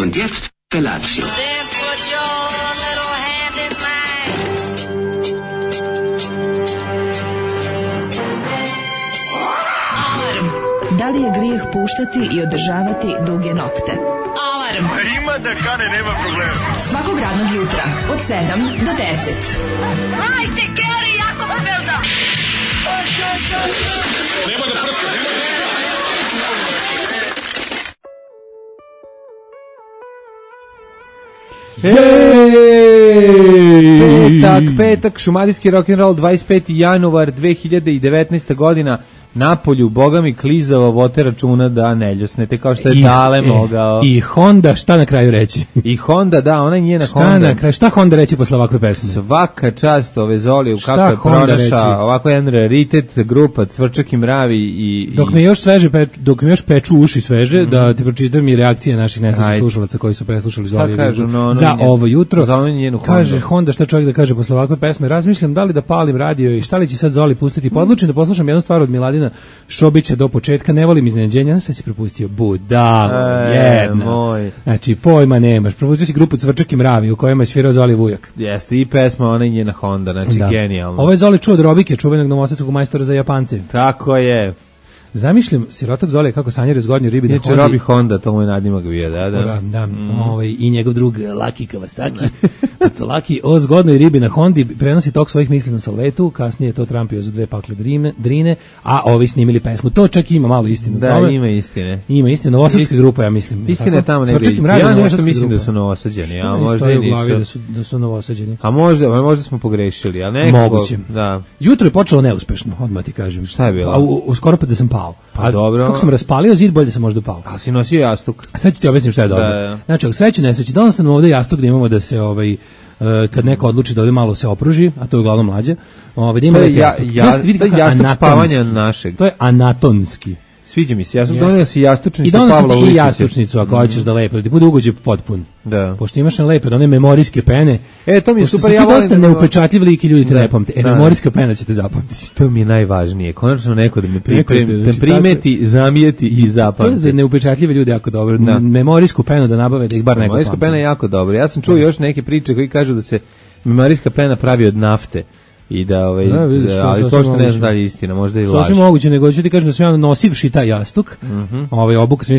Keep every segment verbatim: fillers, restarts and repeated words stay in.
Und jetzt Felatio. Then put your little hand in mine. Alarm. Da li je grijeh puštati i održavati duge nokte? Alarm. Ima da kane, nema problema. Svakog radnog jutra od sedam do deset. Hajde, Geri, jako se velda. Nema da prska, nema da prska. Petak, petak, šumadijski rock'n'roll, dvadeset peti januar dve hiljade devetnaeste godina, Napolju, boga mi klizavo, vote računa da ne ljusnete, kao što je I, Dale mogao. I Honda, šta na kraju reći? I Honda, da, ona je njena šta Honda. Na kraju, šta Honda reći posle ovakve pesme? Svaka čast ove Zoliju, kako je pronašao, ovako jedan raritet, grupa Cvrčak i Mravi. I, dok me još sveže, pe, dok me još peču uši sveže, mm. da ti pročitam i reakcije naših nesrećnih slušalaca koji su preslušali Zoliju kažu, no, no, za njen, ovo jutro. Za njenu Honda. Kaže Honda, šta čovjek da kaže posle ovakve pesme? Razmišljam da li da palim radio i šta li će sad Zoli pustiti. Podlučim da poslušam jednu stvar od Miladina Šobića do početka, ne volim iznenađenja, znaš šta si propustio? Budalo, e, jedna. Moj. Znači, pojma nemaš. Propustio si grupu Cvrčak i Mravi u kojima je svirao Zoli Vujak. Jeste, i pesma, ona je njena Honda, znači da. Genijalno. Ovo je Zoli čuo od Robike, čuvenog novosadskog majstora za Japance. Tako je. Zamišljam sirotak Zoli kako sanjare zgodnju ribi na Hondi. Znači Robi Honda, to mu je nadimak bio, da, da. Da, da mm. ovaj, i njegov drug Laki Kawasaki. Laki o zgodnoj ribi na Hondi prenosi tok svojih misli na salvetu, kasnije je to trampio za dve pakle drine, drine, a ovi snimili pesmu. To čak ima malo istine. Da, tome. Ima istine. Ima istine, novosadska grupa, ja mislim. Istina je tamo negdje. Ja nešto mislim grupa. Da su novosađeni, a možda i nisu. Da su, da su novosađeni. A možda, možda smo pogrešili, a nekako. Moguće. Da. Jutro je počelo neuspešno, odmah ti kažem. Šta je bilo? A u, u skoro pa da sam pao. Pa dobro. Kako sam raspalio zid, bolje sam možda pao. A si nosio jastuk. A sad ću ti objasniti šta je dobro. Da, da. Znači, u sreći nesreći, donos sam ovde jastuk da imamo da se ovaj kad neko odluči da ovdje malo se opruži, a to je uglavnom mlađe, ovaj da ima lepi jastuk. Ja, ja, to je jastuk spavanja našeg. To je anatomski. Sviđa mi se, ja sam donio si jastučnicu i Pavla Uličića. I Uličića. I jastučnicu, ako hoćeš mm. da lepo, da ti bude ugođe potpun. Da. Pošto imaš na lepo, da one memorijske pene. E, to mi je super, ja volim. Pošto su ti dosta neupečatljiv lik i ljudi te ne pamte. E, da, memorijska pena će te zapamtiti. To mi je najvažnije. Konačno neko da me pripremi, da primeti, zamijeti i zapamti. To je za neupečatljive ljude jako dobro. Da. Memorijsku penu da nabave, da ih bar neko pamti. Memorijska pena je jako dobro. Ja sam čuo još neke priče koji kažu da se memorijska pena pravi od nafte. I da ovaj da, vidiš, da, ali to što ne znam da je istina, možda i laž. Sasvim moguće, nego ću ti kažem da sam ja nosivši taj jastuk. Mm -hmm. Ovaj obuk sam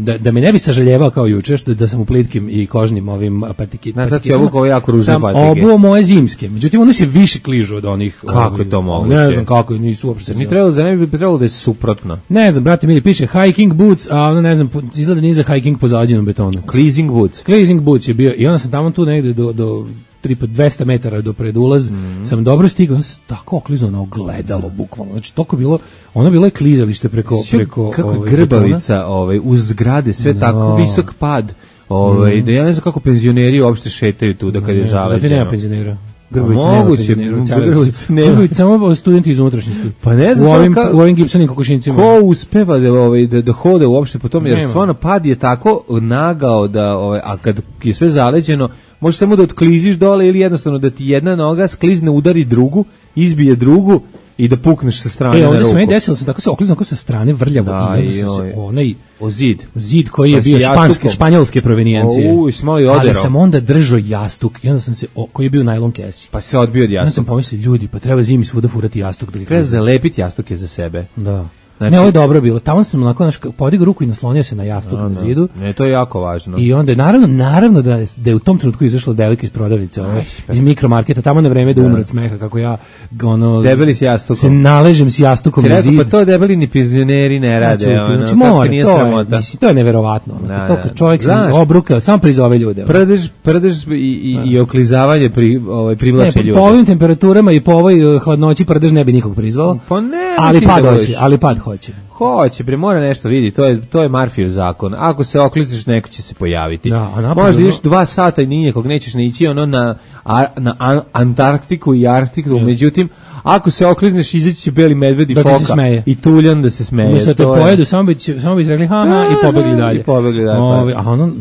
da da me ne bi sažaljevao kao juče što da sam u plitkim i kožnim ovim patikima. Na sad si obuk ovaj jako ružne patike. Sam obuo moje zimske. Međutim oni se više kližu od onih. Kako ovaj, je to moguće? Ne znam kako, nisu uopšte. Mi trebalo za ne bi trebalo da je suprotno. Ne znam, brate, mili piše hiking boots, a ono ne znam, izgleda niza hiking po zalađenom betonu. Cleansing boots. Cleansing boots je bio i onda sam tamo tu negde do do tripa dvesta metara do predulaz, mm. sam dobro stigao, tako oklizao na ogledalo, bukvalno. Znači, toko bilo, ono bilo je klizalište preko... preko kako ovaj, grbavica ovaj, uz zgrade, sve no. tako, visok pad. Ovaj, mm. Da ja ne znam kako penzioneri uopšte šetaju tu da kad je zaleđeno. Zato nema penzionera. Grbavica nema penzionera. Grbavica nema. Grbavica samo studenti iz unutrašnjosti. Pa ne znam u ovim, ka, u ovim gipsanim kokošincima. Ko uspeva da, ovaj, da, da hode uopšte po tom, jer stvarno pad je tako nagao da, ovaj, a kad je sve zaleđeno, možeš samo da otkliziš dole ili jednostavno da ti jedna noga sklizne, udari drugu, izbije drugu i da pukneš sa strane e, na ruku. E, ovdje se meni desilo, sam tako se oklizno sa strane vrljavo da, i onda sam se onaj... O zid. Zid koji je bio španske, španjolske provenijencije. Uj, smali odero. Ali sam onda držao jastuk i onda sam se, o, koji je bio najlon kesi. Pa se odbio od jastuka. Onda sam pomislio, ljudi, pa treba zimi svuda furati jastuk. Da treba zalepiti jastuke za sebe. Da. Znači, ne, ovo je dobro bilo. Tamo sam onako naš podigao ruku i naslonio se na jastuk no, na zidu. Ne, to je jako važno. I onda je naravno, naravno da je, da je u tom trenutku izašla devojka iz prodavnice, ove, iz mikromarketa, tamo na vreme da umre od smeha, kako ja ono, debeli s jastukom. Se naležem s jastukom na zid. Pa to debeli ni penzioneri ne rade. Znači, ono, znači mora, to je, misli, to je neverovatno. Ono, da, to kad čovjek se obruka, samo prizove ljude. Prdež, prdež i, i, i oklizavanje pri, ovaj, privlače ljude. Po ovim temperaturama i po ovoj hladnoći prdež ne bi nikog prizvao. Pa ne, ali pad hoće, ali pad hoće. Hoće, bre, mora nešto vidi, to je to je Murphyjev zakon. Ako se okliziš, neko će se pojaviti. Da, možda ideš dva sata i nikog nećeš ne ići ono na, a, na a, Antarktiku i Arktiku, yes. Međutim, ako se oklizneš, izaći će beli medved i da foka i tuljan da se smeje. Mislim da te pojedu, samo bi, samo bi rekli ha, ha, i pobegli dalje. I pobegli dalje. Ovi, a ono,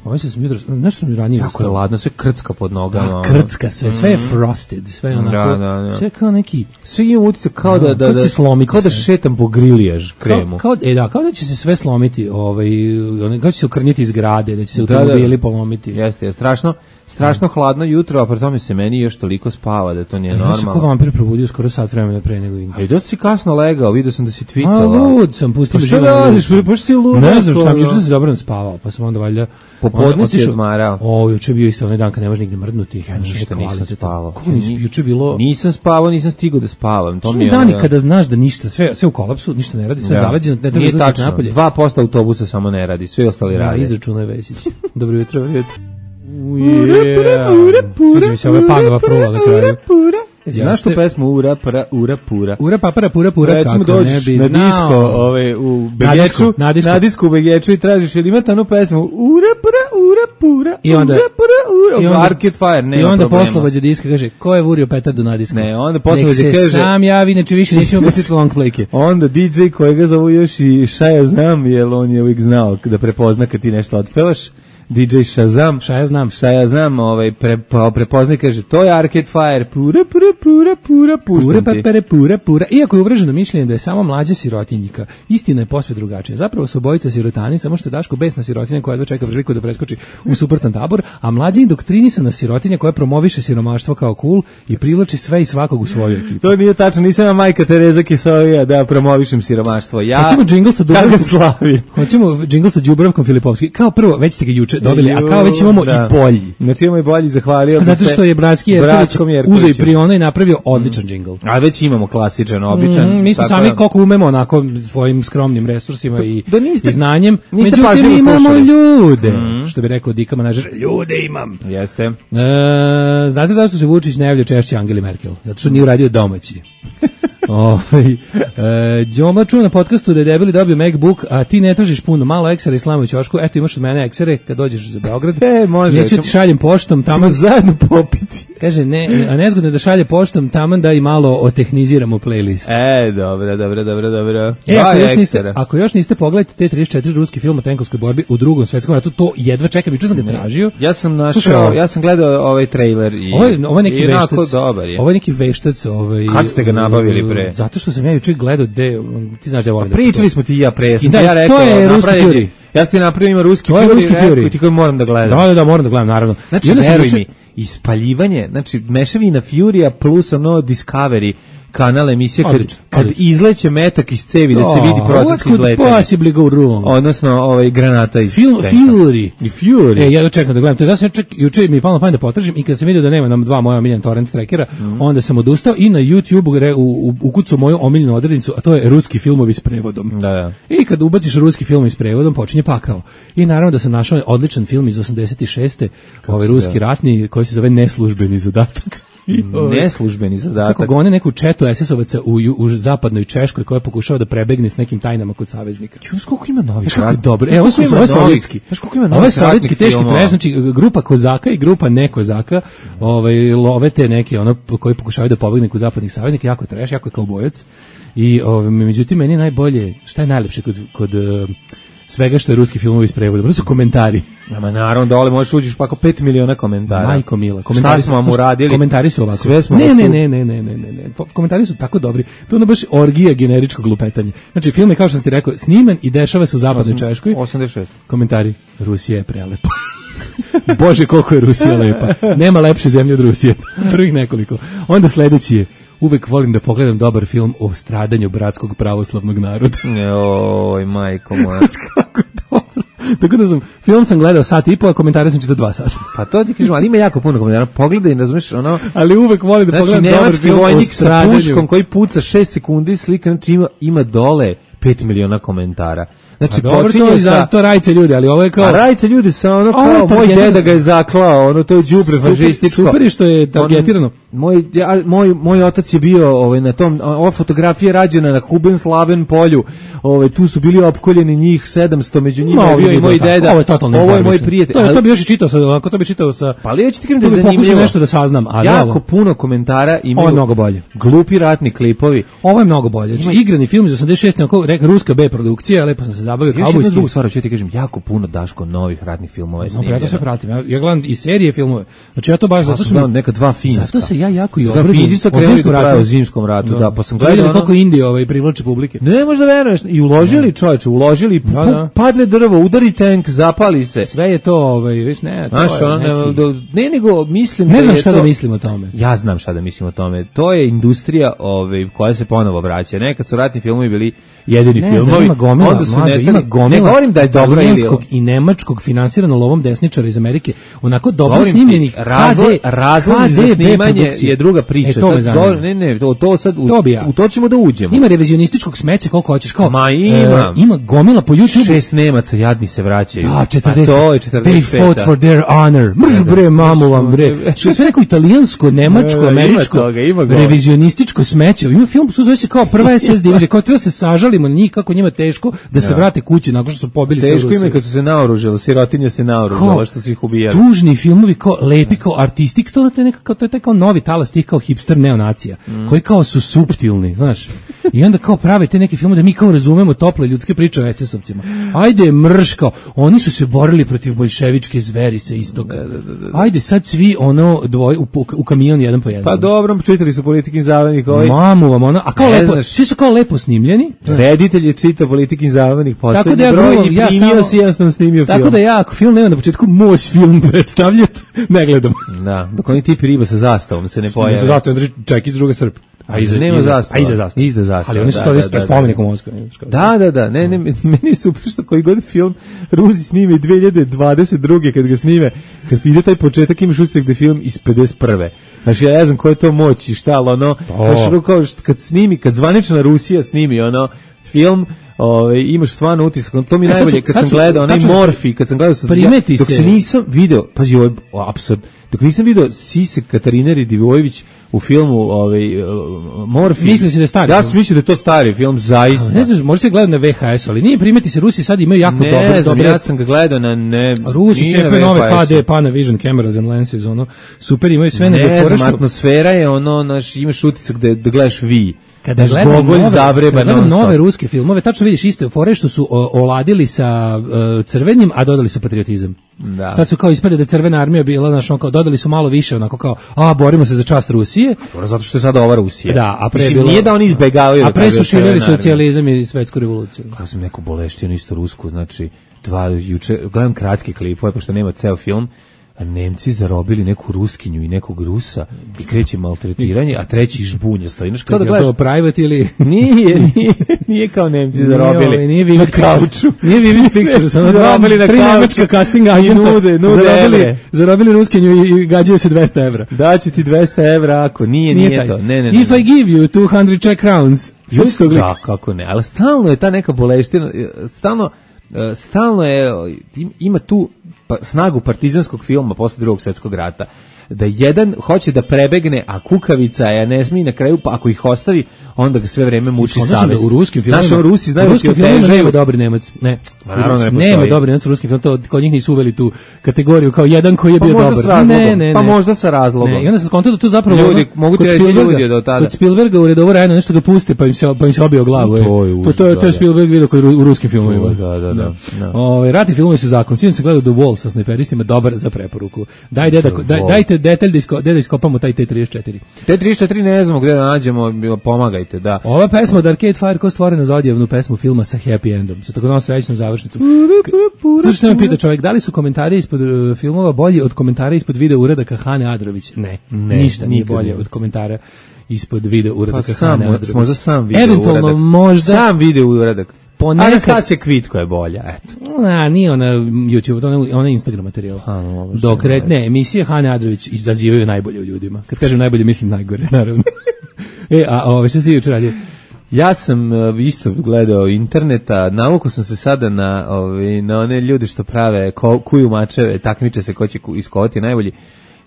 pomislio sam jutro, nešto sam ranije. Kako je ladno, sve krcka pod nogama. A, krcka sve, sve je frosted, sve je onako, da, da, da. sve kao neki... Sve ima utisak kao da, da, da, kao da, kao da šetam po griljaž. kremu. Kao, kao, e, da, kao da će se sve slomiti, ovaj, kao će se ukrnjiti iz grade, da će se automobili polomiti. Jeste, je strašno, strašno hladno jutro, a pri tome se meni još toliko spava da to nije e, normalno. Ja sam kao vampir probudio skoro sat vremena pre nego inče. E, dosta si kasno legao, vidio sam da si tweetala. A, lud sam, pustim pa život. Šta radiš, pa si lud? Ne znam, sam, juče sam se dobro spavao, pa sam onda valjda... Popodne si odmarao. O, juče bio isto onaj dan kad ne može nigde mrdnuti. Ja ništa nisam spavao. Kako nisi, juče bilo... Nisam spavao, nisam stigao da spavam. To Što mi je dani ono... kada znaš da ništa, sve, sve u kolapsu, ništa ne radi, sve da. zaleđeno, ne treba Nije izlaziti tačno, napolje. dva posto autobusa samo ne radi, sve ostali radi. Da, izračunaj Vesić. Dobro jutro, dobro jutro. Sviđa mi se ova Panova frula na kraju. Znaš tu pesmu Ura, pra, ura, pura? Ura, papara, pura, pura, recimo kako ne dođeš bi na znao. disko ove, u Begeču, na disku, na disku u Begeču i tražiš, jel ima tanu pesmu Ura, pura, ura, pura, I onda, ura, pura, ura, i onda, Arcade Fire, nema I onda problema. poslovođa diska kaže, ko je vurio petardu na disku? Ne, onda poslovođa kaže... kaže... Nek se sam javi, inače više nećemo pustiti long playke. Onda D J kojega zovu još i Shazam, jer on je uvijek znao da prepozna kad ti nešto otpevaš. D J Shazam. Šta ja znam? Šta ja znam, ovaj, pre, pa, prepoznaj, kaže, to je Arcade Fire, pura, pura, pura, pura, puštam pura, ti. Pura, pura, pura. Iako je uvreženo mišljenje da je samo mlađa sirotinjika, istina je posve drugačija. Zapravo su obojica sirotani, samo što je Daško besna sirotinja koja jedva čeka priliku da preskoči u suprotan tabor, a mlađa indoktrinisana sirotinja koja promoviše siromaštvo kao cool i privlači sve i svakog u svoju ekipu. To nije tačno, nisam ja majka Tereza Kisovija da promovišem siromaštvo. Ja, hoćemo džingl sa Dubravkom slavi. Hoćemo džingl sa Dubravkom Filipovski. Kao prvo, već ste ga juče dobili, a kao već imamo da. i bolji. Znači imamo i bolji, zahvalio zato što je Bratski Jerković uzeo i Priona i napravio odličan mm. džingl. A već imamo klasičan, običan. Mm, mi smo sami da... koliko umemo onako svojim skromnim resursima i, da niste, i znanjem. Međutim, imamo slušali. ljude. Mm. Što bi rekao Dika Manažer, ljude imam. Jeste. E, znate zašto se Vučić ne javlja češće Angeli Merkel? Zato što nije uradio domaći. Ovaj e, Đoma čuo na podcastu da je debeli dobio MacBook, a ti ne tražiš puno, malo eksera i slamu u ćošku, eto imaš od mene eksere kad dođeš za Beograd. E, može. Neću ti šaljem poštom, tamo zajedno popiti. Kaže, ne, a nezgodno je da šalje poštom, tamo da i malo otehniziramo playlist. E, dobro, dobro, dobro, dobro. E, ako još, niste, ako još niste pogledajte te trideset četiri ruski film o tenkovskoj borbi u Drugom svetskom ratu, to jedva čekam, juče sam ga tražio. Ja sam našao, ja sam gledao ovaj trailer i ovo je, ovo je neki veštac. Dobar je. Ovo je neki veštac, ovaj. Kad ste ga nabavili pre? Zato što sam ja juče gledao de, ti znaš da volim. Pričali smo ti i ja pre, sam da, ja rekao, to je ruski Fury. Ja sam ti napravio ima ruski Fury, ruski Fury. I ti koji moram da gledam. Da, da, da, moram da gledam, naravno. Znači, veruj mi, ispaljivanje, znači mešavina Furija plus ono Discovery kanal emisije kad, odlično, kad odlično. izleće metak iz cevi da se vidi proces izletanja. Possibly go wrong. Odnosno ovaj granata iz Film Fury. I Fury. E, ja čekam da gledam. To je da sam ček, juče mi je palo na pamet da potražim i kad sam vidio da nema nam dva moja omiljena torrent trackera, mm. onda sam odustao i na YouTube u, u, ukucao moju omiljenu odrednicu, a to je ruski filmovi s prevodom. Da, da. I kad ubaciš ruski film s prevodom, počinje pakao. I naravno da sam našao odličan film iz osamdeset šeste, ovaj ruski ratni koji se zove Neslužbeni zadatak. Neslužbeni zadatak. Kako gone neku četu es es ovaca u, u zapadnoj Češkoj koja pokušava da prebegne s nekim tajnama kod saveznika. Znaš koliko ima novih kako dobro. E, ovo su ovo sovjetski. Znaš koliko ima novih. Ovo je sovjetski teški prez, znači grupa kozaka i grupa nekozaka, ovaj love te neke ono koji pokušavaju da pobegnu kod zapadnih saveznika, jako je treš, jako je kaubojac. I ovaj međutim meni najbolje, šta je najlepše kod kod svega što je ruski filmovi iz prevoda, to su komentari. Ama naravno dole možeš uđeš pa ako pet miliona komentara. Majko mila, komentari smo vam uradili. Komentari su ovako. Sve smo ne, ne, ne, ne, ne, ne, ne, ne. Komentari su tako dobri. To je baš orgija generičkog lupetanja. Znači film je kao što sam ti rekao, sniman i dešava se u zapadnoj Češkoj. osamdeset šest Komentari: Rusija je prelepa. Bože, koliko je Rusija lepa. Nema lepše zemlje od Rusije. Prvih nekoliko. Onda sledeći je: uvek volim da pogledam dobar film o stradanju bratskog pravoslavnog naroda. Oj, majko moja. Kako je dobro. Tako da sam, film sam gledao sat i po, a komentare sam čitao dva sata. Pa to ti kažem, ali ima jako puno komentara. Pogledaj, razumiješ, ono... Ali uvek volim da znači, pogledam dobar film o stradanju. Sa puškom koji puca šest sekundi slika, znači ima, ima dole pet miliona komentara. Znači, dobro, to, sa... to rajce ljudi, ali ovo je kao... A rajce ljudi sa ono kao, moj deda ga je zaklao, ono, to je đubre fašističko. Super je što je targetirano. On, moj, ja, moj, moj otac je bio ovaj, na tom, ova fotografija rađena na Hubenslaven polju, ovaj, tu su bili opkoljeni njih sedamsto, među njima no, je bio i moj deda. Ovo je totalno ovo je moj prijatelj. To, ali, to bi još i čitao sa, ako to bi čitao sa... Pa ali ja ću ti kažem da je zanimljivo. nešto da saznam, ali jako ovo. puno komentara imaju. Ovo je mnogo bolje. Glupi ratni klipovi. Ovo je mnogo bolje. Znači, igrani film iz osamdeset šeste, onako, reka, ruska B produkcija, lepo sam se zabavio Još kaubojski. jednu drugu stvar, ću ti kažem, jako puno Daško novih ratnih filmova je No, ja to sve snimljeno. pratim. Ja, ja gledam i serije filmove. Znači ja to baš Ja zato sam što gledao neka dva finska. Zato se ja jako i Dva obradujem. Finci su o krenuli zimskom da prave ratu. o zimskom ratu, da, pa sam gledao Gledali ono- koliko Indija ovaj privlači publike. Ne možda veruješ, i uložili čoveče, uložili, Da, pu- da. padne drvo, udari tank, zapali se. Sve je to, ovaj, viš, ne, to Znaš, je ono, neki... ne, ne, nego mislim Ne da znam je šta to- da mislim o tome. Ja znam šta da mislim o tome. To je industrija ovaj, koja se ponovo vraća. Nekad su ratni filmovi bili jedini Ne znam, filmovi. ima gomila, onda su mlađe, nestali. ima gomila Ne govorim da je dobro ili... italijanskog i nemačkog finansirano lovom desničara iz Amerike, onako dobro Govorim ti, snimljenih razlog, H D, razlozi za H D snimanje produkcije. je druga priča. E, to me Sad zanima. govorim- ne, ne, to, to sad, u, To bi ja. u to ćemo da uđemo. Ima revizionističkog smeća koliko hoćeš, kao Ma, ima. e, ima gomila po YouTubeu. Šest Nemaca jadni se vraćaju. Da, četrdeset. A to je They četrdeset peta. fought for their honor. Mrž bre, mamu vam bre. Što je sve neko italijansko, nemačko, Da, da, ima američko, toga, ima govora. revizionističko smeće. Ima film, to zove se kao prva es es divizija, kao treba se sažalimo na njih, kako njima teško da se vrate kući nakon što su pobili sve Teško im Rusiju. je kad su se naoružali, sirotinja se naoružala, što su ih ubijali. Tužni filmovi kao lepi kao artistik, to to je neka kao to je taj kao novi talas tih kao hipster neonacija, Mm. koji kao su suptilni, znaš. I onda kao prave te neke filmove da mi kao razumemo tople ljudske priče o es es ovcima. Ajde mrš kao, oni su se borili protiv boljševičke zveri sa istoka. Ajde sad svi ono dvoj u, u kamion jedan po jedan. Pa dobro, čitali su Politikin zavodnik ovaj. Mamu vam ono, a kao Ne lepo, znaš. svi su kao lepo snimljeni. Reditelj je čitao Politikin zavodnik, Tako da poslednji ja broj grumam, i ja primio samo- si jednostavno snimio film. Tako da ja, ako film nema na početku moj film predstavljati, ne gledam. Da, dok oni tipi riba sa zastavom se ne Ne pojave. sa zastavom, drži ček iz druge srp. A iza Nema iza- zastava. A iza zastava. Iza zastava, Ali oni su da, to da, isto da, da. spomenik u Moskvi. Da, da, da, ne, ne, meni je super što koji god film Rusi snime dve hiljade dvadeset druge kad ga snime, kad ide taj početak imaš utisak da je film iz pedeset prve. Znači ja ne znam koja je to moć i šta, ali ono, znaš, ono kao što kad snimi, kad zvanična Rusija snimi ono film, Ove, imaš stvarno utisak, to mi E, sad najbolje su- kad sad sam su- gledao onaj tačno- Morfi, kad sam gledao sam Primeti dok se- se nisam video, pazi ovo je apsurd, dok nisam video Sise Katarine Radivojević u filmu ovaj uh, Morfi. Mislio si da je stari Ja film? sam mislio da je to stari film, zaista. Ne znaš, može se gledati na ve ha es, ali nije primeti se, Rusi sad imaju jako Ne dobre, znam, dobre ja sam ga gledao na ne... Rusi nije na cepaju nove V H S-u. ha de Panavision cameras and lenses, ono, super imaju sve nego Ne fora znam, što... atmosfera je ono, naš, imaš utisak da, da gledaš vi. Kada Znaš, gledam Gogolj nove, zavreba kada gledam non-stop. nove ruske filmove, tačno vidiš isto fore što su o, oladili sa uh, crvenim, a dodali su patriotizam. Da. Sad su kao ispade da je crvena armija bila, znaš, ono kao dodali su malo više, onako kao, a borimo se za čast Rusije. Dobro, zato što je sada ova Rusija. Da, a pre je Mislim, bilo- nije da oni izbegavaju. A da pre kažu su širili crvena armija. socijalizam i svetsku revoluciju. Ja sam neku boleštinu isto rusku, znači dva juče gledam kratke klipove pošto nema ceo film. A Nemci zarobili neku Ruskinju i nekog Rusa i kreće maltretiranje, a treći žbunja stoji. Znaš, kao da Je gledaš, to private ili... nije, nije, nije kao Nemci zarobili. Nije, ovaj, nije Vivid na Pictures. kauču. Nije Vivid Pictures, ono dva, Zarobili na tri kauču. nemačka casting I agenta. nude, nude zarobili, evre. zarobili Ruskinju i, i gađaju se dvesta evra. Daću ti dvesta evra ako nije, nije, taj. to. Ne, ne, ne. If I give you two hundred Czech crowns. Sjeti se tog lika? Da, kako ne, ali stalno je ta neka boleština, stalno, e, stalno je, im- ima tu pa, snagu partizanskog filma posle drugog svjetskog rata, da jedan hoće da prebegne, a kukavica je ne smije na kraju, pa ako ih ostavi, onda ga sve vreme muči Onda sam savest. da u ruskim filmovima, Naši Rusi znaju u da ti ruskim filmovima otežaju. nema dobri Nemac. Ne. Ma, U naravno ruskim- ne postoji. nema dobri Nemac u ruskim filmovima, to kod njih nisu uveli tu kategoriju kao jedan koji je Pa bio možda dobar. s razlogom, Ne, ne, pa ne. možda sa razlogom. Ne, i onda sam skontao da tu zapravo Ljudi, ono, mogu ti kod reći Spielberga- ljudi od tada. Kod Spielberga u redovu rajno nešto ga puste pa im se pa im se obio glavu. To je e. užas, to, to, to da, je da. Spielberg video kod ru- u ruskim filmovima. Da, da, da, da. Ovaj ratni filmovi su zakon. Sinoć sam gledao The Wall sa snajperistima, dobar za preporuku. Daj deda, The daj, Wall. dajte detalj da, isko, da iskopamo taj T trideset četiri. Te trideset četiri ne znamo gde da nađemo, pomagajte, da. Ova pesma od Arcade Fire ko stvorena za odjevnu pesmu filma sa happy endom, sa takozvanom srećnom završnicom. Slušaj, što me pita čovjek, da li su komentari ispod uh, filmova bolji od komentara ispod video uradaka Hane Adrović? Ne, Ne, ništa nije nikad bolje nije. od komentara ispod video Pa uradaka sam, Hane Adrović. možda sam video Eventualno uradak. možda... Sam video uradak. Ponekad- Anastasija Kvitko je bolja, eto. A, nije ona YouTube, ona, ona je Instagram materijal. A, no, ovo što Dok je red, ne, emisije Hane Adrović izazivaju najbolje u ljudima. Kad kažem najbolje, mislim najgore, naravno. e, a ove, što ste juče radio? Ja sam uh, isto gledao interneta, navukao sam se sada na, ove, na one ljude što prave ko, kuju mačeve, takmiče se ko će ku- iskovati najbolji.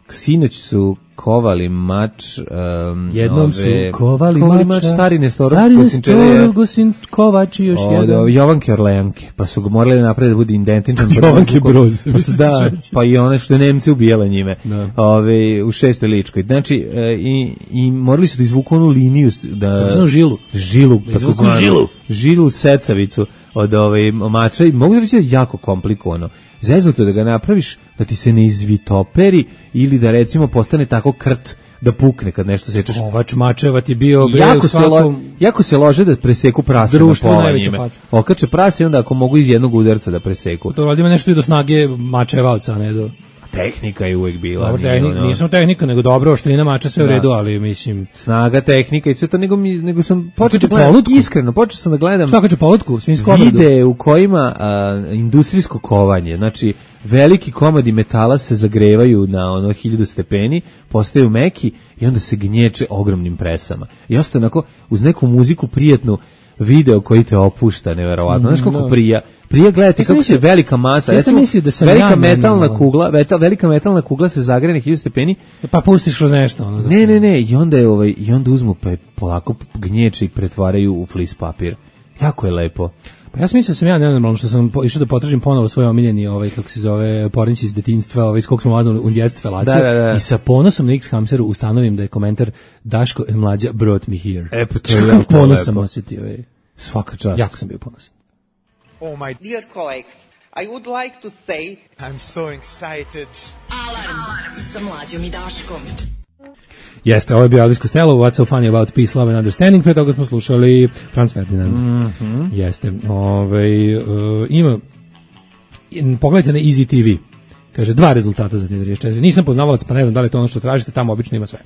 Sinoć su kovali mač. Um, Jednom ove, su kovali, kovali mača, mač, stari Nestorov, stari Gosinčereje, Nestorov, Gosin Kovač i još od, jedan. od Jovanke Orleanke, pa su ga morali napraviti da bude identičan. Jovanke Broz. Pa, su, da, pa i one što je Nemci ubijale njime. Da. Ove, u šestoj Ličkoj. Znači, e, i, i morali su da izvuku onu liniju. Da, Kako žilu. Žilu, tako zvanu. Žilu. Žilu secavicu od ove mača i mogu da reći da je jako komplikovano. Zeznuto da ga napraviš da ti se ne izvitoperi ili da recimo postane tako krt da pukne kad nešto sečeš. Kovač mačeva ti bio bre jako, u svakom... se lo, jako se lože da preseku prase društvu na pola najveća njime. faca. Okače prase i onda ako mogu iz jednog udarca da preseku. To radi ima nešto i do snage mačevalca, ne do... Tehnika je uvek bila. Dobro, tehnik, ono... Nisam tehnika, nego dobro, oštrina mača sve u redu, ali mislim... Snaga, tehnika i sve to, nego, mi, nego sam počeo da gledam, iskreno, počeo sam da gledam... Šta kače polutku? Svinjsko vide u kojima a, industrijsko kovanje, znači veliki komadi metala se zagrevaju na ono hiljadu stepeni, postaju meki i onda se gnječe ogromnim presama. I ostaje onako, uz neku muziku prijetnu, video koji te opušta, neverovatno. Znaš kako prija? Prija gledati ja kako mislio, se velika masa, ja recimo, da sam velika ja metalna ne, kugla, metal, velika metalna kugla se zagreje na hiljadu stepeni. Pa pustiš kroz nešto. Ono, ne, ne, ne, i onda, je, ovaj, i onda uzmu pa je polako gnječe i pretvaraju u flis papir. Jako je lepo. Pa ja sam mislio da sam ja nenormalno što sam po, išao da potražim ponovo svoj omiljeni ovaj kako se zove pornić iz detinjstva, ovaj skog smo mazali u djetstvu da, da, da. I sa ponosom na X-Hamsteru ustanovim da je komentar Daško and Mlađa brought me here. E, pa to je jako ponos sam osjetio. Ovaj. Svaka čast. Jako sam bio ponosan. Oh my dear colleagues, I would like to say I'm so excited. Alarm, Alarm. Sa Mlađom i Daškom. Jeste, ovo je bio Elvis Costello, What's so funny about peace, love and understanding, pre toga smo slušali Franz Ferdinand. Mm-hmm. Jeste, ovaj, uh, ima, pogledajte na Easy T V, kaže, dva rezultata za te četiri. Nisam poznavalac, pa ne znam da li je to ono što tražite, tamo obično ima sve.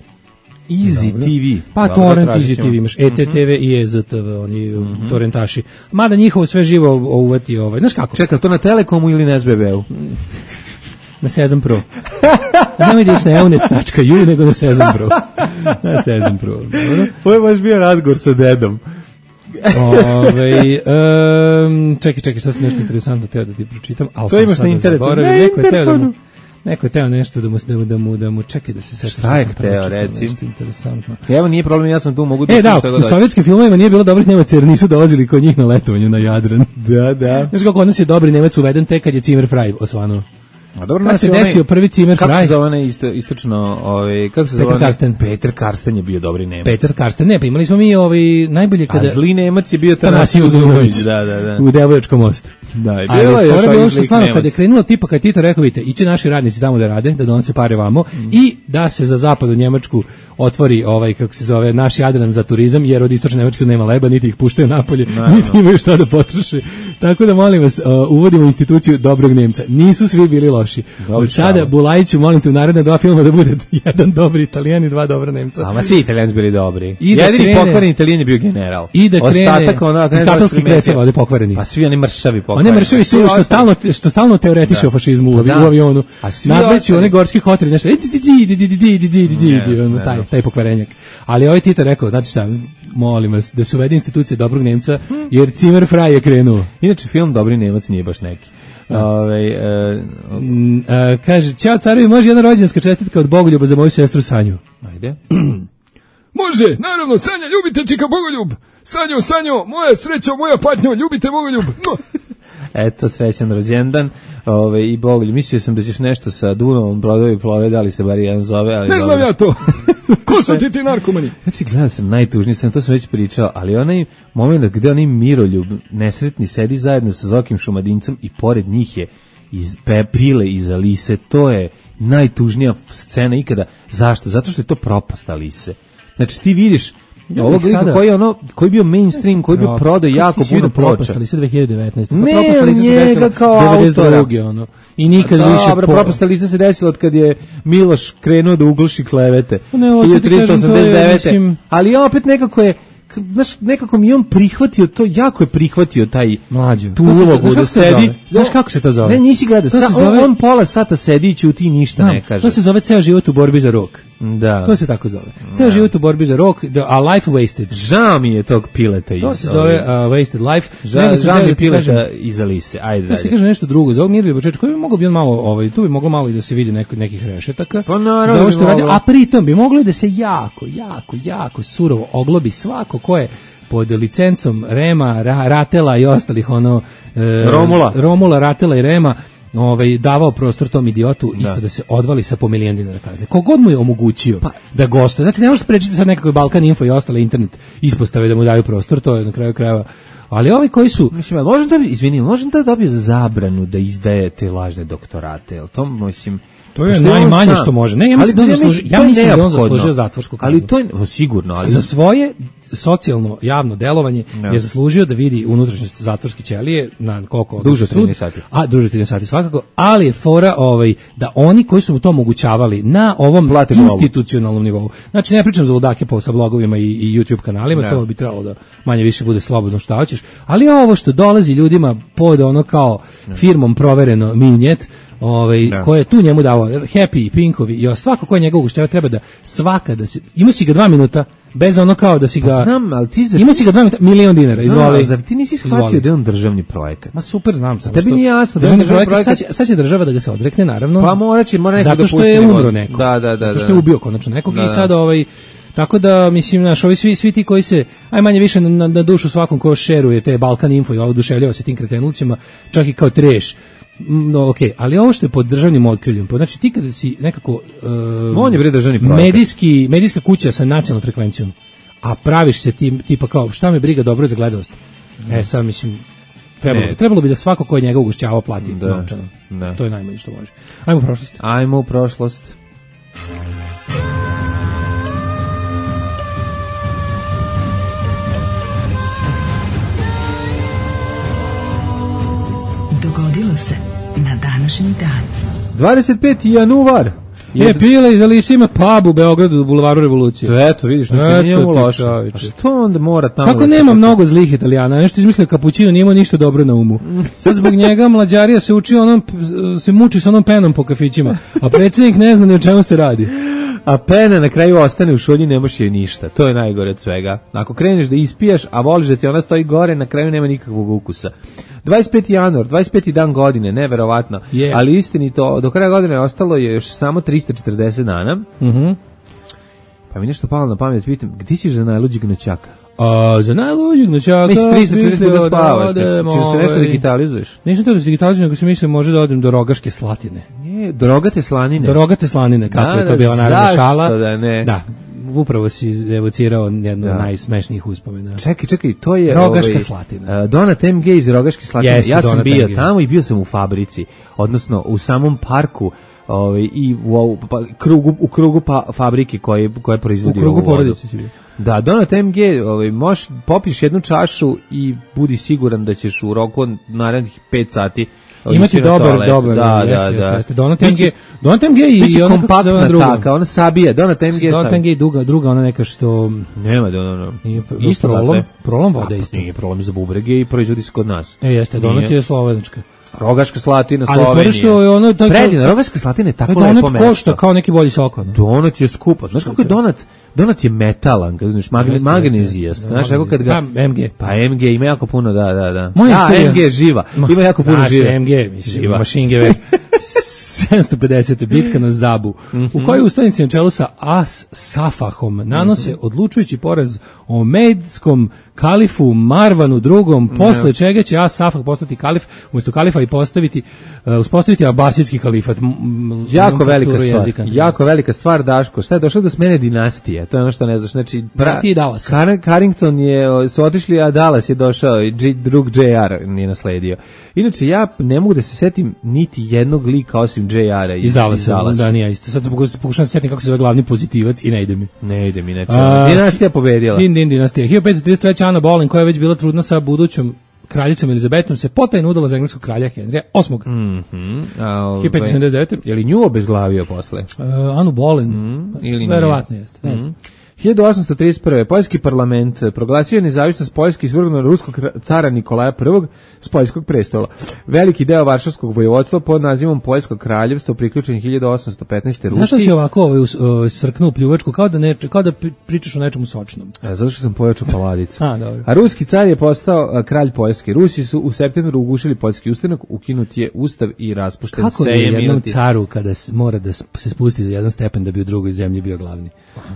Easy Dobro. T V. Pa Dobro, torrent Easy T V, imaš E T T V i E Z T V, oni mm-hmm. torrentaši. Mada njihovo sve živo uvati ovaj, znaš kako? Čekaj, to na Telekomu ili na S B B-u? Na Sezam Pro. Ne vidiš na eunet tačka ju, nego na Sezam Pro. Na Sezam Pro. Dobro. Ovo je baš bio razgovor sa dedom. Ove, um, čekaj, čekaj, sad sam nešto interesantno teo da ti pročitam. Ali to imaš na internetu. Na neko je teo da mu, neko je teo nešto da mu, da mu, da mu, da mu čekaj da se sve... Šta je teo, reci? Nešto interesantno. Evo, nije problem, ja sam tu, mogu da... E, da, u sovjetskim filmovima nije bilo dobrih Nemaca jer nisu dolazili kod njih na letovanje na Jadran. Da, da. Znaš kako odnos je dobri Nemac uveden tek kad je Zimmer Frey osvanuo. A dobro, kad se desio onaj, prvi Zimmer Frey. Kako se zove onaj isto, istočno, ovaj, kako se Peter zove? Karsten. Peter Karsten je bio dobri Nemac. Peter Karsten, ne, pa imali smo mi ovaj, najbolje kada... A zli Nemac je bio Tanasiju Zunović. Da, da, da. U Devojačkom mostu. Da, je bilo je još ovaj što stvarno, kada je krenulo tipa, kad Tito rekao, vidite, iće naši radnici tamo da rade, da donose pare vamo, mm. i da se za zapadnu Njemačku otvori ovaj, kako se zove, naš Jadran za turizam, jer od istočne Njemačke nema leba, niti ih puštaju napolje, no, niti imaju šta da potroše. Tako da, molim vas, uh, uvodimo instituciju dobrog Nemca. Nisu svi bili loši. Dobre, od sada, Bulajiću, molim te u naredne dva filma da bude jedan dobri Italijan i dva dobra Nemca. Ama svi Italijani bili dobri. I da jedini krene, pokvareni Italijan je bio general. I da krene, ostatak ono, iz katalskih kreseva ovde pokvareni. A svi oni mršavi pokvareni. Oni mršavi su što stalno, što stalno teoretiše o fašizmu u avionu. Nadleću one gorski hoteli, nešto, taj, taj pokvarenjak. Ali ovaj Tito rekao, znači šta, molim vas, da se uvede institucije dobrog Nemca, jer Zimmer Frey je krenuo. Inače, film Dobri Nemac nije baš neki. Ove, e, uh, kaže, ćao carevi, može jedna rođendanska čestitka od Bogoljuba za moju sestru Sanju. Ajde. Može, naravno, Sanja, ljubite čika Bogoljub. Sanjo, Sanjo, moja srećo, moja patnjo, ljubite Bogoljub. Eto, srećan rođendan. Ove, i Bogoljub, mislio sam da ćeš nešto sa Dunavom, brodovi plove, da li se bar jedan zove. Ali ne znam ja to. Ko su ti ti narkomani? Znači, gledao sam najtužniji, sam to sam već pričao, ali onaj moment gde onaj Miroljub nesretni sedi zajedno sa Zokim Šumadincem i pored njih je iz Prile iz Alise, to je najtužnija scena ikada. Zašto? Zato što je to propast Alise. Znači, ti vidiš ovo sada, koji je ono, koji je bio mainstream, koji je bio prodao jako puno ploča. Ali sve dve hiljade devetnaeste. Ne, njega kao autora. Ono. I nikad da, više... Dobro, propasta lista se desila od kad je Miloš krenuo da ugluši klevete. Ne, hiljadu tristo osamdeset devete. Ali opet nekako je, znaš, nekako mi on prihvatio to, jako je prihvatio taj Mlađo, tu ulogu da sedi. Znaš kako se to zove? Ne, nisi gledao. Sa, zove... on, on pola sata sedi i ćuti i ništa no, ne kaže. To se zove ceo život u borbi za rok. Da. To se tako zove. Ceo život u borbi za rok, a life wasted. Žao mi je tog pileta iz. To se zove uh, wasted life. Žao, žao mi je pileta iz Alise. Ajde dalje. Ja ti kažem nešto drugo. Za ovog Mirlija Bočečka, koji bi mogao bi on malo, ovaj, tu bi moglo malo i da se vidi neko, nekih rešetaka. Pa naravno. Za ovo što radi, a pritom bi moglo da se jako, jako, jako surovo oglobi svako ko je pod licencom Rema, Ra, Ratela i ostalih ono e, Romula. Romula, Ratela i Rema, ovaj davao prostor tom idiotu isto da, da se odvali sa po milion dinara kazne. Kogod mu je omogućio pa, da gostuje. Znači ne možeš sprečiti sad nekakve Balkan Info i ostale internet ispostave da mu daju prostor, to je na kraju krajeva. Ali ovi koji su, mislim, možeš da izvini, možeš da dobije zabranu da izdaje te lažne doktorate, jel to mislim. To je najmanje što može. Ne, ja mislim da on zaslužio, ja mislim da on zaslužio zatvorsku kaznu. Ali to je sigurno, ali za svoje socijalno javno delovanje no. je zaslužio da vidi unutrašnjost zatvorske ćelije na koliko duže trinaest sati. A duže trinaest sati svakako, ali je fora ovaj da oni koji su mu to omogućavali na ovom Plati institucionalnom nivou. Znači ne pričam za ludake po sa blogovima i, i YouTube kanalima, no. to bi trebalo da manje više bude slobodno šta hoćeš, ali ovo što dolazi ljudima pod ono kao no. firmom provereno minjet, ovaj da. Ko je tu njemu dao Happy, Pinkovi i svako ko je njegov ugošćava treba da svaka da se ima si ga dva minuta bez ono kao da si ga pa znam, ali ti zar... ima si ga dva minuta milion dinara izvoli. No, zar ti nisi shvatio da je on državni projekat? Ma super znam sam. Tebi nije jasno da je državni projekat. projekat. Sad, će, sad će država da ga se odrekne naravno. Pa mora će mora neko zato što je umro neko. Da, da, da. Zato što je ubio konačno nekog da, i sad ovaj tako da mislim naš ovi svi svi ti koji se aj manje više na, na dušu svakom ko šeruje te Balkan Info i oduševljava se tim kretenucima, čak i kao treš. No, okej, okay. ali ovo što je pod državnim otkriljem, znači ti kada si nekako uh, on je bre državni projekat. Medijski, medijska kuća sa nacionalnom frekvencijom, a praviš se tim, tipa kao šta me briga, dobro je za gledanost. Mm. E sad mislim trebalo, trebalo bi da svako ko je njega ugošćavao plati da, novčano. Da. To je najmanje što može. Ajmo u prošlost. Ajmo u prošlost. Dogodilo se na današnji dan. dvadeset peti januar. Je pila iz Alise ima pub u Beogradu do Bulevaru Revolucije. Eto, vidiš, ne se nije mu loše. A što onda mora tamo? Kako nema kako... mnogo zlih Italijana, nešto izmislio kapućino, nije imao ništa dobro na umu. Sad zbog njega mlađarija se uči onom, se muči s onom penom po kafićima, a predsjednik ne zna ni o čemu se radi. A pena na kraju ostane u šolji, ne možeš je ništa. To je najgore od svega. Ako kreneš da ispijaš, a voliš da ti ona stoji gore, na kraju nema nikakvog ukusa. dvadeset peti januar, dvadeset peti dan godine, neverovatno. Yeah. Ali istinito, do kraja godine ostalo je još samo tristo četrdeset dana. Mhm. Pa mi nešto palo na pamet, pitam, gdje ćeš za najluđeg noćaka? A za najluđeg noćaka... Mislim, tristo četrdeset da spavaš, ćeš se nešto digitalizuješ? Nisam to da se digitalizujem, nego se mislim može da odem do Rogaške Slatine. Je, do Rogate Slanine? Do Rogate Slanine, kako da, je to bila naravno šala. Zašto da ne? Da, upravo si evocirao jednu od najsmešnijih uspomena. Čekaj, čekaj, to je... Rogaška ovaj, Slatina. Donat M G iz Rogaške Slatine. Jeste, ja sam Donat bio M G. tamo i bio sam u fabrici, odnosno u samom parku, ovaj, i u, u, pa, krugu, u krugu pa, fabrike koje, koje proizvodi u krugu porodice si bio. Da, Donat M G, ovaj, možeš popiš jednu čašu i budi siguran da ćeš u roku narednih pet sati imati dobar, dobar, da, jeste, da, jeste, da. jeste. Donat M G, Donat M G i ona kompaktna taka, ona sabija, Donat M G. Donat M G i druga, druga ona neka što nema da ono. Isto prolom, prolom vode isto. Nije prolom za bubrege i proizvodi se kod nas. E, jeste, Donat je slovenačka. Rogaška Slatina, Slovenija. Ali što je ono tako predivno, Rogaška Slatina je tako lepo mesto. Donat košta kao neki bolji sok. Donat je skupo. Znaš kako je Donat? Donat je metalan, kad znaš, magnezijast. Znaš, kako kad ga... Pa, M G. Pa, M G ima jako puno, da, da, da. Moja da, istorija. M G živa. Ima jako puno živa. Znaš, M G, mislim, mašingeve. sedamsto pedeset bitka na Zabu, mm-hmm. u kojoj ustanici na čelu sa As Safahom nanose mm-hmm. odlučujući poraz omedskom kalifu Marvanu drugom, posle mm-hmm. čega će As Safah postati kalif, umjesto kalifa i postaviti, uh, uspostaviti abasijski kalifat. M- m- jako velika stvar, jezika. jako velika stvar, Daško. Šta je došlo do smene dinastije? To je ono što ne znaš. Znači, dinastije Dallas. Car- Carrington je, su otišli, a Dallas je došao i G- drug J R nije nasledio. Inače, ja ne mogu da se setim niti jednog lika osim J R-a iz, iz Dallasa. Da, nije isto. Sad sam pokušam da se setim kako se zove glavni pozitivac i ne ide mi. Ne ide mi, neče. Dinastija pobedila. Din, din, dinastija. hiljadu petsto trideset treće. Ana Boleyn, koja je već bila trudna sa budućom kraljicom Elizabetom, se potajno udala za engleskog kralja Henrija osmog. Mhm. hiljadu petsto sedamdeset devete. Je li nju obezglavio posle? Uh, Anu Boleyn. Mm, ili verovatno jeste. Ne znam. hiljadu osamsto trideset prve. Poljski parlament proglasio nezavisnost Poljske i svrgnuo ruskog cara Nikolaja prvog s poljskog prestola. Veliki deo Varšavskog vojvodstva pod nazivom Poljsko kraljevstvo priključen hiljadu osamsto petnaeste. Rusiji. Zašto si ovako ovaj, uh, srknuo pljuvačku, kao da, ne, kao da pričaš o nečemu sočnom? A, zato što sam pojačao paladicu. A, dobro. A ruski car je postao a, kralj Poljske. Rusi su u septembru ugušili poljski ustanak, ukinut je ustav i raspušten kako sejem. Kako je jednom ti... caru kada mora da se spusti za jedan stepen da bi u drugoj zemlji bio glavni?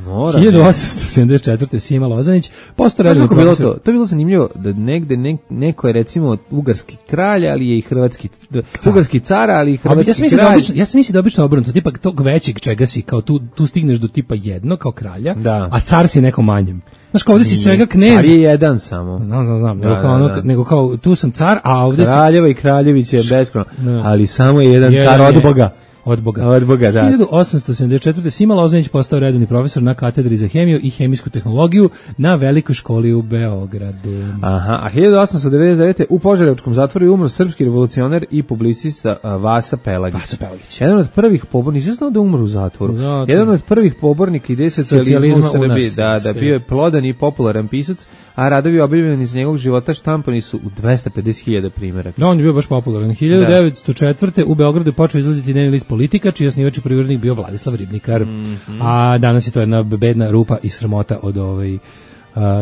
Mora. hiljadu osamsto sedamdeset četvrte. Sima Lozanić postao redovni profesor. Bilo to? To je bilo zanimljivo da negde ne, neko je recimo ugarski kralj, ali je i hrvatski car. Ugarski car, ali i hrvatski ja kralj. Da obično, ja sam mislim da obično obrnuto, tipa tog većeg čega si, kao tu, tu stigneš do tipa jedno kao kralja, da. A car si nekom manjem. Znaš, kao ovdje si svega knez. Car je jedan samo. Znam, znam, znam. Da, nego, kao ono, da, da. nego kao tu sam car, a ovdje si... Kraljeva i kraljević je beskrajno, da. Ali samo je jedan, jedan car od Boga. Od Boga. Od Boga, da. hiljadu osamsto sedamdeset četvrte. Sima Lozanić postao redovni profesor na katedri za hemiju i hemijsku tehnologiju na Velikoj školi u Beogradu. Aha, a hiljadu osamsto devedeset devete. u Požarevačkom zatvoru je umro srpski revolucionar i publicista Vasa Pelagić. Vasa Pelagić. Jedan od prvih pobornika, nisam znao da umro u zatvoru. Zato. Jedan od prvih pobornika ideje socijalizma u Srbiji, da, da bio je plodan i popularan pisac, a radovi objavljeni iz njegovog života štampani su u dvesta pedeset hiljada primjeraka. Da, on je bio baš popularan. hiljadu devetsto četvrte. u Beogradu je počeo izlaziti dnevni list Politika, čiji osnivač i prvi urednik bio Vladislav Ribnikar. Mm-hmm. A danas je to jedna bedna rupa i sramota od ovaj uh,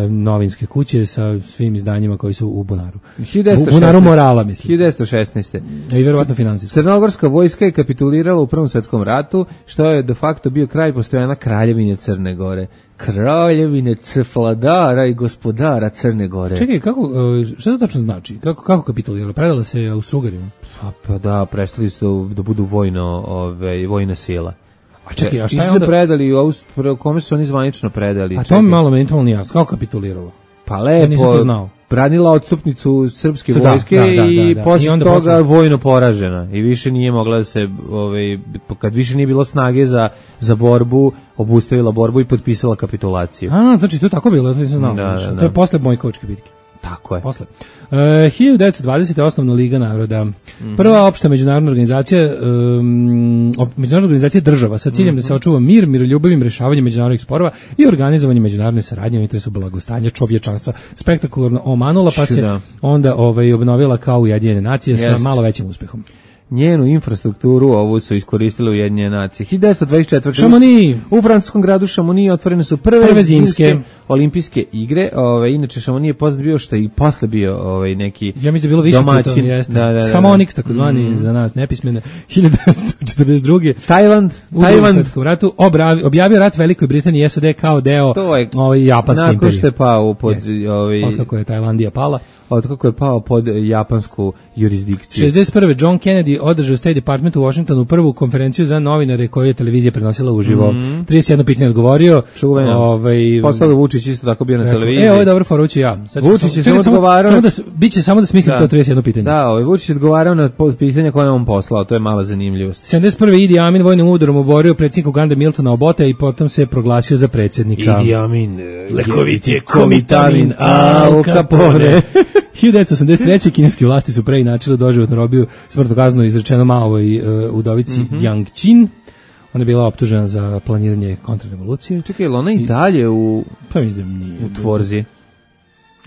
novinske kuće sa svim izdanjima koji su u bunaru. U bunaru morala, mislim. hiljadu devetsto šesnaeste. I verovatno finansijski. Crnogorska vojska je kapitulirala u Prvom svetskom ratu, što je de facto bio kraj postojanja Kraljevine Crne Gore. Kraljevine Cefladara i gospodara Crne Gore. Čekaj, kako, šta to tačno znači? Kako, kako kapitulirala? Predala se Austrougarima? Pa, pa da, prestali su da budu vojno, ove, vojna sila. A čekaj, a šta je onda... onda? se predali, kome su oni zvanično predali? A to mi malo mentalno nije jasno. Kako kapituliralo? Pa lepo, ja nisam to znao. Branila odstupnicu srpske da, vojske da, da, i da, da. posle I toga posle... vojno poražena. I više nije mogla da se, ovaj, kad više nije bilo snage za, za borbu, obustavila borbu i potpisala kapitulaciju. A, znači to je tako bilo, to nisam znao. Da, da, da. To je posle Bojkovačke bitke. Tako je. Posle. Uh, hiljadu devetsto dvadesete. osnovna Liga naroda. Mm-hmm. Prva opšta međunarodna organizacija um, međunarodna organizacija država sa ciljem mm-hmm. da se očuva mir, miroljubivim rešavanjem međunarodnih sporova i organizovanjem međunarodne saradnje u interesu blagostanja čovječanstva. Spektakularno omanula, pa se da. onda ovaj, obnovila kao Ujedinjene nacije sa malo većim uspehom. Njenu infrastrukturu ovu su iskoristile Ujedinjene nacije. hiljadu devetsto dvadeset četvrte. Chamonix. U francuskom gradu Chamonix otvorene su prve, prve zimske olimpijske igre. Ove, inače Chamonix je posle bio što je i posle bio ovaj neki ja mislim da je bilo više domaćin. Jeste. Da, da, da, Chamonix, takozvani mm. za nas nepismene. hiljadu devetsto četrdeset druge. Tajland, u Tajland svetskom ratu obravi, objavio rat Velikoj Britaniji i S A D kao deo ovaj japanske imperije. Nakon što je pao pod ovaj otkako je Tajlandija pala. Otkako je pao pod japansku jurisdikciju. šezdeset prve. John Kennedy održao State Department u Washingtonu prvu konferenciju za novinare koju je televizija prenosila uživo. Mm. trideset jedno pitanje odgovorio. Čuveno. Ovaj, Postao Vučić isto tako bio na rekao, televiziji. E, ovo je dobro foručio ja. Sad Vučić je samo odgovarao. Samo da, biće samo da smislim da. to trideset jedno pitanje. Da, ovaj Vučić je odgovarao na pitanje koje on poslao. To je mala zanimljivost. sedamdeset prve. Idi Amin vojnim udarom oborio predsjednika Ugande Miltona Obota i potom se proglasio za predsjednika. Idi Amin. Lekovit je komitamin Al Capone. hiljadu devetsto osamdeset treće. kineske vlasti su preinačile doživotnu robiju smrtnu kaznu izrečeno Maovoj uh, udovici mm-hmm. Jiang Qin. Ona je bila optužena za planiranje kontrarevolucije. Čekaj, ona i dalje u pa mislim da nije u Tvorzi.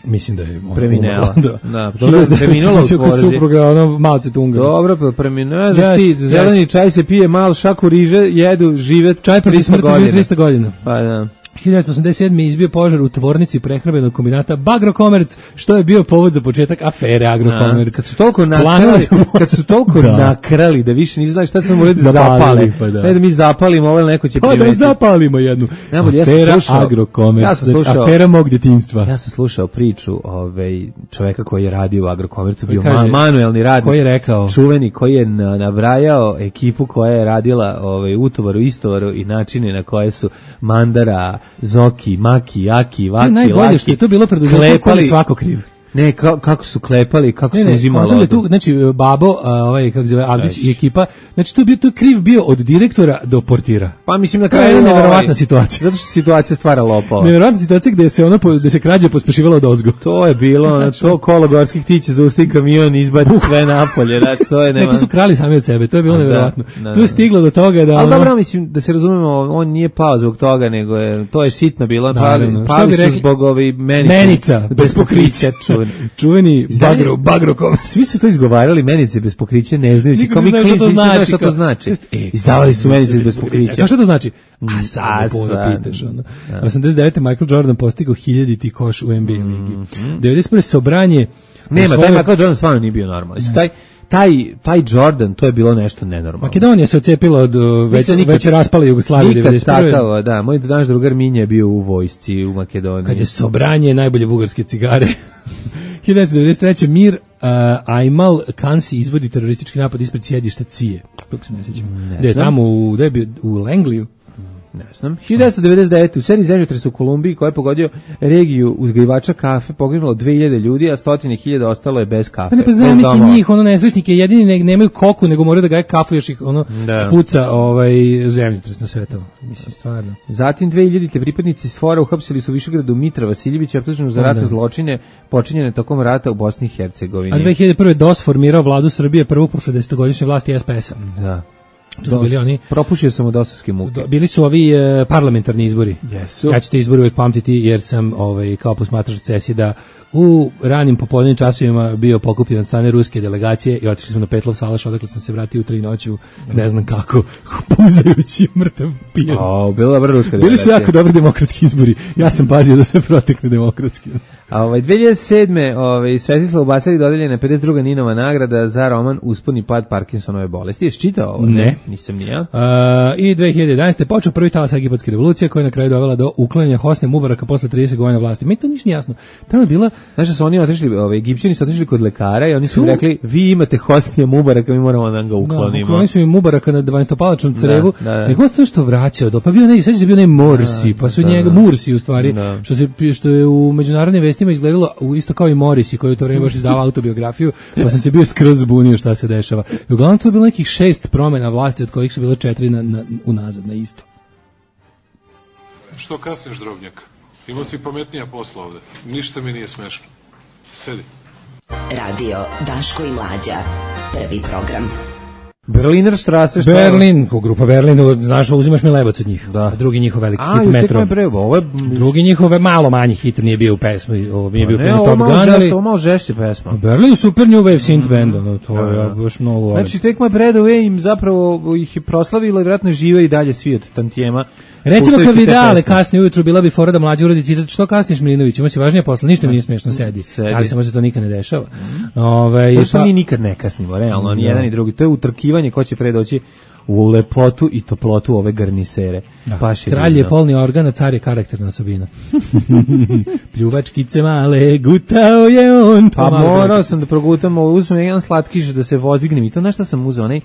Mislim da je preminela. Da, da dobro, preminula u Tvorzi. Supruga, ono Mao Tse-tunga. Dobro, pa preminula. Znaš yes, ti, yes. zeleni čaj se pije, mal šaku riže, jedu, žive čaj protiv smrti žive trista godina. Pa da. hiljadu devetsto osamdeset sedme. izbio požar u tvornici prehrambenog kombinata Bagrokomerc, što je bio povod za početak afere Agrokomerc. Kad su toliko nakrali, kad su toliko da. nakrali da više nisi znali šta se morali da zapale. Pa da. Ne da mi zapalimo, ovo neko će primetiti. Pa da zapalimo jednu. Najbolje, afera ja slušao, Agrokomerc, ja sam slušao, afera mog djetinjstva. Ja sam slušao priču ovaj čoveka koji je radio u Agrokomercu, bio kaže, manuelni radnik. Koji je rekao? Čuveni koji je nabrajao ekipu koja je radila ovaj utovaru, istovaru i načine na koje su Mandara, Zoki, Maki, Jaki, Vaki, Laki. Najbolje što je to bilo preduzeće koji svako kriv. Ne, ka, kako su klepali, kako ne, su ne, uzimali. Tu, znači, Babo, a, ovaj, kako se zove, Avdić i ekipa, znači, tu je bio, tu je kriv bio od direktora do portira. Pa mislim na kraju kraju je neverovatna ovaj, situacija. Zato što situacija stvara lopova. Neverovatna situacija gde se ono, gde se krađa pospešivalo od ozgo. To je bilo, znači, to kolo gorskih tiće zaustavi kamion i izbaci uh. sve napolje, znači, to je nema. Ne, to su krali sami od sebe, to je bilo da, neverovatno. Da, da, tu je stiglo do toga da... Ali ono, dobro, mislim, da se razumemo, on nije pao zbog toga, nego je, to je sitno bilo, Naravno. pali, pali su rekli, zbog ovi menica. Menica, bez pokrića. Čuveni, čuveni bagro, bagro svi su to izgovarali, menice bez pokrića, ne znajući, kao mi klinici, nisi znao šta to znači. E, Izdavali su menice bez pokrića. A šta to znači? A sad me pitaš, ono. osamdeset devete. Michael Jordan postigao hiljaditi koš u N B A ligi. devedeset prve. Sobranje... Nema, taj Michael Jordan stvarno nije bio normalan. Taj, taj, taj Jordan, to je bilo nešto nenormalno. Makedonija se ocepila od već, nikad, već raspala Jugoslavije devedeset prve. Takav, da, moj naš drugar Minja je bio u vojsci u Makedoniji. Kad je Sobranje najbolje bugarske cigare. hiljadu devetsto devedeset treće. Mir uh, Ajmal Kansi izvodi teroristički napad ispred sjedišta C I E. Kako se ne sjećam. Gde je tamo, u, gde je bio, u Langliju? Ne znam. hiljadu devetsto devedeset devete. u seriji zemljotresa u Kolumbiji koja je pogodio regiju uzgajivača kafe poginulo dve hiljade ljudi, a stotine hiljada ostalo je bez kafe. Pa ne, pa znam, njih, ono nesrećnike, jedini ne, nemaju koku, nego moraju da gaje kafu, još ih ono da. spuca ovaj, zemljotres na svetovo. Mislim, stvarno. Zatim dve hiljadite pripadnici SFOR-a uhapsili su u Višegradu Mitra Vasiljevića, optuženu za ratne zločine počinjene tokom rata u Bosni i Hercegovini. A dve hiljade prve. D O S formirao vladu Srbije prvu posle desetogodišnje vlasti S P S-a. Da. To su bili oni. Propušio sam u dosovske muke. Bili su ovi e, parlamentarni izbori. Jesu. Ja ću te izbori uvijek pamtiti jer sam ovaj, kao posmatrač CESID-a u ranim popodnevnim časovima bio pokupljen od strane ruske delegacije i otišli smo na Petlov salaš, odakle sam se vratio u tri noću, ne znam kako, puzajući mrtav pijan. O, bila dobra ruska delegacija. Bili su jako dobri demokratski izbori. Ja sam pazio da sve protekne demokratski. A ovaj dve hiljade sedme. ovaj Svetislavu Basari dodeljena pedeset druga Ninova nagrada za roman Usponi pad Parkinsonove bolesti. Jesi čitao ovo? Ne, nisam ni ja. Uh, I dve hiljade jedanaeste. počeo prvi talas egipatske revolucije koja je na kraju dovela do uklanjanja Hosni Mubaraka posle trideset godina vlasti. Meni to ništa nije jasno. Tamo je bila, znaš da su oni otišli, ovaj Egipćani su otišli kod lekara i oni su rekli vi imate Hosnija Mubaraka, mi moramo da ga uklonimo. Da, uklonili su im Mubaraka na dvanaestopalačnom crevu. Da, da, da. Nego se što vraćao do, pa bio ne, sećaš se bio ne Morsi, pa su da, njega da. Mursi u stvari, da. što se što je u međunarodnim vestima izgledalo isto kao i Morisi koji u to vreme baš izdavao autobiografiju, pa sam se bio skroz zbunio šta se dešava. I uglavnom to je bilo nekih šest promena vlasti od kojih su bilo četiri na, na, unazad na isto. Što kasniš, drobnjak? Imao si pametnija posla ovde. Ništa mi nije smešno. Sedi. Radio Daško i Mlađa. Prvi program. Berliner Strasse, šta Berlin, ko grupa Berlin, znaš, uzimaš mi lebac od njih. Da. Drugi njihov veliki a, hit Metro. Ovo je... Drugi njihov malo manji hit nije bio u pesmi, ovo nije bio ne, film Top Gun, ali... Ovo malo žešće pesma. Berlin super new wave synth band, ono, to je ja, baš mnogo volim. Znači, Take My Breath Away im zapravo ih je proslavilo i vjerojatno žive i dalje svi od tantijema. Recimo kad bi dale kasnije ujutru bila bi fora da mlađi uradi citat što kasniš Milinović, ima si važnije posla, ništa mi nije smiješno, sedi. sedi. Ali se možda to nikad ne dešava. Mm. Ove, to što pa... mi nikad ne kasnimo, realno, ni jedan ni drugi. To je utrkivanje ko će pre doći u lepotu i toplotu ove garnisere. Da. Kralj je polni organ, a car je karakterna osobina. Pljuvačkice male, gutao je on. Pa morao sam da progutam, uzmem jedan slatkiš da se vozdignem i to na šta sam uzeo, onaj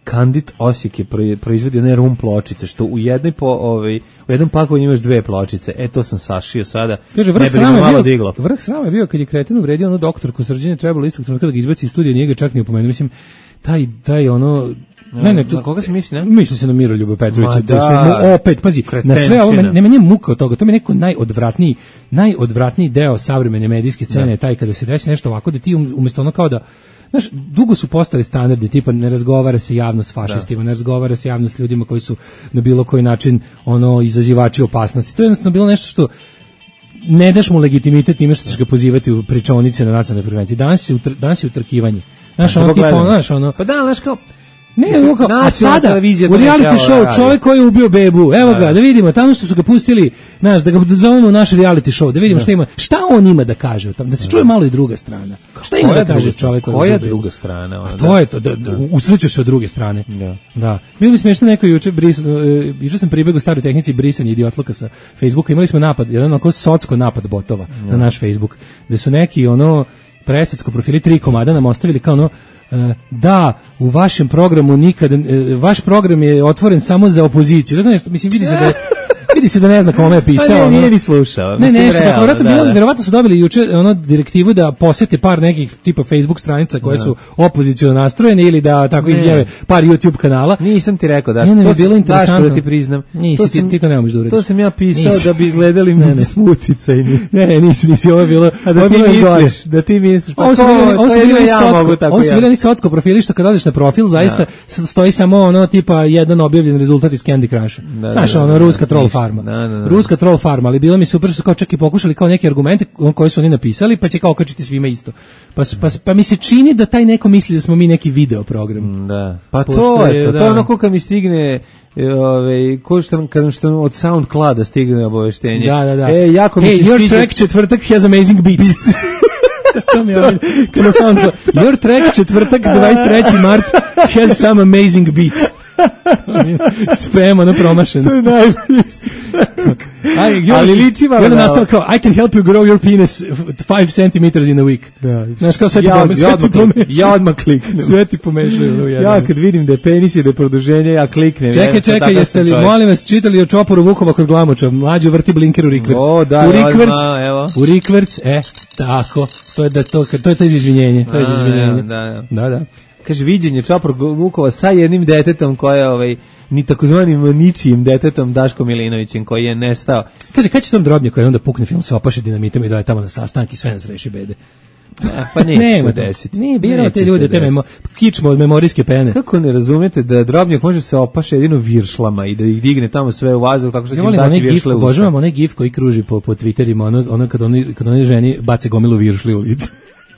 Kandit Osijek je proizvodio one rum pločice, što u jednoj po, ovaj, u jednom pakovanju imaš dve pločice. E, to sam sašio sada. Kaže, vrh srama je bio, diglo. Vrh srama je bio kad je kreten uvredio ono doktorku Srđane, trebalo istog trenutka da ga izbaci iz studija, nije ga čak ni upomenuo. Mislim, taj, taj ono... Ne, ne, na koga se misli, ne? Misli se na Miroljuba Petrovića, da su opet, pazi, na sve ovo, ne meni je muka od toga, to mi je neko najodvratniji, najodvratniji deo savremene medijske scene je taj kada se desi nešto ovako da ti umjesto ono kao da, znaš, dugo su postali standardi, tipa ne razgovara se javno s fašistima, da. ne razgovara se javno s ljudima koji su na bilo koji način ono izazivači opasnosti. To je jednostavno bilo nešto što ne daš mu legitimitet time što ćeš ga pozivati u pričaonice na nacionalnoj frekvenciji. Danas je utr, danas je utrkivanje. Znaš, ono tipa, ono, znaš, ono... Pa da, znaš kao... Ne, kao, a sada, u reality show, čovjek koji je ubio bebu, evo ga, da vidimo, tamo što su ga pustili, znaš, da ga zovemo u naš reality show, da vidimo šta ima, šta on ima da kaže o tom, da se čuje malo i druga strana. Šta ima da kaže čovjek koji je ubio bebu? Koja druga strana? A to je to, da, usreću se od druge strane. Da. Da. Bilo mi smiješno neko juče, juče sam pribegao staroj tehnici brisanja idiotluka sa Facebooka, imali smo napad, jedan onako socko napad botova na naš Facebook, gde su neki ono presocko profili tri komada nam ostavili kao ono da, u vašem programu nikada, vaš program je otvoren samo za opoziciju. Dakle, nešto, mislim, vidi se da je, Vidi se da ne zna kome je pisao. Pa ne, ono. nije ni slušao. Ne, Mislim, nešto, realno, tako, verovatno, da, bilo, da. verovatno su dobili juče ono direktivu da posete par nekih tipa Facebook stranica koje Da. su opoziciono nastrojene ili da tako izjave par YouTube kanala. Nisam ti rekao da. Ne, ne, to mi je bilo sam- interesantno. Daško, da ti priznam. Nisi, To ti, sam- ti to ne možeš da uradiš. To sam ja pisao Nisi. da bi izgledali Ne, mi ne. smuticajni. Ne, ne, nisi, nisi, ovo je bilo... A da ovo je ti bilo još gore. misliš, da ti misliš. Pa Ovo su ko, bili, ovo to su je bili jedino oni ja mogu socko, tako ovo su ja. bili oni socko profili što kad odeš na profil, zaista s- stoji samo ono tipa jedan objavljen rezultat iz Candy Crusha. Da, Znaš, da, ono da, ruska da, troll ništa. farma. Da, da, da. Ruska troll farma, ali bilo mi super što su kao čak i pokušali kao neke argumente koje su oni napisali, pa će kao okačiti svima isto. Pa, su- pa, pa mi se čini da taj neko misli da smo mi neki video program. Da. Pa Pošto to je je, to. da. To je ono ko kad mi stigne e, ovaj ko što kad što od SoundClouda stigne obaveštenje. Da, da, da. E, jako mi hey, se your sviđa- track četvrtak has amazing beats. To mi je ovaj, kada SoundCloud. Your track četvrtak dvadeset treći mart has some amazing beats. Spam, ono promašeno. To je najbolji. Aj, Ali liči malo I onda na- nastavlja kao, I can help you grow your penis five centimeters in a week. Da. Znaš, kao sve ti Ja, pome- ja sve ti odmah klik- pomešaju. ja odmah kliknem. Sve ti pomešaju. u jednom. Ja kad vidim da je penis i da je produženje, ja kliknem. Čekaj, Ja sam čekaj, takav jeste li, čovjek. molim vas, čitali o čoporu Vukova kod Glamoča? Mlađo vrti blinker u rikverc. O, da, u odmah, rikverc, evo. u rikverc, e, tako, to je da to, to je to iz izvinjenje, to je iz A, izvinjenje. da, da. Da, da. Kaže, viđenje Čopor Vukova sa jednim detetom koje je ovaj, ni takozvanim ničijim detetom Daškom Milinovićem koji je nestao. Kaže, kad će tom drobnje koji onda pukne film, se opaše dinamitom i doje tamo na sastanak i sve nas reši bede? A, pa neće Nema se to. desiti. Nije birao Neće te ljude, se te desiti. memo, kičmo od memorijske pene. Kako ne razumete da drobnjak može se opaše jedino viršlama i da ih digne tamo sve u vazduh tako što će Ja im volim dati onaj gif, viršle u usta? obožavam onaj gif koji kruži po, po Twitterima, ono, ono kad oni, kad oni ženi bace gomilu viršli u lice.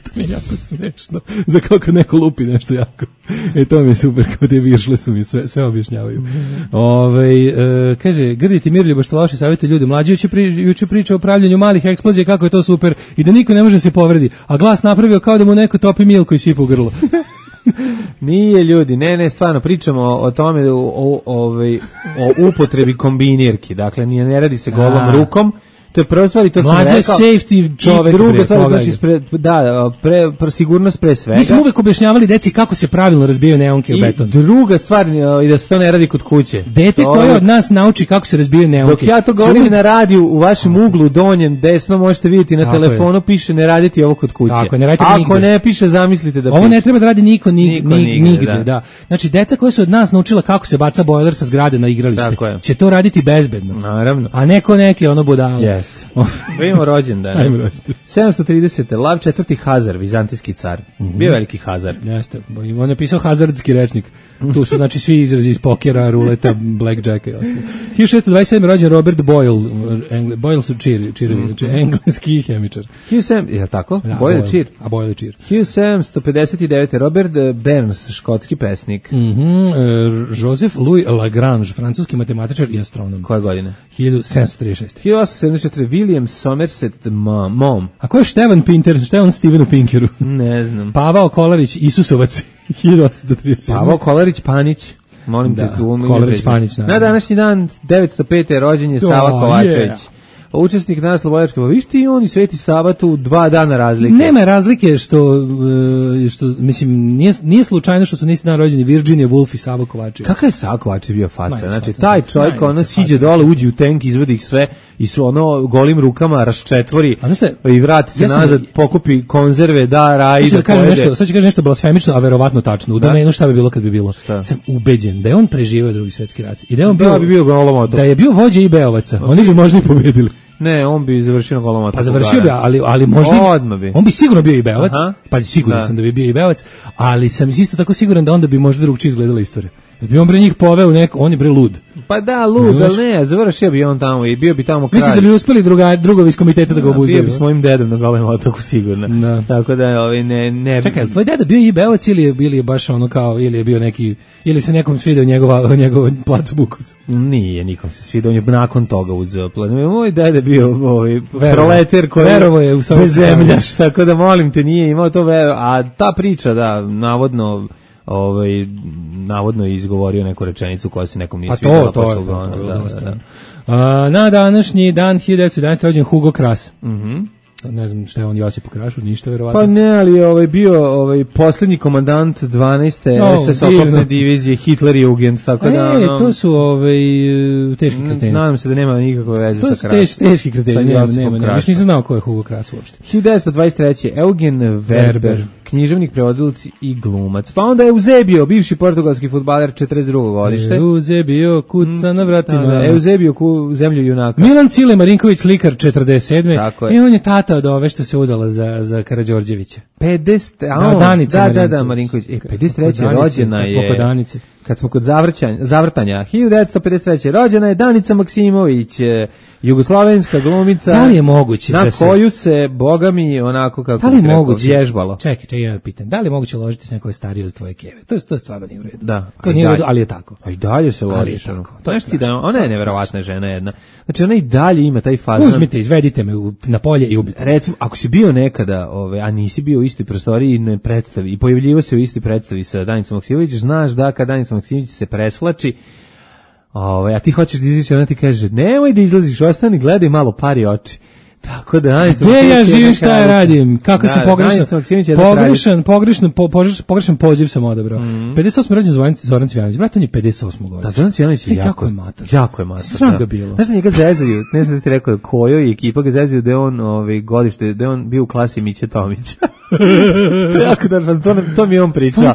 To mi je jako smešno. Za kako neko lupi nešto jako. E, to mi je super, kao te viršle su mi sve, sve objašnjavaju. Ove, e, kaže, Grditi Mirljubo što loše savjeti ljudi. Mlađi juče, pri, juče priča o pravljanju malih eksplozija, kako je to super i da niko ne može se povredi. A glas napravio kao da mu neko topi milku i sipa u grlo. Nije ljudi, ne, ne, stvarno pričamo o, o tome o, o, ovaj, o upotrebi kombinirki. Dakle, nije, ne radi se golom A. rukom. To je prva stvar i to sam Mlađa je rekao. safety čovek, I druga bre, stvar, pogledaj znači, ga. spre, da, pre, pre, sigurnost pre svega. Mi smo uvek objašnjavali deci kako se pravilno razbijaju neonke u I beton. druga stvar, i da se to ne radi kod kuće. Dete To koje je- od nas nauči kako se razbijaju neonke. Dok ja to će govorim uvek- na radiju, u vašem uglu, donjem, desno, možete vidjeti na Tako telefonu, piše ne raditi ovo kod kuće. Tako je, ne radite Ako nigde. ne piše, zamislite da Ovo piše. ne treba da radi niko, ni, Niko ni- nigde, nigde, da. da. Znači, deca koja su od nas naučila kako se baca bojler sa zgrade na igralište, Tako je. će to raditi bezbedno. Naravno. A neko neki ono budalo. Jeste. Da imamo rođendan. Ajmo rođendan. sedamsto trideset. Lav četvrti Hazar, vizantijski car. Bio veliki Hazar. Jeste, on je pisao hazardski rečnik. Tu su znači svi izrazi iz pokera, ruleta, blackjacka i ostalo. hiljadu šessto dvadeset sedam rođen Robert Boyle, Engle, Boyle su čir, čirovi, znači engleski hemičar. hiljadu sedamsto, je li tako? Da, Boyle čir. A Boyle čir. hiljadu sedamsto pedeset devet. Robert Burns, škotski pesnik. Mhm, e, Joseph Louis Lagrange, francuski matematičar i astronom. Koje godine? hiljadu sedamsto trideset šest. hiljadu osamsto sedamdeset četiri. William Somerset Mom. Mom. A ko je Števan Pinter? Šta je on Stevenu Pinkeru? Ne znam. Pavao Kolarić, Isusovac, hiljadu osamsto trideset sedam. Pavao Kolarić Panić. Molim Da, te tu. ime Kolarić prezime. Panić, naravno. Na današnji dan devetsto pete. rođen je Sava Oh, Kovačević. yeah. Učesnik na Slobodačke. Pa viš ti on i Sveti Sava tu dva dana razlike. Nema razlike što, e, što mislim, nije, nije slučajno što su nisi dan rođeni Virginia Woolf i Savo Kovačević. Kakav je Sava Kovačević bio faca? Najveća Znači, faca, taj faca, čovjek ono najveća siđe faca. dole, uđe u tank, izvodi ih sve i su ono golim rukama raščetvori A znaš šta, i vrati se ja sam- nazad, pokupi konzerve, da, raji, Sad ću da da kažem pojede. nešto, sad ću kažem nešto blasfemično, a verovatno tačno. U Da. domenu šta bi bilo kad bi bilo. Šta? Sam ubeđen da je on preživeo Drugi svjetski rat i da je on Da bio, bi bio golom otok. da je bio vođa i Beovaca. Oni bi možda i pobedili. Ne, on bi završio na golom otoku. Pa završio bi, da. ali, ali možda... i- Odmah bi. On bi sigurno bio i Beovac, Aha. pa siguran Da. sam da bi bio i Beovac, ali sam isto tako siguran da onda bi možda drugčije izgledala istorija. Da bi on bre njih poveo u neko, on je bre lud. Pa da, lud, Znaš? ali ne, završio bi on tamo i bio bi tamo kralj. Misliš da bi uspeli druga, drugovi iz komiteta da ga Da, obuzdaju? bio bi s mojim dedom na golem otoku sigurno. Da. Tako da, ovaj, ne, ne... Čekaj, je li tvoj deda bio i Beovac ili je, ili je baš ono kao, ili je bio neki, ili se nekom svidio njegova, njegov plac Bukovca? Nije, nikom se svidio, on je nakon toga uzeo plan. Moj dede bio ovaj, Verovo. proleter koji Verovo je u Sovjetski bezemljaš, tako da molim te, nije imao to vero. A ta priča, da, navodno, ovaj, navodno je izgovorio neku rečenicu koja se nekom nije Pa svidjela. to, to pa je, su ga to, ono, to je bilo da, dosta. da, da. A, na današnji dan hiljadu devetsto jedanaeste rođen Hugo Kras. Mhm. Ne znam šta je on Josip Krašu, ništa verovatno. Pa ne, ali ovaj bio ovaj poslednji komandant dvanaeste no, es es oklopne divizije Hitlerjugend, tako e, da no, to su ovaj teški kreteni. Nadam se da nema nikakve veze to sa Krasom. To su teški kreteni, nema, nema, nema. Još nisam znao ko je Hugo Kras uopšte. hiljadu devetsto dvadeset treće Eugen Werber, Werber, književnik, prevodilac i glumac. Pa onda Eusebio, bivši portugalski fudbaler, četrdeset drugo godište. Eusebio, kuca na vratima. Da, da, Eusebio, ku zemlju junaka. Milan Cile Marinković, slikar, četrdeset sedme Tako je. I on je tata od ove što se udala za, za Karađorđevića. pedeset A da, Danica da, da, da, Marinković. E, pedeset treće rođena je... Kod Danice. Kad smo kod zavrćanja, zavrtanja, hiljadu devetsto pedeset treće rođena je Danica Maksimović, jugoslovenska glumica. Da li je moguće na da se... koju se, boga mi, onako kako da li je rekao, moguće vježbalo. Čekaj, čekaj, ja pitam. Da li je moguće ložiti se na koje starije od tvoje keve? To je to je stvarno nije u redu. Da. To nije u redu, ali je tako. A i dalje se ložiš. To to je ti da ona je neverovatna žena jedna. Znači ona i dalje ima taj fazon. Uzmite, izvedite me u, na polje i ubite. Recimo, ako si bio nekada, ove, a nisi bio u istoj prostoriji i ne predstavi i pojavljivo se u istoj predstavi sa Danicom Maksimović, znaš da kad Danica Maksimović se preslači, Ove, a ti hoćeš da izađeš, ona ti kaže, nemoj da izlaziš, ostani, gledaj malo, pari oči. Tako da, Danica Maksimović. Gde ja živim, šta ja radim? Kako da, sam pogrešan? Pogrešan, pogrešan, po, pogrešan, pogrešan poziv sam odabrao. Mm. pedeset osme rođen Zoran Cvijanović, brat, on je pedeset osme godine. Da, Zoran Cvijanović je jako, jako je mator. Jako je mator. Sram ga bilo. Znaš da njega zezaju, ne znam da ti rekao, kojoj ekipa ga zezaju da je on ovaj, godište, da je on bio u klasi Miće Tomića. to je jako da, to, to mi je on pričao.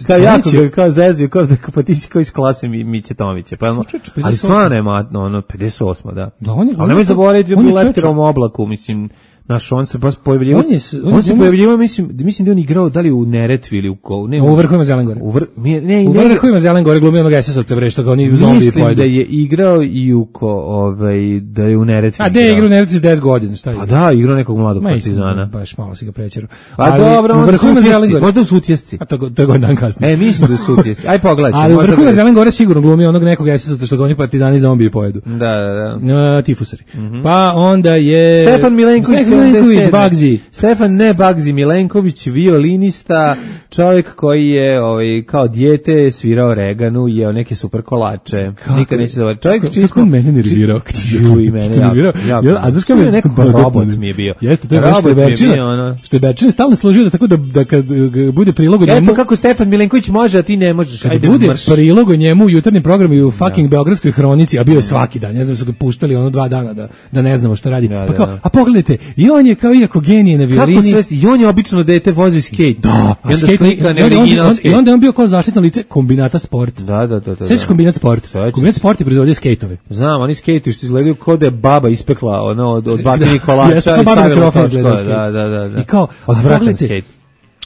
Kao jako ga, kao zezaju, kao da pa ti si kao iz klase Miće Tomića. Pa, ali stvarno je matno, ono, pedeset osma da. Da, on je, ali nemoj zaboraviti, on je u lepterom oblaku, mislim, naš on se baš pojavljivao. On, on, on se pojavljivao, mislim, mislim da on igrao da li u Neretvi ili u ko, ne, u vrhovima Zelengore. U, vr, ne, ne, u vrhovima Zelengore glumio onog es es ovca bre što ga oni zombi pojedu. Mislim da je igrao i u ko, ovaj da je u Neretvi. A da je igrao u Neretvi s deset godina, šta je? A da, igrao nekog mladog Ma partizana. Baš malo si ga prečerao. A dobro, u vrhovima Zelengore. Možda u Sutjesci. A to to je dan kasnije. E, mislim da u Sutjesci. Aj pogledaj. Ali u vrhovima Zelengore sigurno glumio onog nekog es es ovca što ga oni partizani zombi pojedu. Da, da, da. Tifusari. Pa onda je Stefan Milenković, Bagzi. Stefan ne Bagzi Milenković, violinista, čovjek koji je ovaj, kao dijete svirao Reganu i jeo neke super kolače. Kako? Nikad neće zavrati. Čovjek kako, čisto... Kako mene nervirao? Ju i mene. Ja, ja, ja, a znaš kao je neko robot mi je bio. Jeste, to je baš Šteberčina. Ono... Šteberčina stalno služio da tako da, da kad bude prilog o njemu... Eto kako Stefan Milenković može, a ti ne možeš. Kad ajde bude mrš. prilog o njemu u jutarnjem programu i u fucking Beogradskoj hronici, a bio je svaki dan, ne znam, su ga puštali ono dva dana da, da ne znamo šta radi. Da, pa kao, da, da. a pogledajte, i on je kao iako genije na violini. Kako sve, i on je obično dete vozi skate. Da, i onda slika ne original skate. I onda je on bio kao zaštitno lice Kombinata Sport. Da, da, da. da Sećaš Kombinat Sport? Kombinat Sport je proizvodio skejtove. Znam, oni skejtuju što izgledaju kao da je baba ispekla ono, od, od bakrenih kolača i stavila točko. Da, da, da, da. I kao, odvratan skejt.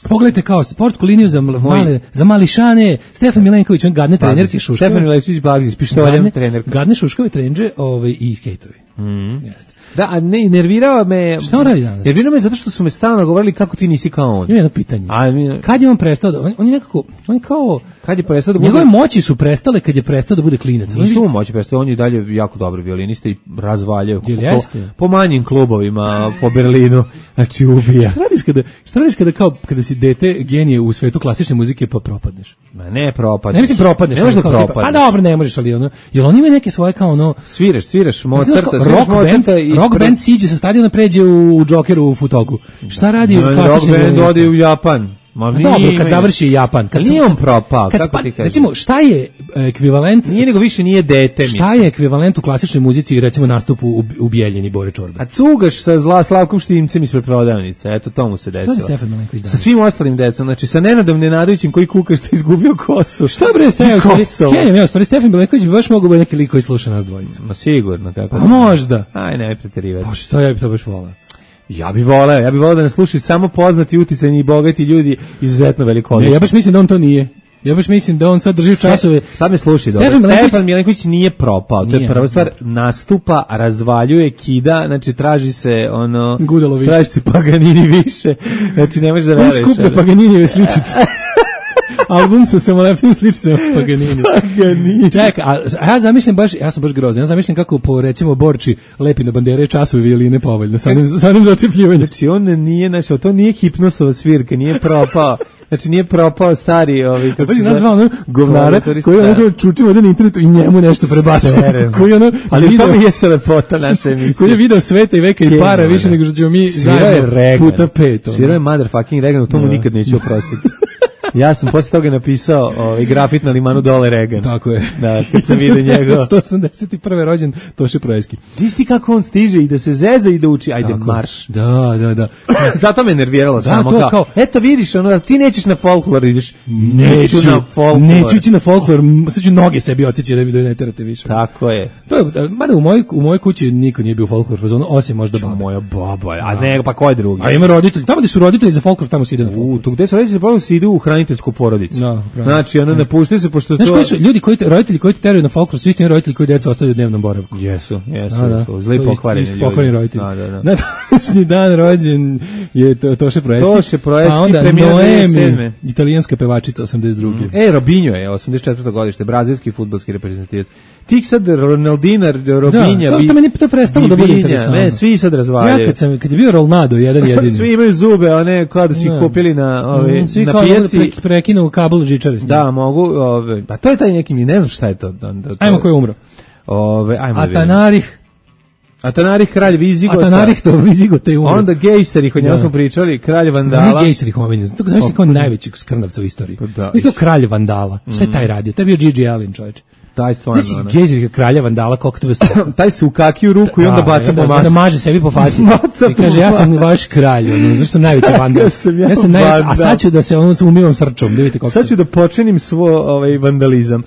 Pogledajte kao sportsku liniju za male, za mališane, Stefan Milenković, on gadne trenerke Šuškove. Stefan Milenković Bagzi, s pištoljem trenerka. Gadne Šuškove trenđe ovaj, i skejtovi. Mm. Jeste. Da, a ne, nervirao me... Šta on radi danas? Nervirao me zato što su me stalno govorili kako ti nisi kao on. Ima jedno pitanje. A, mi... Kad je on prestao da... On, on je nekako... On je kao... Kad je prestao da bude... Njegove moći su prestale kad je prestao da bude klinac. Nisu mu moći prestao, on je dalje jako dobri violinista i razvaljaju. Jel jeste? Po, po manjim klubovima po Berlinu. Znači ubija. Šta radiš kada, šta radiš kada kao, kada si dete genije u svetu klasične muzike pa propadneš? Ma ne propadneš. Ne mislim propadneš. Ne možeš da propadneš. A dobro, ne možeš, ali ono... Jel on ima neke svoje kao ono... Sviraš, sviraš, Mozarta, rock band, rock band siđe sa stadiona pređe u Džokeru u Futoku. Šta radi u klasičnim rock band ode u Japan? Ma dobro, kad završi Japan, kad nije on propao, kako pa, ti kažeš? Recimo, šta je ekvivalent? Nije nego više nije dete, mislim. Šta je ekvivalent u klasičnoj muzici, recimo nastupu u, u Bijeljini Bore Čorbe? A cugaš sa zla Slavkom Štimcem ispred prodavnice, eto to mu se desilo. Šta je Stefan Milenković danas? Sa svim ostalim decom, znači sa Nenadom Nenadovićem koji kuka što je izgubio kosu. Šta bre, Stefan? Kenjem, ja, stvari Stefan Milenković bi baš mogao biti neki lik koji sluša nas dvojicu. Ma sigurno, kako. Pa možda. Aj, ne preterivati. Pa što ja bi to baš voleo? Ja bih voleo, ja bih voleo da nas slušaju samo poznati, uticajni i bogati ljudi, izuzetno veliko. Ne, ja baš mislim da on to nije. Ja baš mislim da on sad drži časove. Sad me slušaj, dobro. Stefan Milenković, Stefan Milenković nije propao. To je prva stvar, nastupa, razvaljuje, kida, znači traži se ono, traži se Paganini više. Znači ne možeš da veruješ. On skuplja Paganinijeve sličice. Album sa samolepnim sličicama Paganini. Paganini. Čekaj, a, a ja zamišljam baš, ja sam baš grozan, ja zamišljam kako po, recimo, Borči lepi na bandere časove violine povoljno, sa onim, sa onim docepljivanjem. Znači on nije, znači, to nije hipnosova svirka, nije propao. Znači nije propao stari ovi kako se nazva ono govnara koji ono čuči ovde na internetu i njemu nešto prebacuje. Koji ono ali to mi jeste lepota naše emisije. Koji je video sveta i veka i para više nego što ćemo mi zajedno puta pet. Svirao je motherfucking Reagan, u tomu nikad neću oprostiti. Ja sam posle toga napisao ovaj grafit na limanu dole Reagan. Tako je. Da, kad sam vidio njega. sto osamdeset prvi rođen Toše Proeski. Isti kako on stiže i da se zeza i da uči, ajde tako, marš. Da, da, da. Zato me nerviralo da, samo kao, kao, eto vidiš, ono, ti nećeš na folklor, ideš. Neću na folklor. Neću ići na folklor, sad ću noge sebi odsjeći da mi ne terate više. Tako je. To je, mada u mojoj u mojoj kući niko nije bio folklor fazonu, osim možda baba. Moja baba, a ne, pa ko je drugi? A ima roditelji, tamo gde su roditelji za folklor, tamo se ide na folklor. U, tu gde su roditelji, pa se ide u hraniteljsku porodicu. No, znači, ono ne puštaju se pošto znaš, to... koji su ljudi koji te, roditelji koji te teraju na folklor, su isti roditelji koji decu ostavljaju u dnevnom boravku. Jesu, jesu, da, da. su zli pokvareni ljudi. Pokvareni roditelji. Da, da, da. Na današnji dan rođen je to, Toše Proeski. Toše Proeski, pa onda Noemi, italijanska pevačica osamdeset druge. Mm. E, Robinho je osamdeset četvrto godište, brazilski fudbalski reprezentativac. Tik sad Ronaldina, Robinja, da, to, to meni to prestalo da bude interesantno. Ne, svi sad razvaljaju. Ja kad sam kad je bio Ronaldo jedan jedini. Svi imaju zube, a ne kao da si ih kupili na ove svi na pijaci. Pre, prekinu kabel žičare. Da, mogu, ove, pa to je taj neki, ne znam šta je to. Da, da, to ajmo ko je umro. Ove, ajmo. Atanarih. Atanarih, kralj Vizigota. Atanarih to Vizigota je umro. Onda Gejserih, o njemu smo pričali, kralj Vandala. Ne Gejserih omiljen, to znači kao najveći skrnavca u istoriji. I to kralj Vandala. Šta je taj radio? To je bio Gigi Allen, čovječe. Taj stvarno. Znači Gejserih kralja Vandala, kako to bez taj se ukaki u ruku i onda baca po masu. Da maže sebi po faci. I kaže ja sam vaš kralj, ono, zašto sam najveći vandal. ja sam, ja ja sam najveći, a sad ću da se ono umivam srčom, da vidite kako. Sad ću da počenim svoj ovaj vandalizam.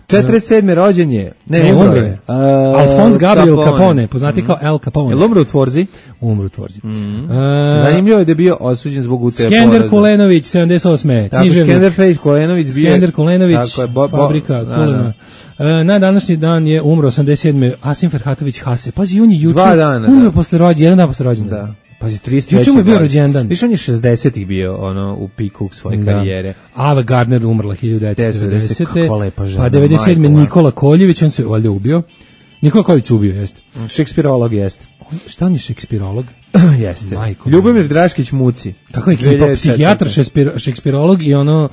četrdeset sedme rođen je. Ne, ne umro je. Uh, Alphonse Gabriel Capone, Capone poznati mm. kao El Capone. Je umro u Tvorzi? Umro u Tvorzi. Mm. Uh, Zanimljivo je da je bio osuđen zbog utaje poreza. Skender Kulenović, sedamdeset osme Tako, Skender Fejs Kulenović bio. Skender Kulenović, tako je, bo, bo, fabrika da, Kulena. Da. Uh, na današnji dan je umro osamdeset sedme Asim Ferhatović Hase. Pazi, on je juče umro da. posle rođenja, jedan dan posle rođendana. Da. Pazi, trideset treći. Juče mu je bio rođendan. Više on je šezdesetih bio ono u piku svoje da. karijere. Ava Gardner umrla hiljadu devetsto devedesete. Kakva lepa žena. Pa devedeset sedme Nikola Koljević, on se valjda ubio. Nikola Koljević se ubio, jeste. Šekspirolog jeste. Šta on je šekspirolog? Jeste. Majko, Ljubomir Draškić Muci. Kako je ekipa? Psihijatar, šekspirolog i ono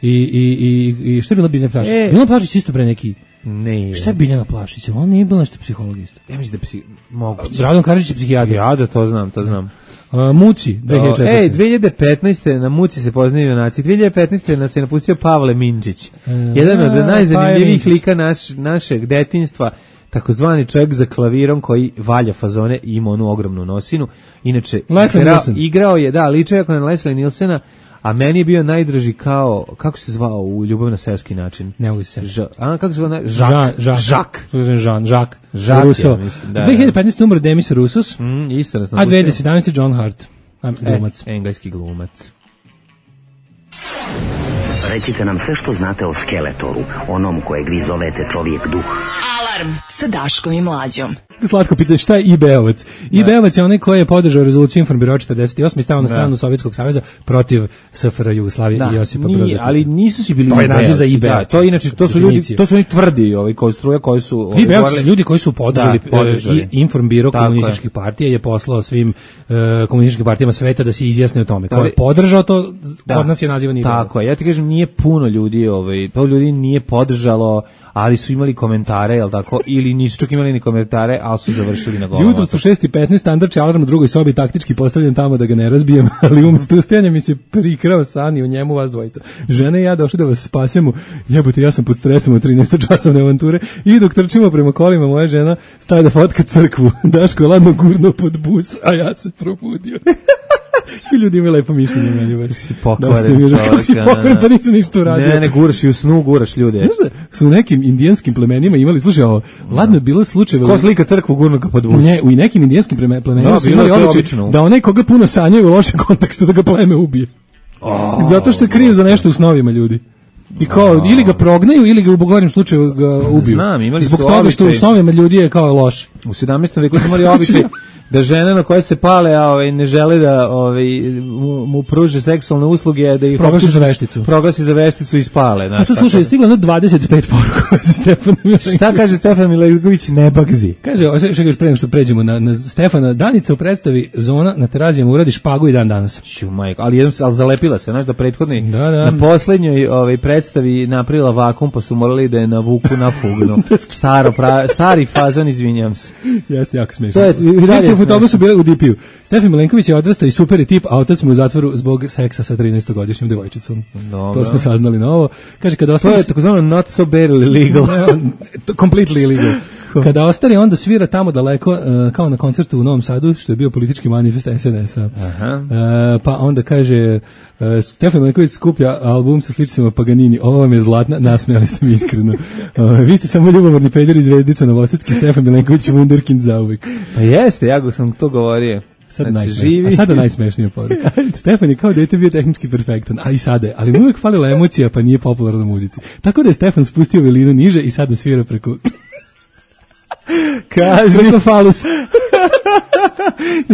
i i i i šta je bila Biljana Plašić? E. Biljana Plašić isto pre neki. Ne. Šta je Biljana Plašić? On nije bila nešto psihologista. Ja mislim da psi mogu. Radon Karadžić je psihijatar. Ja da to znam, to znam. Uh, Muci, dve hiljade četvrte. Ej, dve hiljade petnaeste na Muci se poznaju junaci. dve hiljade petnaeste nas je napustio Pavle Minčić. Uh, Jedan od najzanimljivijih lika naš, našeg detinjstva, takozvani čovjek za klavirom koji valja fazone i ima onu ogromnu nosinu. Inače, igrao, igrao je, da, liče jako na Leslie Nielsena, a meni je bio najdraži kao, kako se zvao u Ljubav na seoski način? Ne mogu se Ža, a kako se zvao? Žak. Žak. Žak. Žak. Žak. Žak. Russo. Ja, mislim, da, dve hiljade petnaeste umro Demis Roussos. Mm, isto nas a dve hiljade sedamnaeste John Hart. Glumac. E, engleski glumac. Recite nam sve što znate o Skeletoru, onom kojeg vi zovete čovjek duh. Alarm sa Daškom i Mlađom. Slatko pitanje, šta je I B E-ovac? I B E-ovac je onaj koji je podržao rezoluciju Informbiro četrdeset osme i stavio na stranu Sovjetskog saveza protiv S F R Jugoslavije da. i Josipa Broza. Ali nisu svi bili to je naziv za I B E. Da, to inače to su ljudi, to su oni tvrdi, ovaj koji struja, koji su I B E su ljudi koji su podržali, da, podržali. Informbiro komunističkih partija je poslao svim uh, komunističkim partijama sveta da se izjasne o tome. Ko je podržao to, da. Kod nas je nazivan I B E. Tako je. Ja ti kažem, nije puno ljudi, ovaj, to ljudi nije podržalo, ali su imali komentare, jel tako, ili nisu čak imali ni komentare, ali su završili na golama. Jutro su šest i petnaest, standard će alarm u drugoj sobi taktički postavljen tamo da ga ne razbijem, ali umjesto ustajanja mi se prikrao san i u njemu vas dvojica. Žena i ja došli da vas spasemo, jebote, ja sam pod stresom od trinaestočasovne avanture i dok trčimo prema kolima, moja žena staje da fotka crkvu, Daško je ladno gurno pod bus, a ja se probudio. I ljudi imaju lepo mišljenje meni, bar. Si pokvaren čovjek. Si pokvaren, pa nisam ništa uradio. Ne, ne, guraš i u snu, guraš ljude. Znaš da su u nekim indijanskim plemenima imali, slušaj, ovo, ladno je bilo slučajeva... Ko slika crkvu gurno ka pod bus? Ne, u nekim indijanskim plemenima da, su imali običaj da onaj koga puno sanjaju u lošem kontekstu da ga pleme ubije. Oh, zato što je kriv za nešto u snovima ljudi. I kao, oh. ili ga prognaju, ili ga u bogorim slučaju ga ubiju. Znam, imali zbog toga što u snovima ljudi je kao loš. U sedamnaestom veku su imali običaj da žena na koje se pale, a ovaj ne žele da ovaj mu, mu pruže seksualne usluge, da ih proglasi za vešticu. Proglasi za vešticu i spale, znači. A sad slušaj, stiglo na dvadeset pet poruka za Stefana Milenkovića. Šta kaže Stefan Milenković, ne bagzi? Kaže, što kažeš pre nego što pređemo na, na Stefana, Danica u predstavi Zona na Terazijama uradi špagu i dan danas. Ću majko, ali jednom al zalepila se, znaš da prethodni da, da. na poslednjoj ovaj predstavi napravila vakum, pa su morali da je navuku na fugnu. Staro pra, stari fazon, izvinjavam se. Jeste jako smešno. To je sve te toga su bile u D P-u. Stefan Milenković je odrastao i super je tip, a otac mu u zatvoru zbog seksa sa trinaestogodišnjom devojčicom. Dobro. To smo saznali novo. Kaže kada ostane, to je takozvano not so barely legal. Completely illegal. Kada ostari, onda svira tamo daleko, uh, kao na koncertu u Novom Sadu, što je bio politički manifest S N S-a. Uh, pa onda kaže, uh, Stefan Milenković skuplja album sa sličicama Paganini, ovo vam je zlatna, nasmijali ste mi iskreno. Uh, vi ste samo ljubomorni peder i zvezdica novosadski, Stefan Milenković wunderkind zauvek. Pa jeste, ja go sam to govorio. Sad znači, a sada najsmešnija poruka. Stefan je kao dete bio tehnički perfektan, a i sada je, ali mu uvijek falila emocija, pa nije popularna u muzici. Tako da je Stefan spustio velinu niže i sada svira preko... Kaži. Preko falus.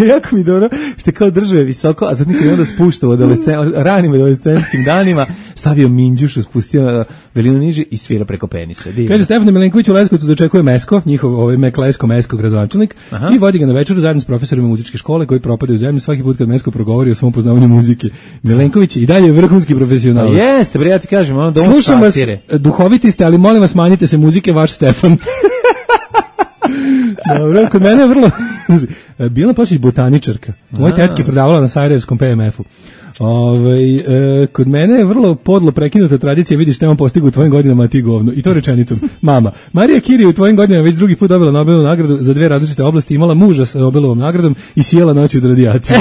Jako mi dobro, što kao držao je visoko, a zatim kad je onda spuštao u ranim adolescentskim danima, stavio minđušu, spustio velinu niže i svira preko penisa. Divno. Kaže Stefan Milenković u Leskovcu dočekuje Mesko, njihov ovaj Meklesko Mesko gradonačelnik, i vodi ga na večeru zajedno s profesorima muzičke škole koji propadaju u zemlju svaki put kad Mesko progovori o svom poznavanju muzike. Milenković je i dalje vrhunski profesionalac. Jeste, bre, ja ti kažem, ono da on slušam vas, duhoviti ste, ali molim vas manjite se muzike, vaš Stefan. Dobro, kod mene je vrlo... Bila Pašić botaničarka. Moja tetka je prodavala na Sarajevskom P M F-u. Ove, e, kod mene je vrlo podlo prekinuta tradicija, vidiš što imam postigu u tvojim godinama, a ti govno. I to rečenicom. Mama, Marija Kiri u tvojim godinama već drugi put dobila Nobelovu nagradu za dve različite oblasti, imala muža sa Nobelovom nagradom i sjela noći od radijacije.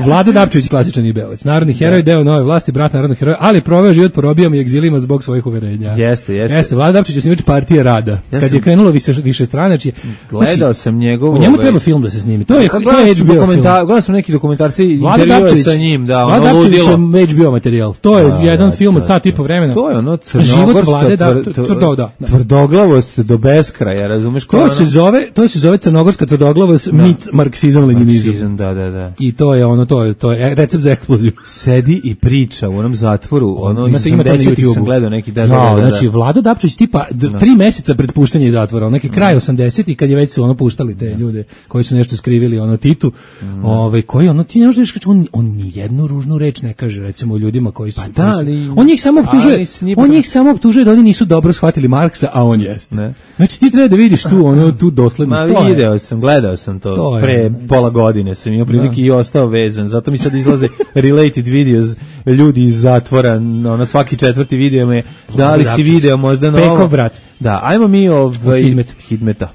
Vlado Dapčević, klasičan ibeovac, narodni heroj, deo nove vlasti, brat narodnog heroja, ali proveo život po robijama i egzilima zbog svojih uverenja. Jeste, jeste. Jeste, Vlado Dapčević je osnivač partije Rada. Ja kad sam... je krenulo više, više stranačije. Gledao sam njegov... U njemu treba film da se snimi. To je, to je H B O film. Gledao sam neki dokumentarci i intervjue sa njim, da, ono ludilo. Vlado Dapčević je H B O materijal. To je a, jedan da, film od sat i po vremena. To je ono crnogorska tvrdoglavost do beskraja, razumeš? To se zove, to se zove crnogorska tvrdoglavost, mic marksizam, leninizam. Da, da, da. I to je ono, to je, to je recept za eksploziju. Sedi i priča u onom zatvoru, ono iz osamdesetih sam gledao neki da, da, da, da, da. Znači Vlado Dapčević tipa d- tri meseca pred puštanje iz zatvora, neki kraj osamdesetih kad je već su ono puštali te ljude koji su nešto skrivili ono Titu, mm. ovaj koji ono ti ne možeš reći on on ni jednu ružnu reč ne kaže recimo ljudima koji su, pa da, ali, on njih samo optužuje, on njih samo optužuje da oni nisu dobro shvatili Marksa, a on jeste. Ne. Znači ti treba da vidiš tu ono tu doslednost. Ma video sam, gledao sam to, to pre je. pola godine sam imao prilike i ostao vezan, zato mi sad izlaze related videos ljudi iz zatvora, ono svaki četvrti video me da li si video možda novo. Pekov brat. Da, ajmo mi ovaj Hidmet. Hidmeta.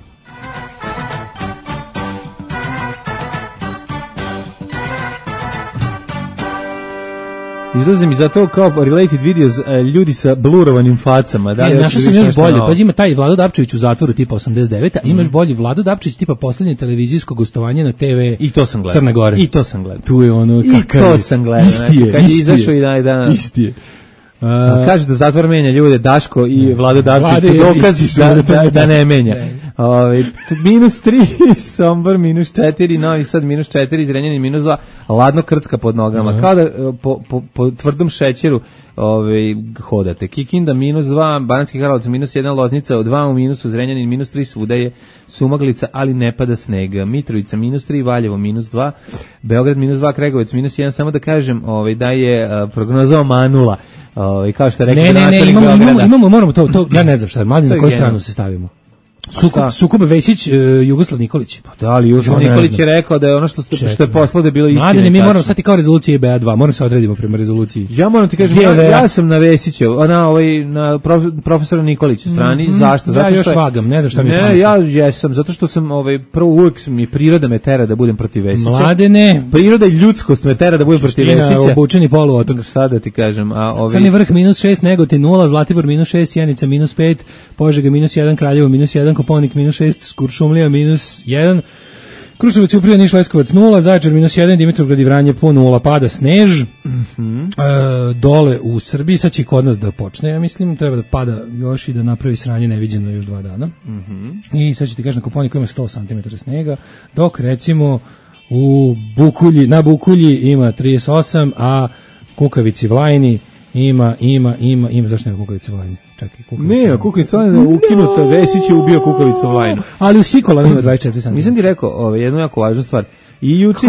Izlaze mi zato kao related videos ljudi sa blurovanim facama. Da, e, našao sam još bolje. Pazi, ima taj Vlado Dapčević u zatvoru tipa osamdeset devete, a imaš mm. bolji Vlado Dapčević tipa poslednje televizijsko gostovanje na te ve I to sam gledao. Crne Gore. I to sam gledao. Tu je ono kakav. I to sam gledao. Isti je, kad je isti izašao i daj da. Isti je. Uh, kaže da zatvor menja ljude, Daško i Vlado Dapčević su dokazi da, da, da ne menja. Ne. Ove, minus tri, Sombor minus četiri, Novi Sad minus četiri, Zrenjanin minus dva, ladno krcka pod nogama, uh-huh. kao da po, po, po tvrdom šećeru ove, hodate. Kikinda minus dva, Banatski Karlovac minus jedan, Loznica dva u minusu, Zrenjanin minus tri, svuda je sumaglica, ali ne pada sneg. Mitrovica minus tri, Valjevo minus dva, Beograd minus dva, Kregovec minus jedan, samo da kažem ove, da je uh, prognoza omanula. Ovaj kao što rekao ne, ne, ne, imamo, imamo, imamo, moramo to, to, ja ne znam šta, mladim na koju stranu se stavimo. Sukob, Sukob Vesić, uh, Jugoslav Nikolić. Pa da, ali Jugoslav Nikolić je rekao da je ono što, što, što je poslalo da je bilo istina. Mladine, mi moramo sad i kao rezolucije B A dva, moramo se odredimo prema rezoluciji. Ja moram ti kažem, ja, ja sam na Vesićev, na ovaj na prof, profesora Nikolića strani, mm, zašto? Zato ja što još vagam, ne znam šta mi je. Ne, ja jesam, zato što sam ovaj prvo uvek mi priroda me tera da budem protiv Vesića. Mladene, priroda i ljudskost me tera da budem protiv Vesića. Obučeni poluotok. Šta da ti kažem, a ovaj Crni Vrh minus šest, Negotin nula, Zlatibor minus šest, Sjenica minus pet, Požega minus jedan, Kraljevo minus jedan, Koponik minus šest, Kuršumlija minus jedan, Kruševac, Uprija, Niš, Leskovac nula, Zaječar minus jedan, Dimitrovgrad i Vranje po nula, pada snež. Mhm. E, dole u Srbiji, sad će kod nas da počne, ja mislim, treba da pada još i da napravi sranje neviđeno još dva dana. Mhm. I sad ću ti kažem na Kopaoniku ima sto centimetara snega, dok recimo u Bukulji, na Bukulji ima trideset osam, a Kukavici Vlajni ima, ima, ima, ima, zašto nema Kukavici Vlajni? Čekaj, Kukavici Vlajni. Ne, Kukavici Vlajni je ukinuta, Vesić je ubio Kukavicu Vlajnu. Ali u Sikolama ima dvadeset četiri centimetra. Nisam ti rekao, ovaj, jednu jako važnu stvar. I juče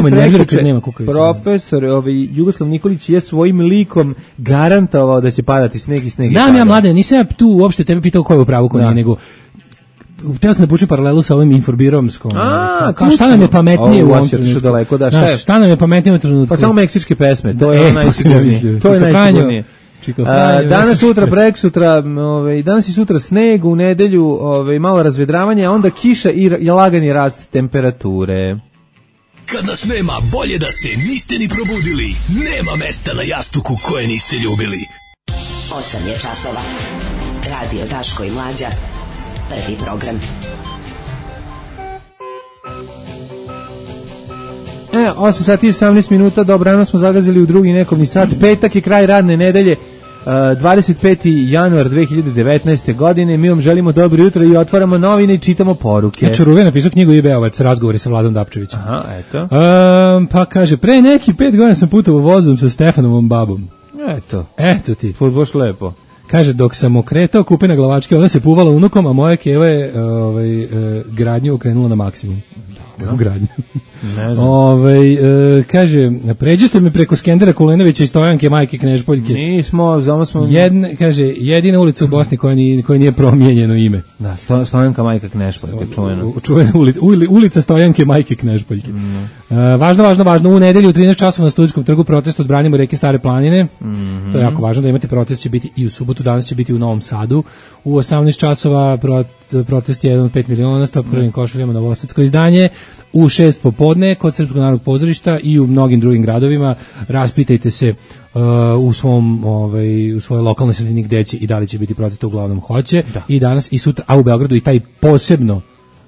profesor ovaj, Jugoslav Nikolić je svojim likom garantovao da će padati sneg i sneg. Znam ja, mlade, nisam ja tu uopšte tebe pitao ko je u pravu, ko nije, nego htio sam da pučim paralelu sa ovim informiromskom. A, kao šta nam je pametnije u ovom trenutku? Daleko, da, šta, Znaš, šta nam je pametnije u trenutku? Pa samo meksičke pesme, to e, je najsigurnije. To je najsigurnije. Danas, sutra, prek sutra, ovaj, danas i sutra sneg, u nedelju ovaj, malo razvedravanje, a onda kiša i, i lagani rast temperature. Kad nas nema, bolje da se niste ni probudili. Nema mesta na jastuku koje niste ljubili. osam je časova. Radio Daško i Mlađa. Prvi program. E, osam sati i osamnaest minuta, dobrano smo zagazili u drugi nekovni sat. Petak je kraj radne nedelje, dvadeset peti januar dve hiljade devetnaeste. godine. Mi vam želimo dobro jutro i otvaramo novine i čitamo poruke. Ja Čaruve napisao knjigu I B ovac, razgovori sa Vladom Dapčevićem. Aha, eto. Um, pa kaže, pre neki pet godina sam putovao vozom sa Stefanovom babom. Eto. Eto ti. Baš lepo. Kaže, dok sam okretao kupe na glavačke, ona se puvala unukom, a moja keva je ovaj, eh, gradnju okrenula na maksimum. U gradnju. Ne znam. Ovaj e, kaže, pređite me preko Skendera Kulenovića i Stojanke majke Knežpoljke. Nismo, znamo smo... Jedna, kaže, jedina ulica u Bosni koja nije, koja nije promijenjeno ime. Da, sto, Stojanka majka Knežpoljke, čujeno. Čujena ulica, ulica Stojanke majke Knežpoljke. Mm. E, važno, važno, važno, u nedelju u trinaest časova na Studentskom trgu protest odbranimo reke Stare planine. Mm-hmm. To je jako važno da imate protest, će biti i u subotu, danas će biti u Novom Sadu. U osamnaest časova protest je jedan od pet miliona, stop krvim košuljama, novosadsko izdanje. U šest popodne kod Srpskog narodnog pozorišta i u mnogim drugim gradovima. Raspitajte se uh, u svom ovaj u svojoj lokalnoj sredini gde će i da li će biti protesta, uglavnom hoće. Da. I danas i sutra, a u Beogradu i taj posebno,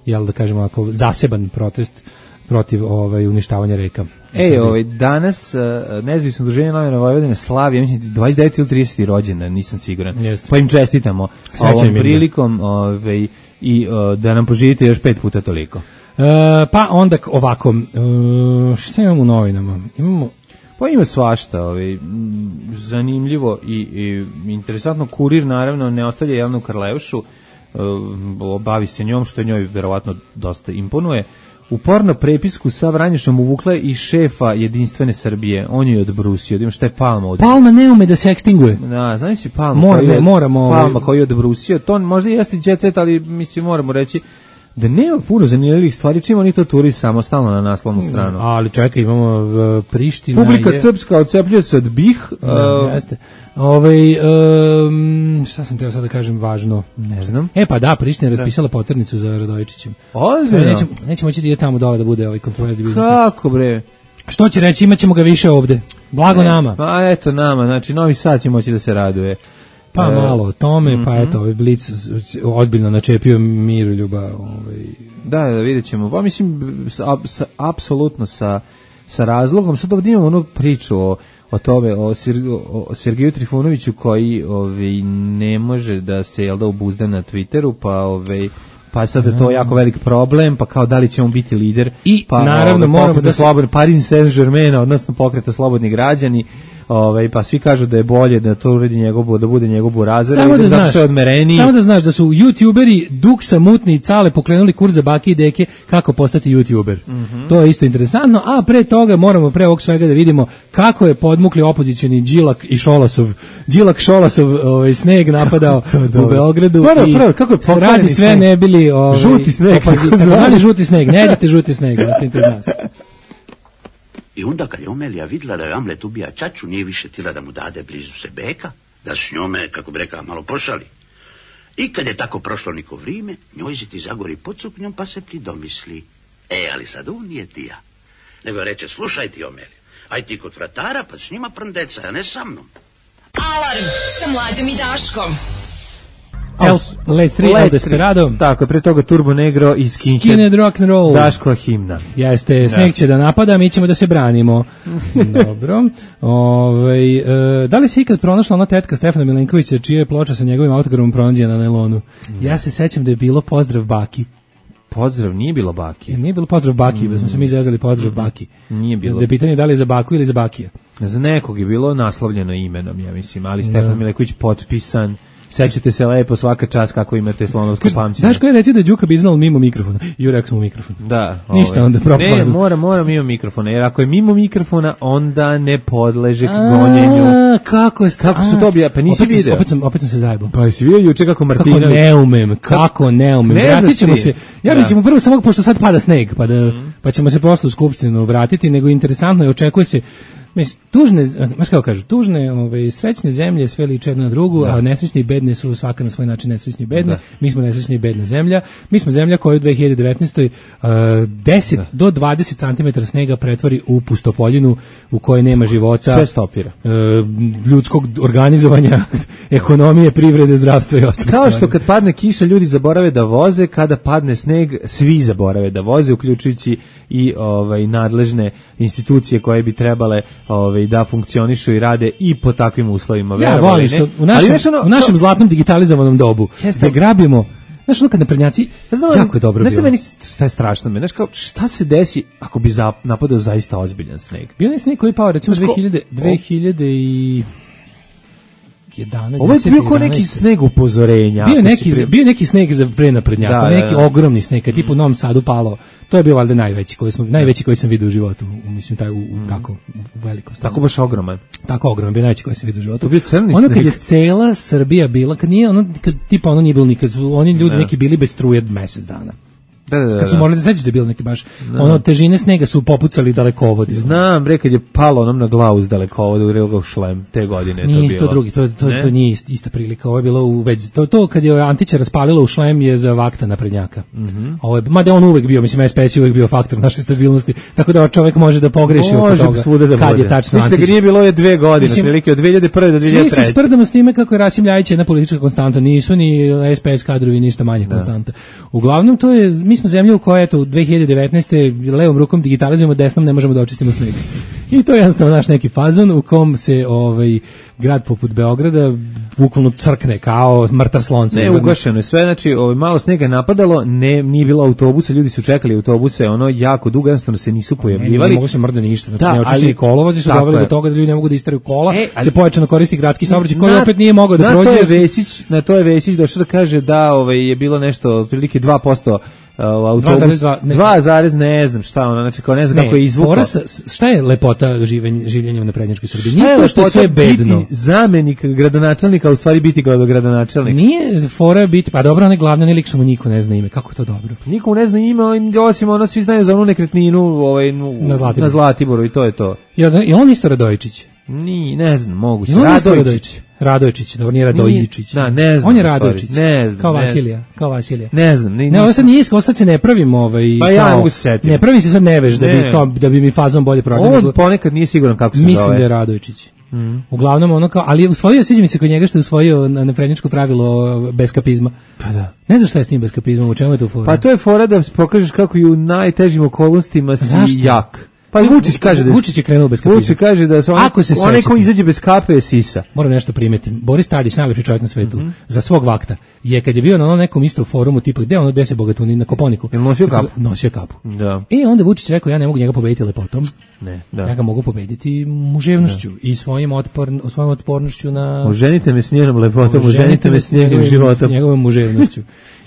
jel da kažemo ovako, zaseban protest protiv ovaj uništavanja reka. Ej, ovaj danas uh, nezavisno udruženje novinara Vojvodine slavi, ja mislim dvadeset deveti ili trideseti rođendan, nisam siguran. Jeste. Pa im čestitamo ovom prilikom, ovaj i uh, da nam poživite još pet puta toliko. Uh, pa onda ovako, uh, šta imamo u novinama? Imamo... Pa ima svašta, ovaj, zanimljivo i, i interesantno. Kurir naravno ne ostavlja Jelenu Karleušu, uh, bavi se njom, što njoj verovatno dosta imponuje. U porno prepisku sa Vranješom uvukla i šefa Jedinstvene Srbije, on je odbrusio, da ima šta je Palma od... Palma ne ume da se ekstinguje. Da, znaš si Palma, Mora, koji je, ne, moramo, Palma koji je odbrusio, to možda jeste jet set, ali mislim moramo reći da nema puno zanimljivih stvari, čim oni to turi samostalno na naslovnu stranu. Ali čekaj, imamo uh, Priština... Publika je... srpska odcepljuje se od B I H. Da, uh, jeste. Ovaj, um, šta sam teo sad da kažem važno? Ne znam. E pa da, Priština je raspisala poternicu za Radojičićem. Ozbiljno? Nećemo, nećemo moći da ide tamo dole da bude ovaj kontroverzni biznis. Kako bre? Što će reći, imat ćemo ga više ovde. Blago ne, nama. Pa eto nama, znači Novi Sad će moći da se raduje. Pa e, malo o tome, mm-hmm. pa eto, ovaj Blic ozbiljno načepio Miroljuba. Ovaj. Da, da, vidjet ćemo. Pa mislim, sa, sa, apsolutno sa, sa razlogom. Sad ovdje imamo onu priču o, o tome, o, Sir, o Sergeju Trifunoviću koji ovaj, ne može da se, jel da, obuzda na Twitteru, pa ovaj... Pa sad je to jako velik problem, pa kao da li će on biti lider, i pa naravno ovaj, moramo da se... slobodni, Paris Saint-Germain, odnosno pokreta Slobodni građani, ovaj, pa svi kažu da je bolje da to uredi njegov, da bude njegov Burazir, samo da, znaš, je odmereniji. Samo da znaš da su youtuberi Duksa, Mutni i Cale pokrenuli kurs za bake i deke kako postati youtuber. Mm-hmm. To je isto interesantno, a pre toga moramo pre ovog svega da vidimo kako je podmukli opozicioni Đilak i Šolasov, Đilak Šolasov ovaj, sneg napadao u Beogradu. Prvo, i prvo, kako je radi sve sneg. Ne bili ovaj, žuti sneg. Opozi... žuti sneg, ne idete žuti sneg, ostanite iz nas. I onda kad je Omelija vidjela da je Amlet ubija čaču, nije više tila da mu dade blizu se beka, da s njome, kako bi rekao, malo pošali. I kad je tako prošlo niko vrijeme, njoj se ti zagori pod suknjom pa se ti domisli. E, ali sad on nije ti ja. Nego reče, slušaj ti Omelija, aj ti kod vratara pa s njima prndeca, a ne sa mnom. Alarm sa Mlađom i Daškom. El, Let tri, El Desperado. Tako, pre toga Turbo Negro i Skinhead. Skinhead rock and roll. Daško himna. Jeste, sneg će da napada, mi ćemo da se branimo. Dobro. Ove, e, da li si ikad pronašla ona tetka Stefana Milenkovića, čija je ploča sa njegovim autogramom pronađena na nailonu? Ja se sećam da je bilo pozdrav baki. Pozdrav, nije bilo baki. Nije bilo pozdrav baki, mm. da smo se mi zezali pozdrav mm. baki. Nije bilo. Da je pitanje da li je za baku ili za bakija. Za nekog je bilo naslovljeno imenom, ja mislim, ali Stefan Milenković potpisan. Sećate se lepo svaka čast kako imate slonovsko pamćenje. Znaš ko je reci da je Đuka bi znao mimo mikrofona? I rekao sam u mikrofon. Da. Ništa ovaj. onda propalo. Ne, mora, mora mimo mikrofona, jer ako je mimo mikrofona, onda ne podleže gonjenju. A, kako je Kako su to obja? Pa nisi opet video. Sam, opet, sam, opet sam se zajebao. Pa jesi vidio juče kako Martinović. Kako ne umem, kako ne umem. Ne Vratit ćemo se. Ja da. mi ćemo prvo samo, pošto sad pada sneg, pa, da, mm. pa ćemo se posle u skupštinu vratiti, nego interesantno je, očekuje se, mislim, tužne, znaš kako kažu, tužne, ovaj, srećne zemlje sve liče jedna na drugu, da. A nesrećne i bedne su svaka na svoj način nesrećne i bedne. Da. Mi smo nesrećne i bedna zemlja. Mi smo zemlja koja u dve hiljade devetnaestoj Uh, deset do dvadeset centimetara snega pretvori u pustopoljinu u kojoj nema života. Sve stopira. Uh, ljudskog organizovanja, ekonomije, privrede, zdravstva i ostalih Kao stvari. što kad padne kiša ljudi zaborave da voze, kada padne sneg svi zaborave da voze, uključujući i ovaj nadležne institucije koje bi trebale ovaj da funkcionišu i rade i po takvim uslovima. Ja volim što u našem, ono, u našem zlatnom digitalizovanom dobu da grabimo. Znaš, ono kad naprednjaci, znam, jako je dobro bilo. Znaš, meni šta je strašno, znaš, kao, šta se desi ako bi za, napadao zaista ozbiljan sneg? Bio je sneg koji je pao, recimo, dve hiljade, dve hiljade i jedanaest. Ovo je bio kao neki sneg upozorenja. Bio neki, pre... bio neki sneg za pre naprednjaka, da, neki da, da. ogromni sneg, kad tipu u Novom Sadu palo. To je bio valjda najveći koji smo najveći koji sam vidio u životu, mislim taj u, u tako u velikom stanu. Tako baš ogroman. Tako ogroman, bio najveći koji sam vidio u životu. To bio crni ono sneg. Kad je cela Srbija bila, kad nije ono kad tipa ono nije bilo nikad, su oni ljudi ne. neki bili bez struje mesec dana. Da, da, da. Kad su morali da sećaš da je bilo neki baš da. ono težine snega su popucali dalekovodi. Znam, bre, kad je palo onom na glavu s dalekovoda u Rilgov šlem te godine nije, to bilo. To drugi, to to, to nije ista prilika. Ovo je bilo u već to to kad je Antića raspalilo u šlem je za vakta naprednjaka. Mhm. Mm Ovo je mada on uvek bio, mislim S P S je uvek bio faktor naše stabilnosti. Tako da čovjek može da pogreši oko toga. Da kad je tačno Antić. Mislim da nije bilo je dve godine, prilike od dve hiljade prve do dve hiljade treće. Svi se sprdamo s time kako je Rasim Ljajić jedna politička konstanta, nisu ni S P S kadrovi ništa manje da. konstanta. Uglavnom to je mi smo zemlja u kojoj u dve hiljade devetnaeste levom rukom digitalizujemo, desnom ne možemo da očistimo sneg. I to je jednostavno naš neki fazon u kom se ovaj grad poput Beograda bukvalno crkne kao mrtav slon. Ne, ugašeno je sve, znači ovaj, malo snega napadalo, ne, nije bilo autobusa, ljudi su čekali autobuse, ono jako dugo, jednostavno se nisu pojavljivali. Ne, ne mogu se mrda ništa, znači da, neočišćeni kolovozi su doveli do toga da ljudi ne mogu da isteraju kola, e, ali, se pojačano koristi gradski saobraćaj koji opet nije mogao da prođe. Na to je Vesić, na to je Vesić došao da kaže da ovaj, je bilo nešto, otprilike dva posto autobus, dva zarez ne znam šta ono, znači kao ne znam ne, kako je izvukao. Šta je lepota živen, življenja u naprednjačkoj Srbiji? Nije to što je sve bedno. Biti zamenik gradonačelnika, u stvari biti gradonačelnik. Nije fora biti, pa dobro, on je glavni, ne lik što mu niko ne zna ime, kako je to dobro? Niko ne zna ime, osim ono, svi znaju za onu nekretninu ovaj, na, Zlatiboru. na Zlatiboru i to je to. I on isto Radojičić? Ni, ne znam, moguće. Radojičić. Radojičić, dobro, nije Radojičić. Da, ne znam. On je Radojičić. Ne znam. Kao Vasilija, kao Vasilija. Ne znam. Ne, ne ovo sad nije, ovo sad se ne pravim ovaj, pa ja kao, mogu se setiti. Ne pravim se sad neveš da bi, kao, da bi mi fazom bolje prodao. On nego, ponekad nije siguran kako se mislim zove. Mislim da je Radojičić. Mm. Uglavnom ono kao, ali je usvojio, sviđa mi se kod njega što je usvojio na naprednjačko pravilo beskapizma. Pa da. Ne znaš šta je s tim beskapizmom, u čemu je to fora? Pa to je fora da pokažeš kako i u najtežim okolnostima si zašto? Jak. Pa Vučić kaže da Vučić je krenuo bez kapizma. Vučić kaže da se onaj, onaj ko izađe bez kape je sisa. Moram nešto primetim. Boris Tadić, najlepši čovjek na svetu, mm -hmm. za svog vakta, je kad je bio na onom nekom istom forumu tipa gde ono deset bogatuni na Koponiku. Je nosio kapu. Nosio kapu. Da. I onda Vučić rekao ja ne mogu njega pobediti lepotom. Ne, da. Ja ga mogu pobediti muževnošću da. i svojim otporn, svojom otpornošću na oženite me s njenom lepotom, oženite me s njegovim životom, njegovom muževnošću.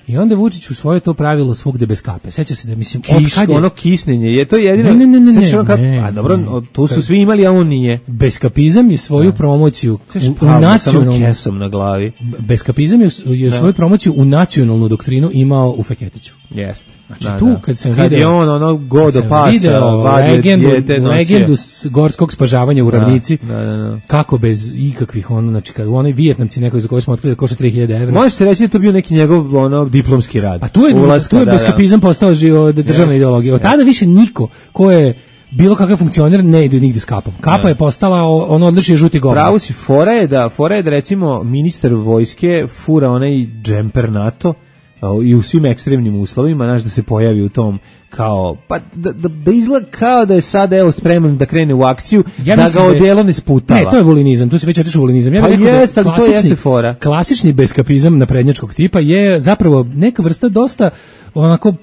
I onda Vučić usvojio to pravilo svugde bez kape. Seća se da mislim Kiš, od kad je ono kisnenje, je to jedino. Ne, ne, ne, ne, kap... ne, a dobro, ne. tu su svi imali, a on nije. Beskapizam je svoju da. promociju u, u nacionalnu kesom na glavi. Beskapizam je, je da. svoju promociju u nacionalnu doktrinu imao u Feketiću. Jeste. Znači da, tu da. kad sam kad video, je on ono godo pasa, legendu, legendu gorskog spažavanja u Ravnici, da, da, da. kako bez ikakvih ono, znači kad u onoj Vijetnamci nekoj za koji smo otkrili da košta tri hiljade evra. Može se reći da to bio neki njegov ono diplomski rad. A tu je, Ulaska, tu je da, beskapizam da. postao državna yes. ideologija. Od tada više niko ko je bilo kakav funkcioner ne ide nigde s kapom. Kapa ne. je postala ono odličije žuti govor. Pravo si, fora je da, fora je da recimo ministar vojske fura onaj džemper NATO i u svim ekstremnim uslovima, znaš, da se pojavi u tom kao, pa da, da, da izgleda kao da je sad evo spreman da krene u akciju, ja da ga odijelo ne sputava. Ne, to je volinizam, tu se već otišao volinizam. Ja pa jest, ali to jeste fora. Klasični beskapizam naprednjačkog tipa je zapravo neka vrsta dosta onako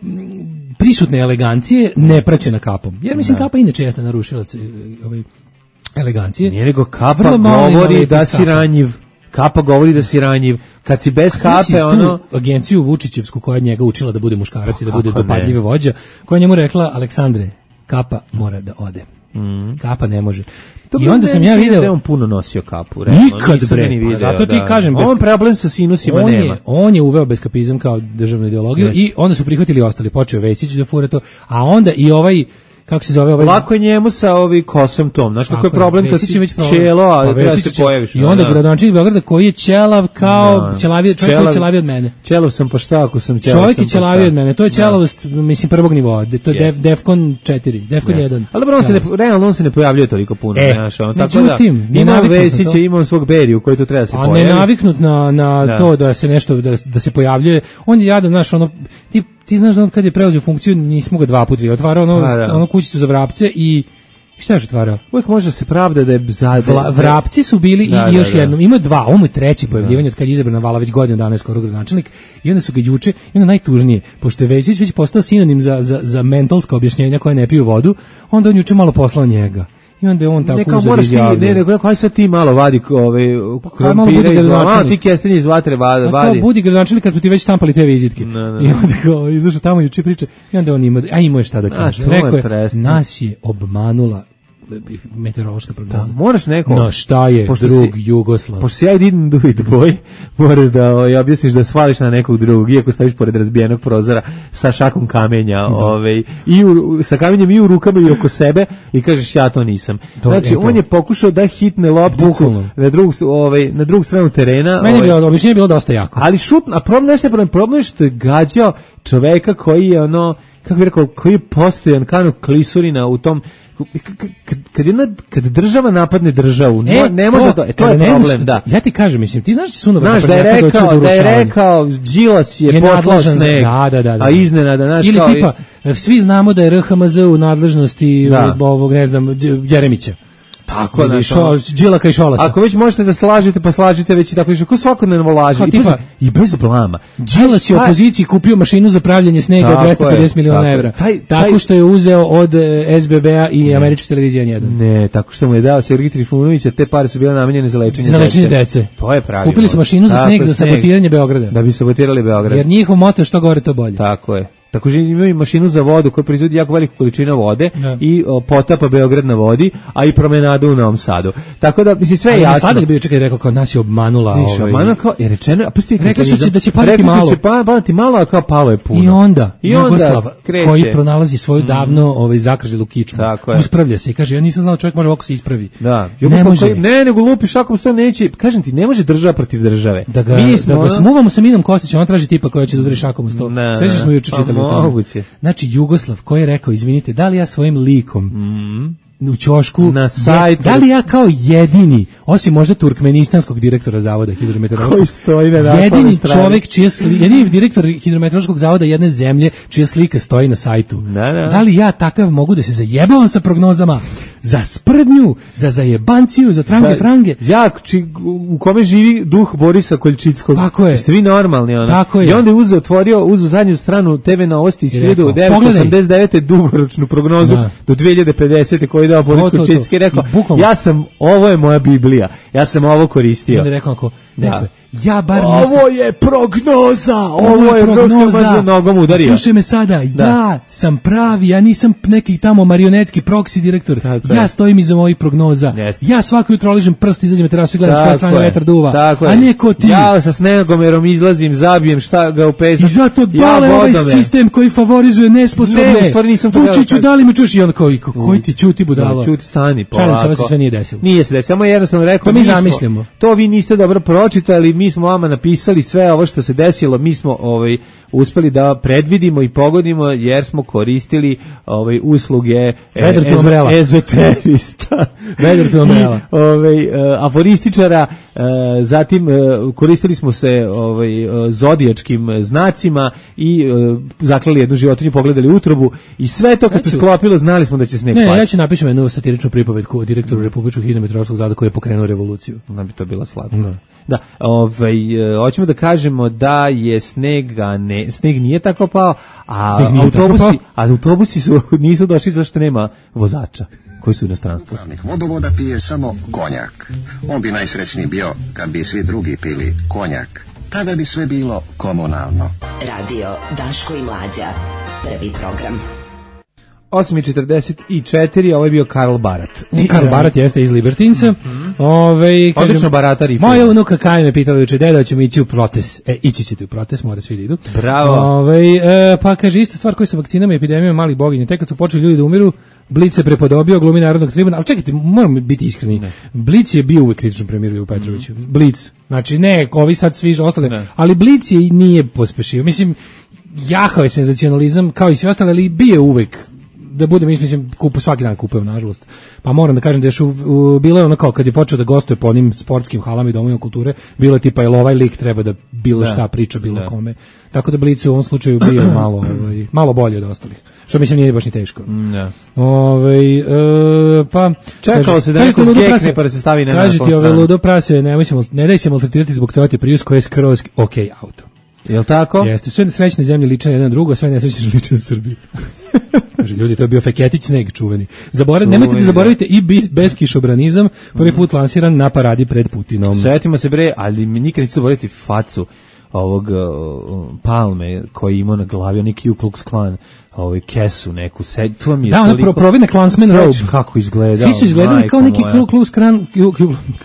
prisutne elegancije, nepraćena kapom. Jer mislim, da. Kapa inače jeste narušilac ovaj, elegancije. Nije nego kapa govori da si ranjiv. Kapa govori da si ranjiv. Kad si bez kape, ono... agenciju Vučićevsku koja njega učila da bude muškarac i da bude dopadljive vođa, koja njemu rekla, Aleksandre, Kapa mora da ode. Mm. Kapa ne može. To I onda sam ja video... da on puno nosio kapu. Realno. Nikad, bre. Video, zato ti da. kažem... On problem sa sinusima on nema. Je, on je uveo beskapizam kao državnu ideologiju yes. i onda su prihvatili ostali. Počeo Vesić da fura to, a onda i ovaj... kako se zove ovaj... Lako je njemu sa ovi kosom tom. Znaš kako je problem kad si čelo, a pa treba se pojaviš. I onda da. Gradonačelnik Beograda koji je ćelav kao ćelaviji, čovjek koji je ćelaviji od mene. Ćelav sam pa šta ako sam ćelav. Čovjek je ćelaviji od mene. To je ćelavost, mislim, prvog nivoa. To je yes. def, Defcon četiri, Defcon yes. jedan. Ali dobro, on se ne, realno on se ne pojavljuje toliko puno. E, znaš, on, tako da ima Vesića, ima svog Beriju koji tu treba se pojavi. A ne naviknut na, na da. to da se nešto, da, da se pojavljuje. On je jadan, znaš, ono, ti, ti znaš da on kad je preuzeo funkciju, nismo ga dva puta vidjeli. Otvarao ono, da. ono kućicu za vrapce i šta je otvarao? Uvijek može se pravda da je za Vla, vrapci su bili da, i još da, da. jednom. Ima dva, ovo je treći pojavljivanje od kad je izabran Vala već godinu dana je skoro gradonačelnik i onda su ga juče, i onda najtužnije, pošto je Vesić već postao sinonim za, za, za mentalska objašnjenja koja ne piju vodu, onda on juče malo poslao njega. I onda je on tako uzor izjavio. Ne, nego kaj sad ti malo vadi ove krompire iz vatre, ti kestenje iz vatre vadi. A kao budi gradonačelnik kad su ti već štampali te vizitke. No, no. I onda kao izašao tamo juče priča i onda on ima, a imao je šta da kaže. Rekao je, nas je obmanula meteorološka prognoza. Da, moraš neko... No šta je pošto drug si, Jugoslav? Pošto si ja didn't do it boy, moraš da o, objasniš da svališ na nekog drugog, iako staviš pored razbijenog prozora sa šakom kamenja, da. Ove, i u, sa kamenjem i u rukama i oko sebe i kažeš ja to nisam. To, znači, on je pokušao da hitne lopticu na drugu, ove, na drugu stranu terena. Meni je bilo, objašnjenje bilo dosta jako. Ali šut, a problem nešto je problem, problem što je gađao čoveka koji je ono, kako bih rekao, koji je postojan kanu klisurina u tom. Kad, kad, jedna, kad država napadne državu, e, ne, ne može to, e, to je problem, znaš, da. Ja ti kažem, mislim, ti znaš Sunova znaš, da je rekao, da je rekao, Đilas je, je poslao sneg, da, da, da, da. a iznenada, znaš, ili kao, tipa, svi znamo da je R H M Z u nadležnosti da. ovog, ne znam, Jeremića. Tako da, Đilaka i Šolasa. Ako već možete da slažete, pa slažite već i tako što ko svakodnevno laže i, tipa, i bez blama. Đilas je u opoziciji kupio mašinu za pravljenje snega od dvesta pedeset miliona evra. Taj, taj, tako što je uzeo od S B B-a i američke televizije jedan. Ne, tako što mu je dao Sergij Trifunović, te pare su bile namenjene za lečenje za lečenje dece. dece. To je pravilno. Kupili su mašinu za sneg za sabotiranje Beograda. Da bi sabotirali Beograd. Jer njihov moto je što gore to bolje. Tako je. Također imaju mašinu za vodu koja proizvodi jako veliku količinu vode ja. i o, potapa Beograd na vodi, a i promenadu u Novom Sadu. Tako da, mislim, sve je jasno. Sada bi čekaj rekao kao nas je obmanula. Viš, ovaj... obmanula kao, je rečeno, a pusti rekli su će da će paliti malo. Rekli su će paliti malo, a kao palo je puno. I onda, I onda Jugoslav, kreće. koji pronalazi svoju davno ovaj, zakrželu kičmu, uspravlja se i kaže, ja nisam znao da čovjek može ovako se ispravi. Da. Ne može. Koji, ne, nego lupi šakom sto neće. Kažem ti, ne može država protiv države. Da ga, Mi smo, da ga smuvamo sa Minom Kostićem, on traži tipa koja će da udari šakom u sto. Sve smo juče čitali. Znači, Jugoslav koji je rekao, izvinite, da li ja svojim likom mm. u ćošku, na sajtu, da li ja kao jedini, osim možda turkmenistanskog direktora zavoda hidrometeorološkog, koji stoji na jedini čovjek čiji sli, jedini direktor hidrometeorološkog zavoda jedne zemlje čija slika stoji na sajtu. Da, da. Da li ja takav mogu da se zajebavam sa prognozama za sprdnju, za zajebanciju, za trange frange? Ja, či, u kome živi duh Borisa Koljčickog. Tako je. Jeste vi normalni, ono? Tako je. I onda je uzeo, otvorio, uzeo zadnju stranu T V Novosti iz hiljadu devetsto osamdeset devete dugoročnu prognozu da. do dve hiljade pedesete koju je dao Boris Koljčicki i rekao, I ja sam, ovo je moja Biblija, ja sam ovo koristio. I onda je rekao, ako, da. Ja bar ovo nisam... je prognoza, ovo je prognoza, za nogom udario. Slušaj me sada, da. ja sam pravi, ja nisam neki tamo marionetski proksi direktor, tako ja je. stojim iza mojih prognoza, yes. ja svako jutro ližem prst, izađem na terasu i gledam koja strana vetar duva, tako a neko ti. Ja sa snegomerom izlazim, zabijem šta ga u pesak. I zato dole ja ovaj sistem koji favorizuje nesposobne. Ne, u stvari nisam to Vučiću, da li me čuješ? I onda kao, koji ti čuti budalo? Čuti, stani, polako. Šalim se, ovo se sve nije desilo. Nije se desilo, samo jednostavno rekao, to mi zamislimo. To vi niste dobro pročitali, mi smo vama napisali sve ovo što se desilo, mi smo ovaj uspeli da predvidimo i pogodimo jer smo koristili ovaj usluge Vedar to umrela. Ezoterista. Vedar to umrela. Ovaj uh, aforističara, uh, zatim uh, koristili smo se ovaj uh, zodijačkim znacima i uh, zaklali jednu životinju, pogledali utrobu i sve to kad se sklopilo znali smo da će sneg pasti. Ne, ja ću napišem jednu satiričnu pripovetku o direktoru Republičkog hidrometeorološkog zavoda koji je pokrenuo revoluciju. Da bi to bila slatko. Da. Da, ovaj hoćemo da kažemo da je snega ne sneg nije tako pao, a autobusi, pao. a autobusi su nisu došli zašto nema vozača koji su u inostranstvu. Vodovoda pije samo konjak. On bi najsrećniji bio kad bi svi drugi pili konjak. Tada bi sve bilo komunalno. Radio Daško i Mlađa. Prvi program. osam i četrdeset četiri, ovo je bio Karl Barat. I Karl Barat jeste iz Libertinsa. Mm-hmm. Ove, kažem, odlično baratar i moja unuka Kaj me pitala juče, deda, ćemo ići u protest. E, ići ćete u protest, mora svi da idu. Bravo. Ove, e, pa kaže, ista stvar koja sa vakcinama i epidemijom malih boginja. Tek kad su počeli ljudi da umiru, Blic se prepodobio, glumi Narodnog tribuna, ali čekajte, moramo biti iskreni. Ne. Blic je bio uvek kritičan premijeru u Petroviću. Mm-hmm. Blic. Znači, ne, ovi sad svi ostale, ne. Ali Blic je nije pospešio. Mislim, jahao je senzacionalizam, kao i svi ostali, ali bio uvek da bude, mislim, kupu, svaki dan kupujem, nažalost. Pa moram da kažem da je šu, u, bilo je ono kao kad je počeo da gostuje po onim sportskim halama i domovima kulture, bilo je tipa, jel ovaj lik treba da bilo da, šta priča bilo da. Kome. Tako da Blic u ovom slučaju bio malo, ovaj, malo bolje od ostalih. Što mislim nije baš ni teško. Da. Ovaj e, pa čekalo se da neko skekne pa da se stavi na nas. Kažete ove ludo prase, ne možemo, ne daj se maltretirati zbog Toyota Prius koji je skroz okej auto. Jel tako? Jeste, sve srećne zemlje liče na jedno drugo, sve nesrećne liče na Srbiju. Kaže, ljudi, to je bio Feketić sneg čuveni. Zaborav, čuveni nemojte da zaboravite i bis, beskišobranizam, prvi put lansiran na paradi pred Putinom. Sjetimo se bre, ali mi nikad neću zaboraviti facu ovog uh, Palme koji ima na glavi onaj Ku Klux Klan, ovaj kesu neku, sed, to mi je da, ono provine Klansman robe. Kako izgleda. Svi su izgledali kao neki Ku Klux Klan,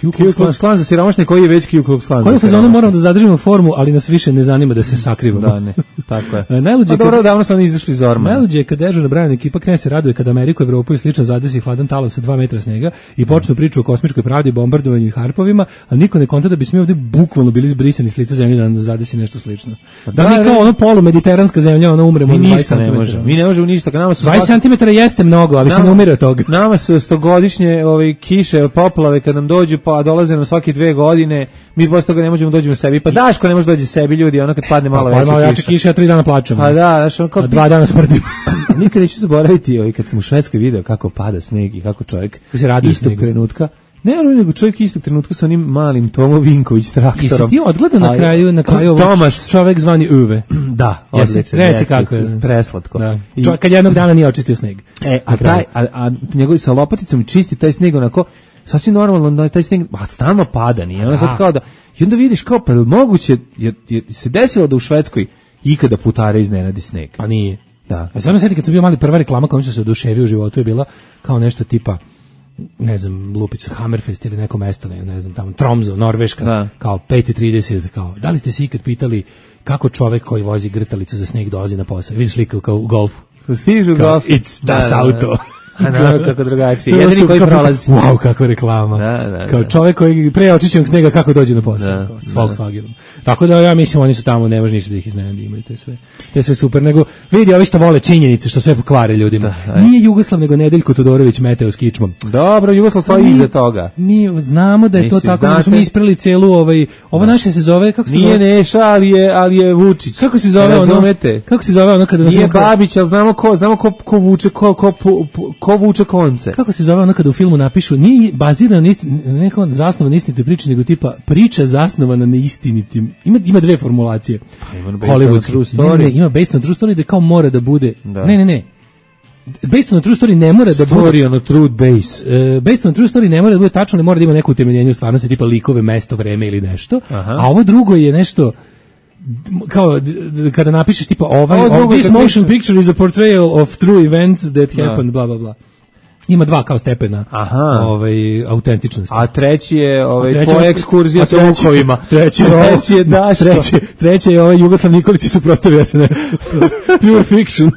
Ku Klux Klan za siromašne koji je već Ku Klux Klan. Koji fazonu moramo da zadržimo formu, ali nas više ne zanima da se sakrivamo. Da, ne, tako je. Najluđe pa dobro, davno su oni izašli iz ormana. Najluđe je kad dežurna Brajana ekipa krene se raduje kad Ameriku, Evropu i slično zadesi hladan talas sa dva metra snega i počnu priču o kosmičkoj pravdi, bombardovanju i harpovima, a niko ne konta da bismo ovde bukvalno bili zbrisani s lica zemlje da nam zadesi nešto slično. Da, da mi kao ono polu mediteranska zemlja, ono umremo dvadeset centimetara. Mi ne možemo ništa. dvadeset centimetara jeste mnogo, ali nama, se ne umire od toga. Nama su stogodišnje ovaj, kiše, poplave kad nam dođu, pa dolaze nam svake dve godine, mi posle toga ne možemo dođemo sebi. Pa Daško ne može dođi sebi, ljudi, ono kad padne malo pa, veća malo kiša. kiša. Ja tri dana plačem. Pa da, znaš, ono kao... A dva dana smrdim. Nikad neću zaboraviti, ovaj, kad sam u Švedskoj video kako pada sneg i kako čovjek istog trenutka. Ne, ali nego čovjek istog trenutka sa onim malim Tomo Vinković traktorom. Jesi ti odgledao na kraju, na kraju ovog čovjek zvani Uve? Da, odlično. Reci kako je. Preslatko. Da. I, kad jednog dana nije očistio sneg. E, a, taj, a, a njegovi sa lopaticom čisti taj sneg onako, sasvim normalno, da taj sneg, a stalno pada, nije ono sad kao da, i onda vidiš kao, pa moguće, je, je, se desilo da u Švedskoj ikada putare iznenadi sneg. Pa nije. Da. A samo sjeti kad sam bio mali, prva reklama kojom sam se oduševio u životu je bila kao nešto tipa, ne znam, Lupić, Hammerfest ili neko mesto, ne, ne znam, tamo, Tromso, Norveška, da. Kao pet i trideset, kao, da li ste se ikad pitali kako čovek koji vozi grtalicu za sneg dolazi na posao? Vidiš slika kao u golfu. Stižu u golfu. It's das da, auto. Da, da. A naravno kako drugačije. Jedini koji prolazi. Wow, kakva reklama. Da, da, kao čovjek koji pre očišćenog snega kako dođe na posao. Da, kao, s Volkswagenom. Tako da ja mislim oni su tamo, ne može ništa da ih iznenadi, imaju te sve. Te sve super, nego vidi ovi što vole činjenice, što sve pokvare ljudima. Da, nije Jugoslav, nego Nedeljko Todorović meteo s kičmom. Dobro, Jugoslav stoji iza toga. Mi znamo da je to tako, da smo mi ispreli celu ovaj, ovo naše se zove, kako se nije Neša, ali je, ali je Vučić. Kako se zove ono? Kako se zove ono kada nije Babić, al znamo ko, znamo ko ko vuče, ko ko ko vuče konce. Kako se zove ono kada u filmu napišu, nije bazirano na istin, neko zasnovan na istinitoj priči, nego tipa priča zasnovana na istinitim. Ima, ima dve formulacije. Hollywoodski. Ne, ne, ima based on true story da kao mora da bude. Da. Ne, ne, ne. Based on true story ne mora da bude. Story on a true base. Uh, based on true story ne mora da bude tačno, ne mora da ima neko utemeljenje u stvarnosti, tipa likove, mesto, vreme ili nešto. Aha. A ovo drugo je nešto kao kada napišeš tipa ovaj, oh, this motion picture is a portrayal of true events that happened, bla bla bla. Ima dva kao stepena. Aha. Ovaj autentičnosti. A treći je ovaj tvoja ekskurzija sa vukovima. Treći, treći je Daško. Treći, treći je ovaj Jugoslav Nikolić i suprotstavio se ne. Pure fiction.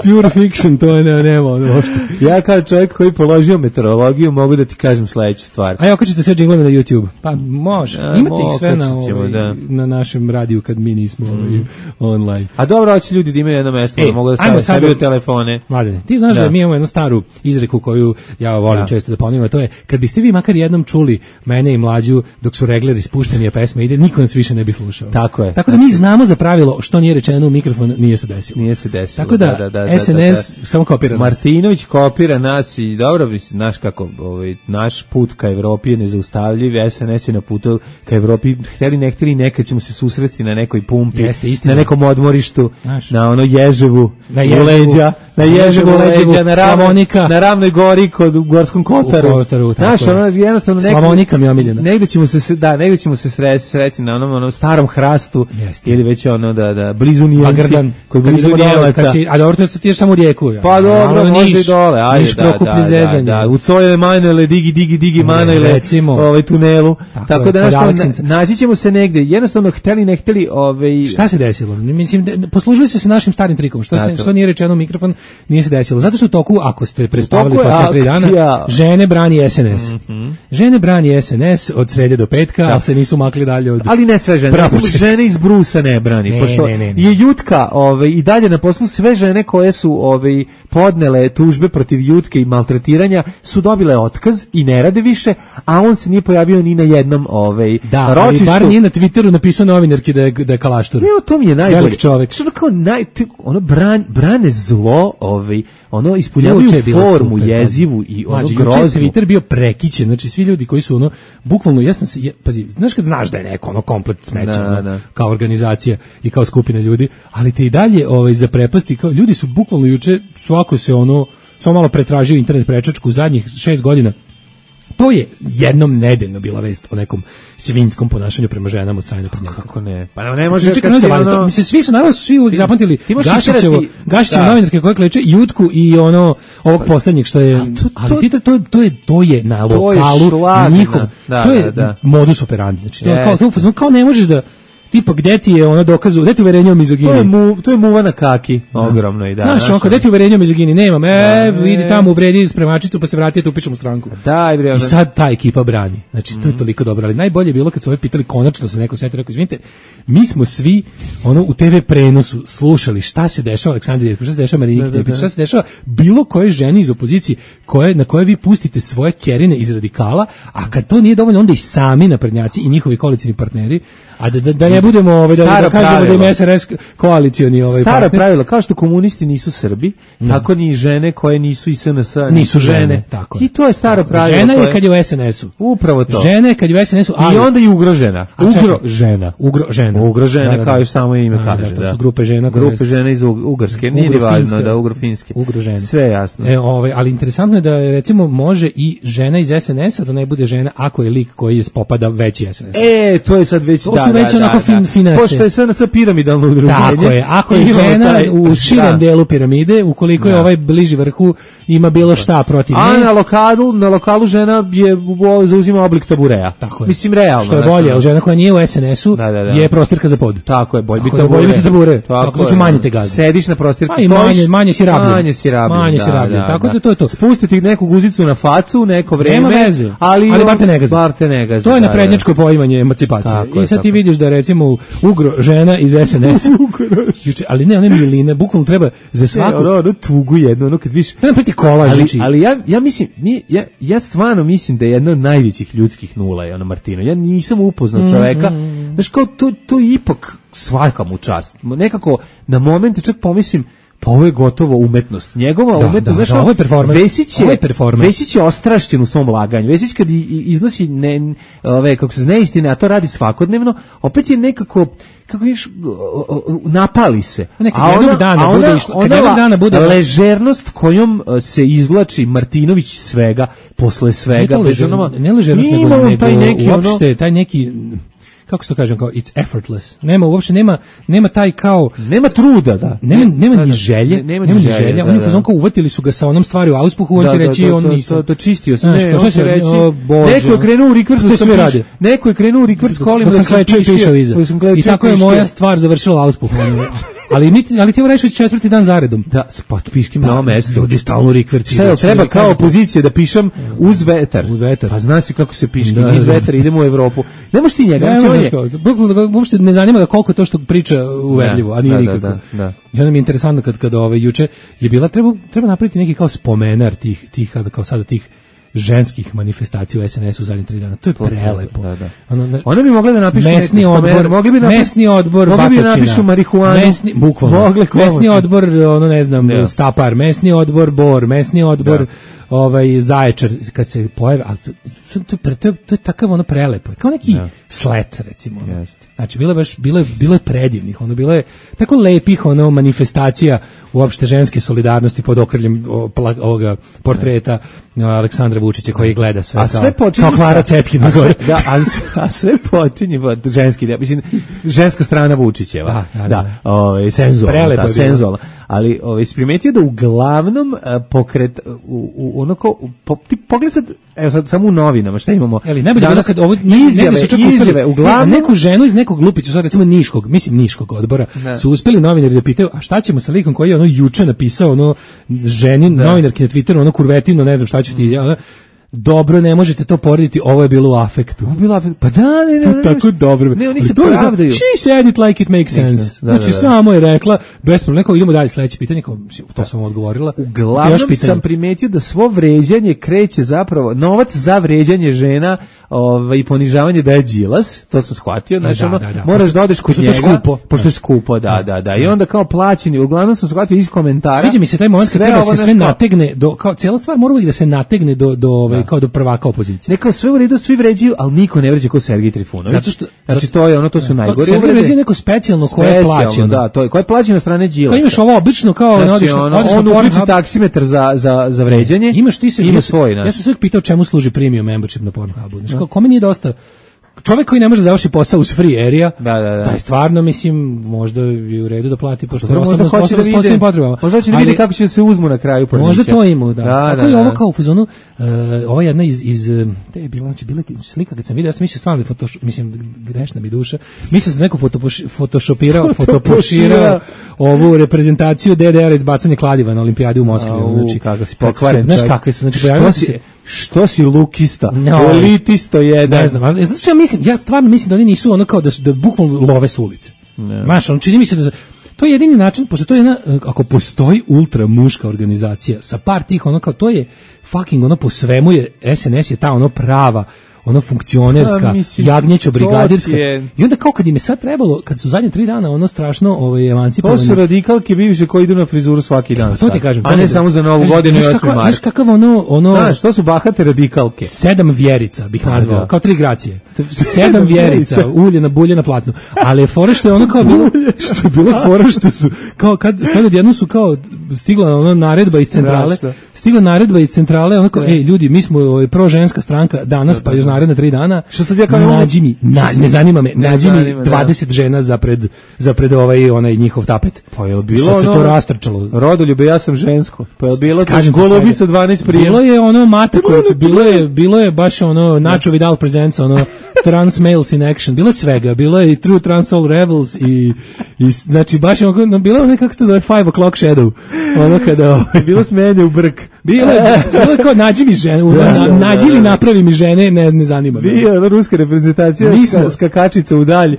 Pure fiction, to je ne, nema ono uopšte. Ja kao čovjek koji položio meteorologiju mogu da ti kažem sledeću stvar. A ja okačite sve džinglove na YouTube. Pa može. Da, imate ih sve na, ćemo, ovaj, da. na našem radiju kad mi nismo ovaj, online. A dobro, hoće ljudi da imaju jedno mesto, E, da mogu da ajmo stavaju sad sebi da- u telefone. Mladene, ti znaš da. Da. mi imamo jednu staru izreku koju ja volim Da. često da ponovim, a to je kad biste vi makar jednom čuli mene i Mlađu dok su regleri spušteni, a pesma ide, niko nas više ne bi slušao. Tako je. Tako da mi znamo za pravilo što nije rečeno u mikrofon, nije se desilo. Nije se desilo. Tako da, S N S samo kopira nas. Martinović kopira nas i dobro, mislim, znaš kako, ovaj, naš put ka Evropi je nezaustavljiv, S N S je na putu ka Evropi, hteli ne hteli, nekad ćemo se susresti na nekoj pumpi, Jeste, istina. na nekom odmorištu, Znaš. na ono Ježevu, Na u Ježevu, leđa, na Ježevu, Ježevu, leđa, Leđevu, na, ravnoj, Slavonika. na ravnoj gori kod u Gorskom Kotaru. U Kotaru, tako znaš, je. ono, jednostavno nekad, Slavonika mi je omiljena. negde ćemo se, se- da, negde ćemo se sresti, sreti na onom, onom starom hrastu, Jeste. ili već ono, da, da, blizu Pa Nijenci, Grdan, kod kad blizu idemo dole, Nijemaca. kad si, a dobro, to ti ješ samo u Rijeku. Ja. Pa dobro, Malo možda i Niš, dole, ajde, Niš, da, Prokuplje, da, da, Zezanje. da, u Cojele Manele, digi, digi, digi, Manele, recimo. ovaj, tunelu, Tako tako, je, da, kod znaš, Aleksinca. na- naći ćemo se negde, jednostavno, hteli, ne hteli, ovaj, Šta se desilo? Mislim, da- poslužili su se našim starim trikom. Što, se, Eto. što nije rečeno u mikrofon, nije se desilo. Zato što u toku, ako ste prespavali toku je posle tri dana, akcija. žene brani S N S. Žene brani S N S od srede do petka, ali se nisu makli dalje od... ali ne sve žene, Bravo. recimo, žene iz Brusa ne brani, Ne, pošto ne, ne, ne. je Jutka ovaj, i dalje na poslu, sve žene koje su ovaj, podnele tužbe protiv Jutke i maltretiranja su dobile otkaz i ne rade više, a on se nije pojavio ni na jednom ovaj, Da, ali ročištu. bar nije na Twitteru napisao novinarki da je, da je kalaštur. Evo, to mi je najbolje. Velik čovek. Što ono kao naj, ti- ono bran, brane zlo, ovaj, ono ispunjavaju Juče je bilo formu super, jezivu i ono Mlađe, juče je groznu. Twitter bio prekićen, znači svi ljudi koji su ono, bukvalno, ja sam se, ja, pazi, znaš kad znaš da je neko ono komplet smeća, Da, ono, da. kao organizacija i kao skupina ljudi, ali te i dalje ovaj, za prepasti, kao, ljudi su bukvalno juče, svako se ono, samo malo pretražio internet prečačku u zadnjih šest godina. To je jednom nedeljno bila vest o nekom svinjskom ponašanju prema ženama od strane naprednjaka. Kako ne? Pa ne može Juče kad kad si ono... ono... Mislim, svi su, naravno su svi uvijek zapamtili ti možeš Gašićevo, isterati- Gašićevo da. novinarke koje kleče, Jutku i ono, ovog poslednjeg što je, to- ali to- ti to, to, to, je, to je na To je lokalu šlagana. njihov, Da, to je da, da. modus operandi, znači to je kao, Jeste. to, je kao ne možeš da, tipa gde ti je ono dokazu, gde ti uverenje o mizogini? To je, mu, to je muva na kaki, ogromno i da. Znaš, znaš, onako, gde ti uverenje o mizogini? Nemam, e, Da, vidi e. tamo, uvredi spremačicu, pa se vrati, tu pišem u stranku. Daj, bre, I ono- sad ta ekipa brani. Znači, to je toliko dobro. Ali najbolje je bilo kad su ove pitali, konačno se neko setio, rekao, izvinite, mi smo svi ono, u te ve prenosu slušali šta se dešava Aleksandri Jerkov, šta se dešava Marini Da, da, Knepić, da. šta se dešava bilo koje ženi iz opozicije koje, na koje vi pustite svoje kerine iz radikala, a kad to nije dovoljno, onda i sami naprednjaci i njihovi koalicijni partneri, a da, da, da ne budemo ovaj, da, Staro da kažemo da pravilo. im S R S koalicioni ovaj, Staro partner. pravilo, kao što komunisti nisu Srbi, tako ni žene koje nisu iz S N S Nisu žene, tako je. I to je staro pravilo. Žena je koje- kad je u S N S-u. Upravo to. Žena je kad je u S N S-u, ali... I onda i ugrožena. A čekaj. Ugro žena. Ugro žena. Ugrožena, Da, da, da. kao još samo ime Da, kaže. da, to Da, su grupe žena koje- Grupe žena iz Ug- Ugarske. Nije ni Ugrofinska. važno da ugrofinske. Ugrožene. Sve je jasno. E, ovaj, ali interesantno je da recimo može i žena iz S N S-a da ne bude žena ako je lik koji je popada veći S N S. E, to je sad već To da, su već da, onako da, fin- da. finese. Pošto je S N S piramidalno udruženje. Tako je, ako je imamo žena taj- u širem da. delu piramide, ukoliko je Da. ovaj bliži vrhu, ima bilo šta protiv A nje. na lokalu, na lokalu žena je u- zauzima oblik tabureja. Tako je. Mislim realno. Što je znaš, bolje, ono. ali žena koja nije u S N S-u Da, da, da. je prostirka za pod. Tako je, bolje Tako biti da bolje tabure. biti tabure. Tako da ću je. manje te gazi. Sediš na prostirci, Pa i stojiš, manje- manje si rabljen. Manje si rabljen, Manje si da, rabljen, da, tako da. da to je to. Spustiti neku guzicu na facu, neko vreme. Nema veze, ali, ali bar te ne gazi. Bar te ne gazi, To je da, naprednjačko poimanje emancipacije. Tako I je, sad ti tako. vidiš da recimo ugro žena iz S N S. Juče, ali ne, one miline, bukvalno treba za Svaku, svaku... ono, ono tugu jedno, ono kad viš... Treba priti kolaž, ali, znači. ali ja, ja mislim, mi, ja, ja stvarno mislim da je jedna od najvećih ljudskih nula je ono Martino. Ja nisam upoznao čoveka. Mhm. Znaš, kao to, to je ipak svaka mu čast. Nekako, na momente čak pomislim, pa ovo je gotovo umetnost. Njegova Da, umetnost, da, znaš, da, ono, ovo je performans. Vesić je, Ovo je performans. Vesić je ostrašćen u svom laganju. Vesić kad i- i- iznosi ne, ove, kako se zna istine, a to radi svakodnevno, opet je nekako, kako viš, napali se. Neka A jednog ona- dana a bude ona- išlo- kad ona jednog la- dana bude- ležernost kojom uh, se izvlači Martinović svega, posle svega. Ne, to bez ležer, onoma- ne ležernost, Ima nego, on nego taj neki, ono- uopšte, taj neki, kako se to kažem, kao it's effortless. Nema, uopšte nema, nema taj kao... Nema truda, da. Nema, nema Da, ni da, želje, ne- nema nema ni ni želje, želje. da, Oni da. u fazonu kao uvatili su ga sa onom stvari u auspuhu, on Da, će da, reći da, on to- nisam. to- to čistio sam. Znaš, Ne, kao, on šta će će reći, o, Bože, neko je krenuo u rikvrst to dok sve sam radi. piš- neko je krenuo u rikvrst kolima Dok sam dok sam klečao i pišio- pišao iza. dok sam klečao I tako je pišao. moja stvar završila u auspuhu. Ali mi ali ti evo reći četvrti dan zaredom. Da, pa piškim na ovom mestu. Ljudi stalno rikverci. Šta je, treba kao opozicija da pišem uz vetar. Uz vetar. Pa zna se kako se piški, da, iz vetara idemo u Evropu. Ne možeš ti njega, ne, ne, uopšte ne zanima ga koliko to što priča uverljivo, a nije da, nikako. Da, da, da. I onda mi je interesantno kad, kad ove, juče je bila, treba, treba napraviti neki kao spomenar tih, tih kao sada tih ženskih manifestacija u es en esu u zadnjih tri dana. To je to, prelepo. Da, da. Ono, ne, One bi mogle da napišu mesni odbor, mogli bi napišu, mesni odbor mogli Batočina. Mogli bi napišu marihuanu. Mesni, bukvalno. Mogle, mesni odbor, ono ne znam, da. Stapar, mesni odbor Bor, mesni odbor da. ovaj Zaječar kad se pojave, ali to, to, to, to, to je takav ono prelepo. Kao neki da. Slet recimo. Ono. Znači bilo je baš bilo je bilo je predivnih, ono bilo je tako lepih ono manifestacija uopšte ženske solidarnosti pod okriljem ovoga portreta Aleksandra Vučića koji gleda sve. A sve počinje kao Klara Cetkina gore. Da, a, a sve počinje ženski, da, mislim ženska strana Vučićeva. Da, da, da. da ovaj senzualna, ta senzualna. Ali ovaj primetio da uglavnom uh, pokret u, u ono ko po, ti pogled sad, evo sad samo u novinama šta imamo. Ali najbolje bilo kad ovo izjave, su čak izjave, uglavnom ne, neku ženu iz nekog Lupića, sad recimo Niškog, mislim Niškog odbora, ne. Su uspeli novinari da pitaju, a šta ćemo sa likom koji je ono juče napisao ono ženi novinarki na Twitteru, ono kurvetino, ne znam šta ću ti, ja, dobro, ne možete to porediti, ovo je bilo u afektu. Ovo je bilo u afektu. Pa da, ne, ne, ne. To tako dobro. Ne, oni se pravdaju. She said it like it makes sense. Da, znači, da, da. Samo je rekla, bez problema, neko idemo dalje, sledeće pitanje, kao, to sam odgovorila. Uglavnom sam primetio da svo vređanje kreće zapravo, novac za vređanje žena ovaj, i ponižavanje da je Đilas, to sam shvatio, znači, da, ono, da, da. Moraš da odeš kod njega, skupo. Pošto je skupo, da, da, da. I onda kao plaćeni, uglavnom sam shvatio iz komentara. Sviđa mi se taj moment kad treba se sve nategne, do, kao, cijela stvar mora uvijek da se nategne do, do ovaj, kao do prvaka opozicije. Neka sve u redu, svi vređaju, ali niko ne vređa kao Sergej Trifunović. Zato što znači to je ono, to su najgore uvrede. Sergej vređa neko specijalno koje je plaćeno. Da, to je koje je plaćeno od strane Đilasa. Kao imaš ovo obično kao znači, odiš, ono, odiš on na uključi taksimetar za za za vređanje. Imaš ti se ima svoj, ja sam sve pitao čemu služi premium membership na Pornhubu. Znači kao kome nije dosta čovjek koji ne može završiti posao uz free area, da, da, da. taj stvarno, mislim, možda je u redu da plati, pošto da, možda hoće da vidi, možda će da vidi kako će se uzmu na kraju pornića. Možda to ima, da. da Tako da, je ovo kao u fazonu, uh, ova jedna iz, iz te je bila, znači, bila slika kad sam vidio, ja sam mislio stvarno, fotoš, mislim, grešna mi duša, mislio sam neko fotopoš, fotošopirao, fotopoširao ovu reprezentaciju D D R iz bacanja kladiva na olimpijadi u Moskvi. Znači, kako si pokvaren. Znaš kakve su, znači, pojavili se što si lukista, no, elitisto jedan. Ne znam, ali znači ja mislim, ja stvarno mislim da oni nisu ono kao da su da bukvalno love s ulice. Znaš, on čini mi se da to je jedini način, pošto to je jedna, ako postoji ultra muška organizacija sa par tih ono kao to je fucking ono po svemu je es en es je ta ono prava ono funkcionerska, jagnjećo brigadirska. I onda kao kad im je sad trebalo, kad su zadnje tri dana ono strašno ovaj, emancipovani. To su radikalke bivše koji idu na frizuru svaki dan. E, to ti kažem. A ne samo za Novu godinu i osmi mart. Znaš kakav ono... ono Znaš, to su bahate radikalke. Sedam vjerica bih nazvao, da. Kao tri gracije. Sedam vjerica, uljena, buljena, platno. Ali je fora što je ono kao bilo, što je bilo fora što su, kao kad, sad odjednom su kao stigla ono naredba iz centrale, stigla naredba iz centrale, ono kao, ej, ljudi, mi smo ovaj, proženska stranka danas, pa još naredne tri dana. Što sad ja kao nađi mi, na, ne zanima me, nađi mi dvadeset žena za pred za pred ovaj onaj njihov tapet. Pa je bilo sad se to rastrčalo. Rodoljube, ja sam žensko. Pa je bilo Golubica dvanaest prije. Bilo je ono Mataković, bilo je bilo je baš ono Nacho Vidal presents ono Trans Males in Action, bilo je svega, bilo je i True Trans All Rebels i, i znači baš ono, no, bilo je ono kako se to zove Five O'Clock Shadow, ono kada bilo smenje u brk. Bilo je, bilo je kao nađi mi žene, na, nađi li napravi mi žene, ne, ne zanima me. Bio je ruska reprezentacija, ska, skakačica u dalj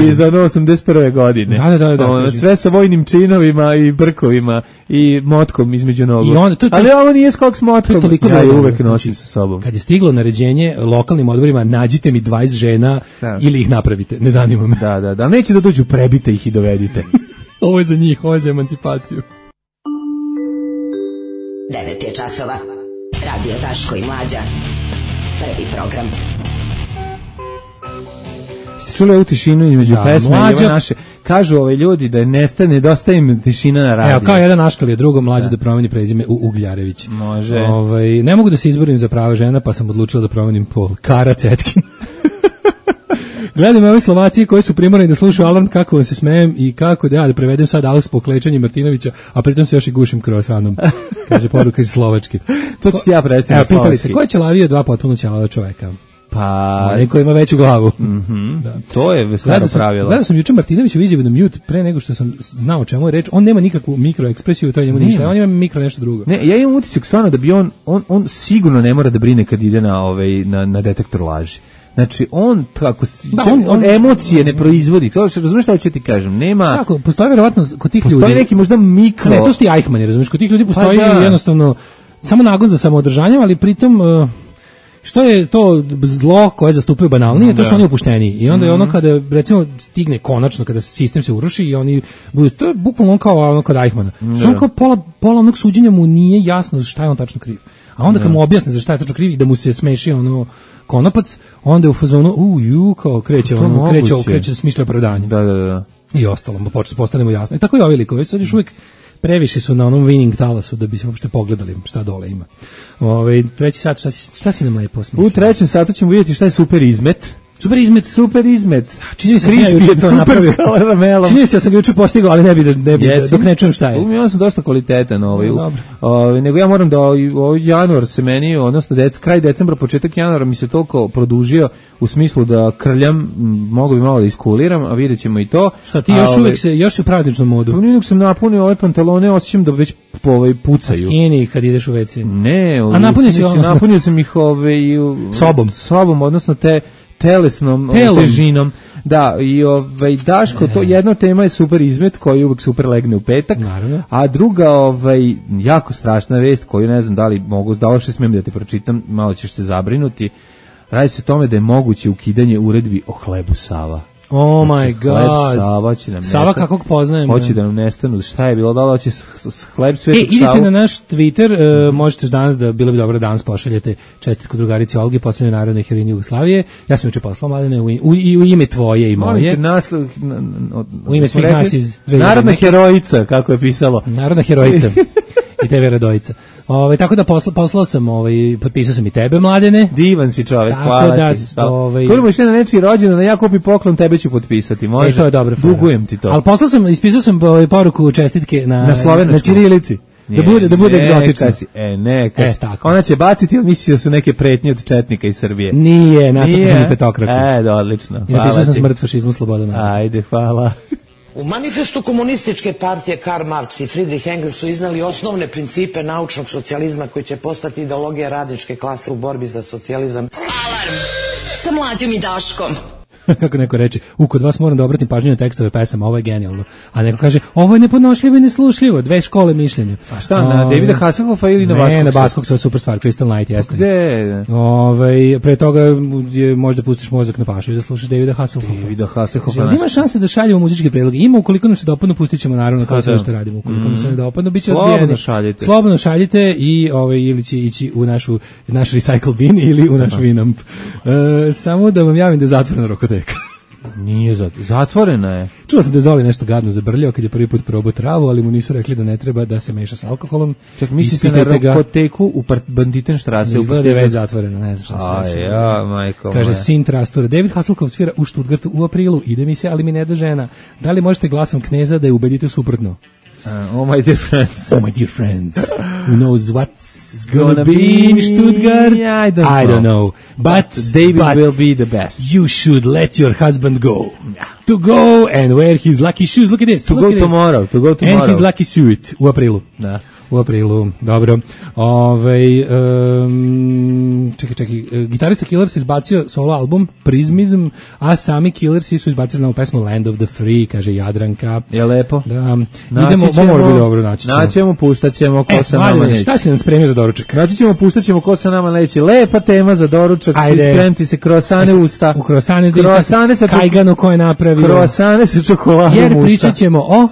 i za ono osamdeset prve godine. Da, da, da, da, ono, sve sa vojnim činovima i brkovima i motkom između nogu. I on, to, to, ali ovo nije skok s motkom, ja je uvek nosim sa sobom. Kad je stiglo naređenje lokalnim odborima, nađite mi dvadeset žena da. Ili ih napravite, ne zanima me. Da, da, da, neće da dođu, prebite ih i dovedite. Ovo je za njih, ovo je za emancipaciju. devet je časova. Radio Daško i Mlađa. Prvi program. Ste čuli ovu tišinu između da, pesme i ove naše? Kažu ove ljudi da nestane, nedostaje im tišina na radiju. Evo, kao jedan naškal je drugo Mlađe da, da promeni prezime u Ugljarević. Može. Ovaj, ne mogu da se izborim za prava žena, pa sam odlučila da promenim pol. Kara Cetkin. Gledam ove Slovacije koji su primorani da slušaju alarm kako vam se smejem i kako da ja da prevedem sad aus po klečanju Martinovića, a pritom se još i gušim krosanom. Kaže poruka iz Slovačke. To ću ti ja prestati na slovački. Pitali se, ko je ćelavio dva potpuno ćelava čoveka? Pa... Neko ima veću glavu. Mm-hmm. Da. To je staro pravilo. Gledao sam juče Martinoviću izjavu na mute pre nego što sam znao o čemu je reč. On nema nikakvu mikroekspresiju, to je njemu ništa. On ima mikro nešto drugo. Ne, ja imam utisak stvarno da bi on, on, on sigurno ne mora da brine kad ide na, ovaj, na, na detektor laži. Znači, on, kako, da, on, on emocije ne proizvodi. To, razumiješ šta hoću ti kažem? Nema... Šta, ako, postoji verovatno kod tih postoji ljudi... Postoji neki možda mikro... Ne, to su ti Eichmanni, razumiješ? Kod tih ljudi postoji pa da. jednostavno samo nagon za samoodržanje, ali pritom... Uh, što je to zlo koje zastupaju banalnije, to su oni opušteniji. I onda je ono kada, recimo, stigne konačno, kada sistem se uruši i oni budu, to je bukvalno on kao ono kod Eichmana. Što on kao pola, pola onog suđenja mu nije jasno šta je on tačno kriv. A onda kad mu objasne za šta je tačno kriv i da mu se smeši ono konopac, onda je u fazonu, u, ju, kao kreće, ono, kreće, kreće smišlja opravdanje. Da, da, da. I ostalo, pa počne postanemo jasno. I tako i ovi likovi, sad još uvijek previše su na onom winning talasu da bi se uopšte pogledali šta dole ima. Ove, treći sat, šta si, šta si nam lepo smislio? U trećem satu ćemo vidjeti šta je super izmet. Super izmet, super izmet. Čini se ja juče to napravio. Čini se ja sam ga juče postigao, ali ne bi da ne bi yes. dok ne čujem šta je. Ja sam dosta kvalitetan ovaj. No, ovaj nego ja moram da ovaj januar se meni, odnosno dec, kraj decembra, početak januara mi se toliko produžio u smislu da krljam, mogu bi malo da iskuliram, a videćemo i to. Šta ti još a, uvek se još u prazničnom modu? Pa uvijek sam napunio ove pantalone, osjećam da već po ovaj pucaju. A skini kad ideš u ve ce. Ne, a napunio si napunio sam ih ovaj sobom, sobom, odnosno te telesnom Telom. težinom. Da, i ovaj Daško, to jedna tema je super izmet koji uvek super legne u petak. Naravno. A druga, ovaj jako strašna vest koju ne znam da li mogu, da li smijem da ti pročitam, malo ćeš se zabrinuti. Radi se o tome da je moguće ukidanje uredbi o hlebu Sava. Oh znači, my god. Sava će nam Sava nestanu. Kakvog poznajem. Hoće da nam nestanu. Šta je bilo? Da li hoće hleb Svetog e, idite Savu? na naš Twitter, uh, možete danas da, bilo bi dobro da danas pošaljete čestitku drugarici Olgi, poslednjoj narodnoj heroini Jugoslavije. Ja sam juče poslao, Mladene, u, u, i u ime tvoje i moje. Nas, na, na, u ime svih nas iz... Narodna herojica, kako je pisalo. Narodna herojica. I tebe Radojica. Ove, tako da posla, poslao sam, ovaj, potpisao sam i tebe, Mladene. Divan si čovjek, tako hvala da, ti. Ovaj... Koliko išli na nečiji rođendan, ja kupi poklon, tebe ću potpisati, može? E, to je dobro. Dugujem ti to. Ali poslao sam, ispisao sam ovaj, poruku čestitke na, na, na ćirilici. Da bude, da bude egzotično. Si, e, neka e, si. Ona će baciti, ili mislio da su neke pretnje od četnika iz Srbije? Nije, nacrtao sam i petokraku. E, da, odlično. I napisao sam smrt fašizmu, sloboda. Ajde, hvala. U manifestu komunističke partije Karl Marx i Friedrich Engels su iznali osnovne principe naučnog socijalizma koji će postati ideologija radničke klase u borbi za socijalizam. Alarm sa Mlađom i Daškom. Kako neko reče, u kod vas moram da obratim pažnju na tekstove pesama, ovo je genijalno. A neko kaže, ovo je nepodnošljivo i neslušljivo, dve škole mišljenja. A šta, na o, Davida Hasselhoffa ili na Baskog? Ne, na Baskog sa super stvar, Crystal Night, jeste. Gde? Ove, pre toga je, možda pustiš mozak na pašu i da slušaš Davida Hasselhoffa. Davida Hasselhoffa. Znači, ima šanse da šaljemo muzičke predloge. Ima, ukoliko nam se dopadnu, pustit ćemo naravno kao sve što radimo. Ukoliko mm. nam se ne dopadnu, bit će odbijeni. Slobodno šaljite. Slobodno šaljite i ove, ili će ići u našu, naš recycle bin ili u naš Winamp. E, samo da vam javim da je zatvorena rokoteka. Nije zatvorena je. Čuo sam da je Zoli nešto gadno zabrljao kad je prvi put probao travu, ali mu nisu rekli da ne treba da se meša sa alkoholom. Čak mislite na rokoteku u Banditenštrase? Izgleda da je već zatvorena, ne znam šta se reći. Ja, majko kaže moja. sin Trastura. David Hasselhoff svira u Stuttgartu u aprilu. Ide mi se, ali mi ne da žena. Da li možete glasom kneza da je ubedite suprotno? Uh, oh my dear friends. Oh my dear friends. Who knows what's gonna, gonna be in Stuttgart? I don't, I don't know. But, but David but will be the best. You should let your husband go. Yeah. To go and wear his lucky shoes. Look at this. To Look go at tomorrow. This. To go tomorrow. And his lucky suit u aprilu. Da. U aprilu, dobro. Ove, um, čekaj, čekaj, gitarista Killers izbacio solo album Prismism, a sami Killersi su izbacili novu pesmu Land of the Free, kaže Jadranka. Je lepo. Da, naći idemo, ćemo, ovo bi dobro, naći ćemo. Naći ćemo, puštat ćemo ko e, sa nama neće. Šta si nam spremio za doručak? Naći ćemo, puštat ćemo ko sa nama neće. Lepa tema za doručak, svi spremiti se krosane usta. U krosane, krosane sa kajganu koje je napravio. Krosane sa čokoladom jer usta. Jer pričat ćemo o...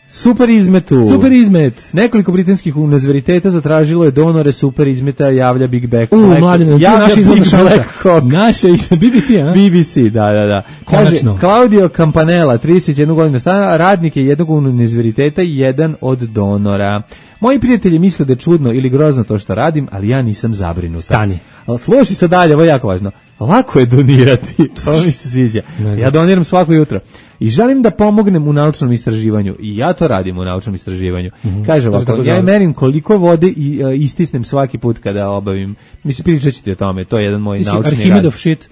Super izmetu. Super izmet. Nekoliko britanskih univerziteta zatražilo je donore super izmeta, javlja Big Black. U, mladine, tu naša izvozna šansa. Naša B B C, a? B B C, da, da, da. Kaže, Claudio Campanella, trideset jednu godinu stana, radnik je jednog univerziteta i jedan od donora. Moji prijatelji misle da je čudno ili grozno to što radim, ali ja nisam zabrinuta. Stani. Ali slušaj se dalje, ovo je jako važno. lako je donirati, to mi se sviđa. Ja doniram svako jutro. I želim da pomognem u naučnom istraživanju. I ja to radim u naučnom istraživanju. Mm-hmm. Kaže ovako, ja merim koliko vode i uh, istisnem svaki put kada obavim. Mislim, pričat ću ti o tome, to je jedan moj ti naučni rad. Arhimedov shit.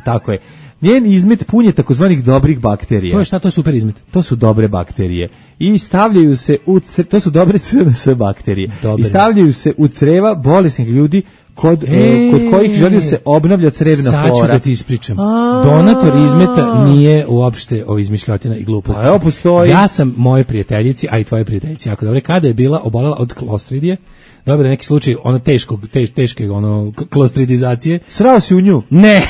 Tako je. Njen izmet pun je takozvanih dobrih bakterija. To je šta, to je super izmet? To su dobre bakterije. I stavljaju se u creva, to su dobre sve bakterije. Dobre. I stavljaju se u creva bolesnih ljudi kod, e, kod kojih želi da se obnavlja crevna flora. Sad ću da ti ispričam. A, donator izmeta nije uopšte o izmišljotina i gluposti. Evo postoji. Ja sam moje prijateljici, a i tvoje prijateljici, jako dobro, kada je bila obolela od klostridije, dobro da neki slučaj ono teškog, teš, teške ono klostridizacije. Srao si u nju? Ne.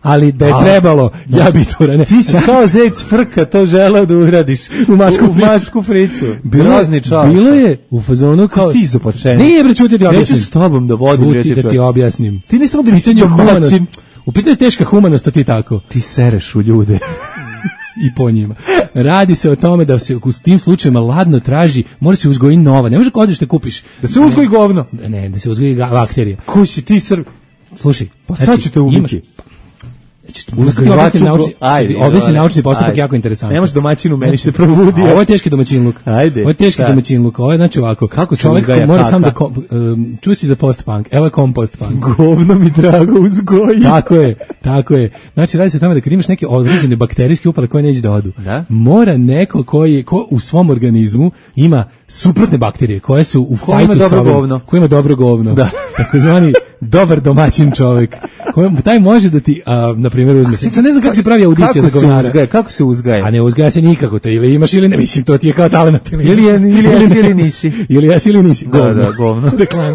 Ali da je a, trebalo, ja bi to ne. Ti si kao zec frka, to želeo da uradiš u mačku, u mačku fricu. Grozni čovjek. Bilo je u fazonu kao ti izopačen. Nije bre, čuti ti objasnim. Neću s tobom da vodim, čuti da ti objasnim. Ti ne samo da mi se domaćin. U pitanju teška humanost, a ti tako. Ti sereš u ljude. I po njima. Radi se o tome da se u tim slučajevima ladno traži, mora se uzgoji nova. Ne može kad odeš te kupiš. Da se uzgoji govno. Ne, da se uzgoji bakterije. Ko si ti Srb? Slušaj, pa sad ću te ubiti. Objasni naučni postupak jako interesantan. Nemaš domaćinu, meni se probudio. Ovo je teški domaćinluk. Ajde. Ovo je teški domaćinluk. Ovo je znači ovako. Kako se čovjek uzgaja mora kaka? sam da um, čuo si za post-punk. Evo je kompost-punk. Govno mi drago uzgoji. Tako je, tako je. Znači radi se o tome da kad imaš neke određene bakterijske upale koje neće da odu, da? mora neko koji ko u svom organizmu ima suprotne bakterije koje su u ko fajtu sa ovim, koji ima dobro govno. Da. Takozvani dobar domaćin čovjek. Taj može da ti, a, na primjer, uzme. Sad ne znam kako se pravi audicija za govnara. Uzgaja, kako se uzgaja? A ne uzgaja se nikako, to ili imaš ili ne, mislim, to ti je kao talenat. Ili, ili, ili, ili jesi ili nisi. Ili jesi ili nisi. Govno. Da, da, govno. Reklama.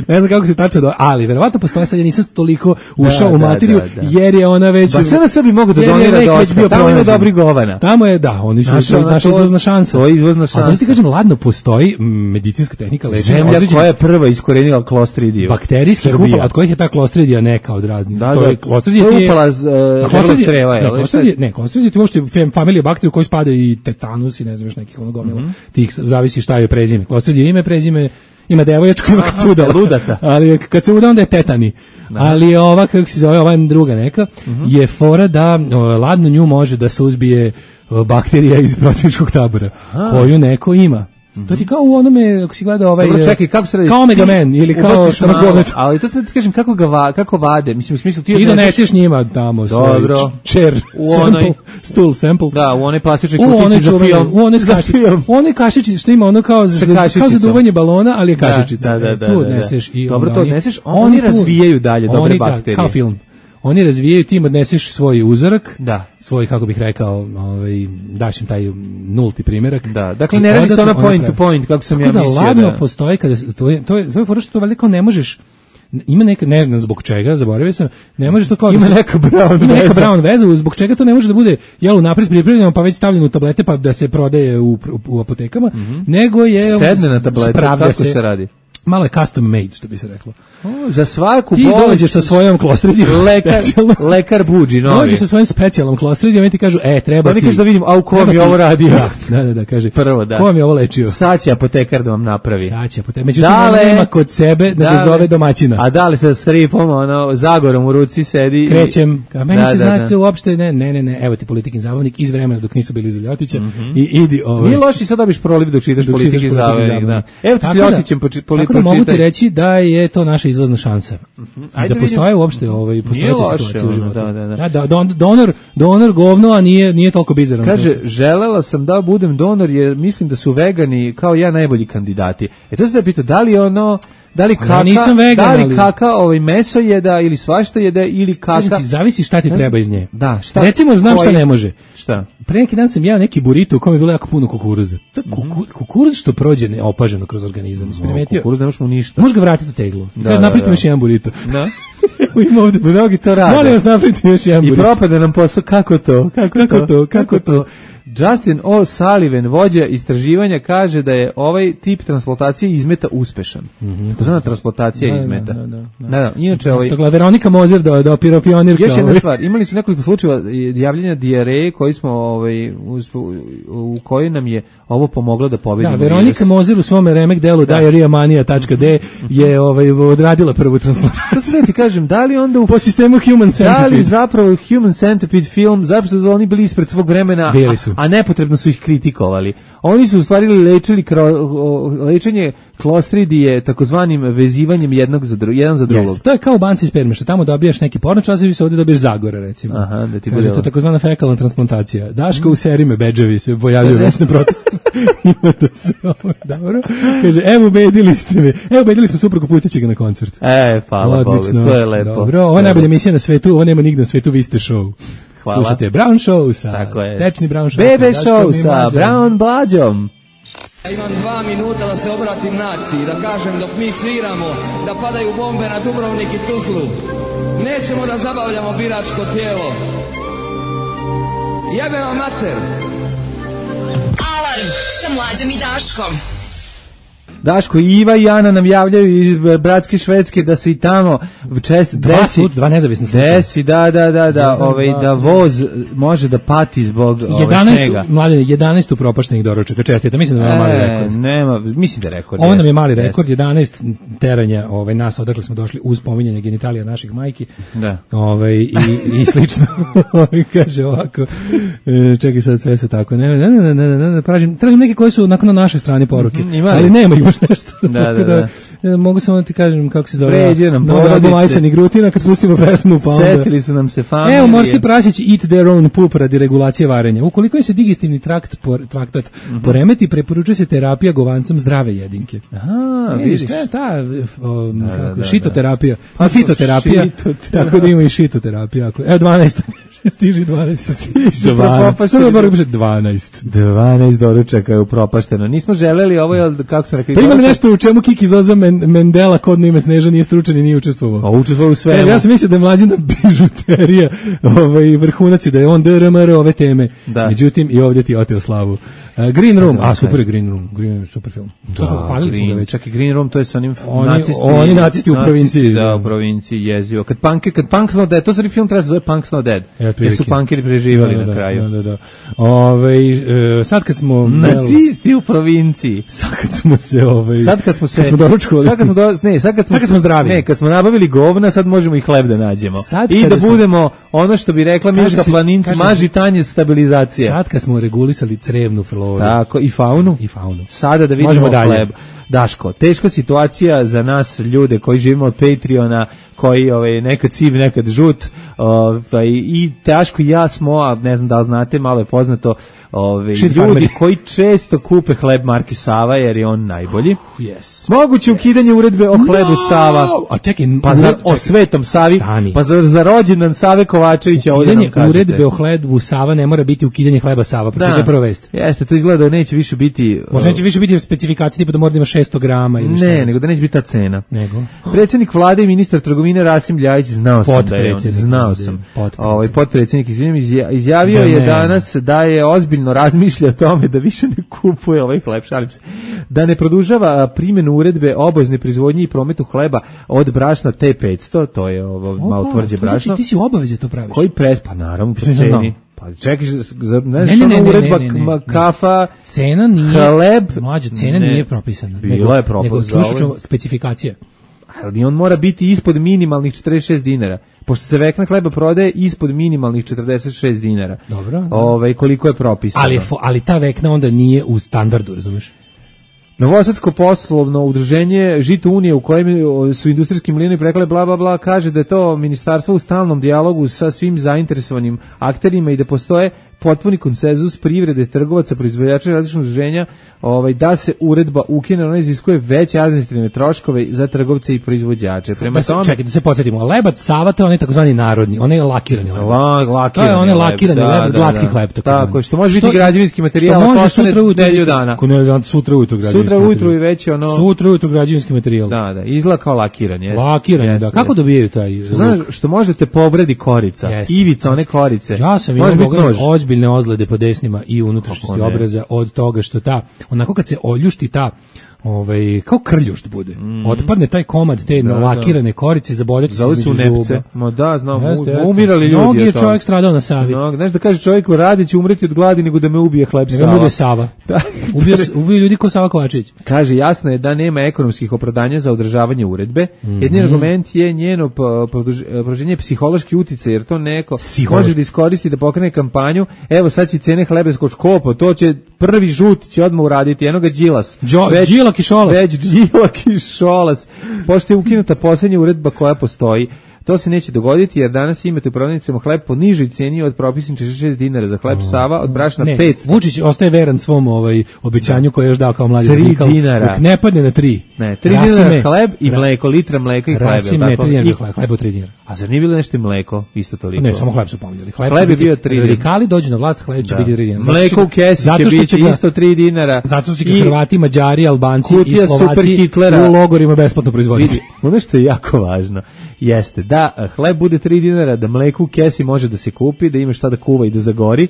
Ne znam kako se tačno do, ali verovatno postoje, sad ja nisam toliko ušao da, u materiju, da, da, da. jer je ona već... Ba sve na sebi mogu da donira do očka, tamo ima dobri govana. Tamo je, da, oni su naša, naša izvozna šansa. To je izvozna šansa. A znači ti kažem, ladno postoji medicinska tehnika lečenja. Zemlja koja je prva iskorenila klostridiju. Bakterijski upala, od kojih je ta klostridija neka od raznih. Da, to da, je klostridija to je upala želog creva, je li? Ne, klostridija ti uopšte familija bakterija u kojoj spada i tetanus i ne znam još nekih ono gomila. Tih zavisi šta je prezime. Klostridija ime, prezime ima devojačku, ima kad se udala. Ludata. Ali kad se uda, onda je tetani. Da. Ali ova, kako se zove, ova druga neka, uh-huh. je fora da o, ladno nju može da se uzbije o, bakterija iz protivničkog tabora, Aha. koju neko ima. To ti kao u onome, ako si gleda ovaj... Dobro, čekaj, kako se radi? Kao Omega Man, ili kao samozgovnet. Ali to se ti kažem, kako, ga va, kako vade, mislim, u smislu ti... Ti doneseš njima tamo svoj čer, sample, stool sample. Da, u one plastične kutice za film. U one kašičice, u one kašičice, što ima ono kao za, kao za duvanje balona, ali je kašičica. Da, da, da. Tu odneseš i... Dobro, to odneseš, oni razvijaju dalje dobre bakterije. Kao film. Oni razvijaju, ti im odneseš svoj uzorak, da. svoj, kako bih rekao, ovaj, daš im taj nulti primjerak. Da, dakle ne radi se ona point to point, kako sam tako ja mislio. Da ladno postoji, kada, to je, to je, to je fora što to valjda kao ne možeš, ima neka, ne znam zbog čega, zaboravio sam, ne može to kao... Ima neka brown veza. Ima neka brown veza, zbog čega to ne može da bude, jel, napred pripremljeno, pa već stavljeno u tablete, pa da se prodaje u, u, u apotekama, mm-hmm. nego je... Sedne na tablete, kako se, se radi? Malo je custom made, što bi se reklo. O, za svaku ti bolest... Ti dođeš sa svojom klostridijom. Lekar, lekar buđi, novi. Dođeš sa svojom specijalnom klostridijom i ti kažu, e, treba ti... Oni kažu da vidim, a u kom je ovo radio? Da, da, da, da, kaže. Prvo, da. Ko mi je ovo lečio? Sad će apotekar da vam napravi. Sad će apotekar. Međutim, dale, nema kod sebe da ga zove domaćina. A da li sa stripom, ono, zagorom u ruci sedi... Krećem. Ka, meni da, se da, znate da. Uopšte, ne, ne, ne, ne, evo ti Politikin zabavnik iz vremena dok nisu bili iz Ljotića mm-hmm. i idi ovaj. Nije loši, sad dobiš proliv dok čitaš Politikin zabavnik, da. Evo ti s Ljotićem pročitaj. Tako da mogu ti reći da je to naša izvozna šansa. Mm-hmm. I da postoje uopšte ovaj postoje situacije u životu. Da, da, da. Da, don, donor, donor govno, a nije nije toliko bizaran. Kaže, želela sam da budem donor jer mislim da su vegani kao ja najbolji kandidati. E to se da pita, da li ono da li kaka, ja vegan, da li ali... kaka ovaj meso jeda ili svašta jeda ili kaka. Ti, zavisi šta ti treba iz nje. Da, šta? Recimo znam koji... šta ne može. Šta? Pre neki dan sam jeo neki burrito u kome je bilo jako puno kukuruza. To kuku, kukuruz što prođe neopaženo kroz organizam. No, kukuruz ne možeš mu ništa. Možeš ga vratiti u teglu. Da, da, napravite da. Još jedan burrito. Da. Ima ovde mnogi to rade. Molim vas napravite još jedan burrito. I propada nam posao kako to? Kako, kako to? Kako to? Justin O'Sullivan, vođa istraživanja, kaže da je ovaj tip transplantacije izmeta uspešan. Mm-hmm. To znači transplantacija da, izmeta. Da, da, da. da, da. Inače, ovaj... Stogla, Veronika Mozer do, do piropionirka. Još jedna stvar, imali su nekoliko slučajeva javljanja dijareje koji smo, ovaj, u, u kojoj nam je ovo pomoglo da pobedimo. Da, Veronika virus. Mozer u svom remek delu da. diareamania tačka de je ovaj, odradila prvu transplantaciju. To se ti kažem, da li onda u... po sistemu Human Centipede. Da li zapravo Human Centipede film, zapravo su oni bili ispred svog vremena, bili su. A, a nepotrebno su ih kritikovali. Oni su u stvari lečili kro, lečenje klostridije takozvanim vezivanjem jednog za dru, jedan za drugog. Jeste, to je kao u banci sperme, što tamo dobijaš neki pornočasovi, se ovdje dobiješ Zagora, recimo. Aha, da ti kaže, to je takozvana fekalna transplantacija. Daško u serime bedževi se pojavljaju već na protestu. Ima to se ovo, dobro. Kaže, evo ubedili ste me. Evo ubedili smo suprugu, pustit će ga na koncert. E, hvala Bogu, to je lepo. Dobro, ovo je najbolja emisija na svetu, ovo nema nigde na svetu, vi ste show. Hvala. Slušate Brown Show sa, tečni Brown Show Bebe sa Show sa Brown Blađom. Ja imam dva minuta da se obratim naciji, da kažem dok mi sviramo, da padaju bombe na Dubrovnik i Tuzlu. Nećemo da zabavljamo biračko tijelo. Jebe vam mater. Alarm sa Mlađom i Daškom. Daško, Iva i Ana nam javljaju iz bratske Švedske da se i tamo čest desi, dva, dva nezavisna slučaja. Desi, da, da, da, da, ovaj, da voz može da pati zbog ove snega. Mladine, jedanaest upropaštenih doručaka, čestite, mislim da nema mali rekord. Nema, mislim da je rekord. Ovo nam je mali rekord, jedanaest teranja ovaj, nas, odakle smo došli uz pominjanje genitalija naših majki. Da. Ovaj, i, i slično. Kaže ovako, čekaj sad sve se tako, ne, ne, ne, ne, ne, ne, tražim, tražim neke koje su nakon na našoj strani poruke, ali nema ih baš nešto. Da, da, da. da mogu samo da ti kažem kako se zove. Pređe nam porodice. Majsan i Grutina kad pustimo pesmu pa onda. Setili su nam se familije. Evo, morski prasići eat their own poop radi regulacije varenja. Ukoliko im se digestivni trakt, por, traktat mm-hmm. poremeti, preporučuje se terapija govancem zdrave jedinke. Aha, e, vidiš. Šta je ta o, da, kako, da, da, šitoterapija? Pa no, fitoterapija. Šitoterapija. Tako da ima i šitoterapija. Evo, dvanaest. Stiži dvanaest. Stiži dvanaest. dvanaest doručaka je upropašteno. Nismo želeli ovo, je, kako smo rekli... Pa ima nešto u čemu Kiki Zoza Mendela, kodno ime Sneža, nije stručan i nije učestvovao. A učestvovao u svemu. E, ja sam mislio da je Mlađana bižuterija ovaj, vrhunac i da je on D R M R ove teme. Da. Međutim, i ovdje ti je oteo slavu. Uh, Green Room, a super je Green Room, Green Room, super film. To smo hvalili smo ga već. Čak i Green Room, to je sa onim oni, nacisti. Oni nacisti u provinciji. Da, u provinciji jezivo. Kad punk, kad Punk's Not Dead, to se film treba se zove Punk's Not Dead. Jer su punkeri preživali da, da, na kraju. Da, da, da. Ove, uh, sad kad smo... Nacisti u provinciji. Sad kad smo se... Ove, sad kad smo se... Kad smo doručkovali. Sad kad smo, do, ne, sad kad smo, sad kad smo zdravi. Ne, kad smo nabavili govna, sad možemo i hleb da nađemo. Sad I da smo, budemo, ono što bi rekla Miška Planinci, maži tanje stabilizacija. Sad kad smo regulisali crevnu floru. Tako, i faunu. I faunu. Sada da vidimo hleb. Daško, teška situacija za nas ljude koji živimo od Patreona, koji ovaj, nekad siv, nekad žut, ovaj, i Daško i ja smo, a ne znam da li znate, malo je poznato, ovaj, ljudi farmeri koji često kupe hleb marke Sava jer je on najbolji. Uh, yes. Moguće yes. ukidanje uredbe o hlebu no! Sava, a čekaj, pa za, o Svetom Savi, stani. pa za, za rođendan Save Kovačevića. Ukidanje uredbe o hlebu Sava ne mora biti ukidanje hleba Sava, pročitaj prvo vest. Jeste, to izgleda da neće više biti... Možda neće više biti specifikacije, tipa da mora da ima šesto grama ili šta. Ne, nego da neće biti ta cena. Nego? Predsjednik vlade i ministar trgovine Rasim Ljajić, znao sam da je on, znao sam. Ovaj potpredsjednik izjavio je danas da je ozbiljno razmišlja o tome da više ne kupuje ovaj hleb, šalim se, da ne produžava primjenu uredbe o obaveznoj proizvodnji i prometu hleba od brašna T petsto, to je ovo Opa, malo tvrđe brašno. Znači, ti si u obavezi to praviš? Koji pres, pa naravno, po ceni. Pa čekaj, znaš, ne, ne, ne, uredba ne, ne, ne, kafa, cena nije, hleb, mlađo, cena ne, nije propisana. Bila nego, je propisana. Nego čuš specifikacija. Ali on mora biti ispod minimalnih četrdeset šest dinara. Pošto se vekna hleba prodaje ispod minimalnih četrdeset šest dinara. Dobro. Ovaj koliko je propisano. Ali, ali ta vekna onda nije u standardu, razumiješ? Novosadsko poslovno udruženje Žito Unije u kojem su industrijski mlinovi prekle bla bla bla kaže da je to ministarstvo u stalnom dijalogu sa svim zainteresovanim akterima i da postoje potpuni konsenzus privrede, trgovaca, proizvođača i različnih udruženja, ovaj, da se uredba ukine, ona iziskuje veće administrativne troškove za trgovce i proizvođače. Prema da se, tome, čekaj, da se podsjetimo, lebac Sava, to je onaj takozvani narodni, onaj lakirani lebac. La, lakirani to je onaj lakirani leb, lebac, da, glatki da, hleb. Tako, tako što može biti građevinski materijal, što može sutra ujutru nedelju dana. Ne, sutra ujutru građevinski Sutra ujutru i već ono... Sutra ujutru građevinski materijal. Da, da, izgleda kao lakiran. Jest, lakirani, jest, da. Kako dobijaju taj... Znaš, što možete povredi korica, jest. Ivica, one korice. Ja sam može imao ozbiljne ozlede po desnima i unutrašnjosti obraza od toga što ta, onako kad se oljušti ta ovaj kao krljušt bude. Mm. Otpadne taj komad te da, lakirane da. korice, zaboljeti se između zuba. Ma da, znam, jeste, jeste. umirali ljudi. Mnogi je čovjek stradao na Savi. No, znaš da kaže čovjeku radi će umreti od gladi nego da me ubije hleb Sava. Ne bude Sava. Da. Ubio, ubio ljudi ko Sava Kovačević. Kaže, jasno je da nema ekonomskih opravdanja za održavanje uredbe. Mm-hmm. Jedini argument je njeno produženje psihološki uticaj, jer to neko može da iskoristi da pokrene kampanju. Evo sad će cene hleba skočkopo, to će prvi žut će odmah uraditi, eno ga Đilas. Đilak i Šolas. Već Đilak i Šolas. Pošto je ukinuta posljednja uredba koja postoji, to se neće dogoditi jer danas imate u prodavnicama hleb po nižoj cijeni od propisanih šezdeset šest dinara za hleb Sava, od brašna ne, petsto. Vučić ostaje veran svom ovaj obećanju koje je još dao kao mladi radikal. Dok ne padne na tri. Ne, tri dinara hleb i mleko, litra mleka i hleba. Rasim, ne, tri dinara hleb, hleb od tri dinara. A zar nije bilo nešto mleko, isto toliko? Ne, samo hleb su pominjali. Hleb, hleb je bio tri dinara. Radikali dođu na vlast, hleb će da. biti tri dinara. Mleko u kesi će biti isto tri dinara. Zato što će Hrvati, Mađari, Albanci i Slovaci u logorima besplatno proizvoditi. Ono što je jako važno jeste da hleb bude tri dinara, da mleko u kesi može da se kupi, da ima šta da kuva i da zagori.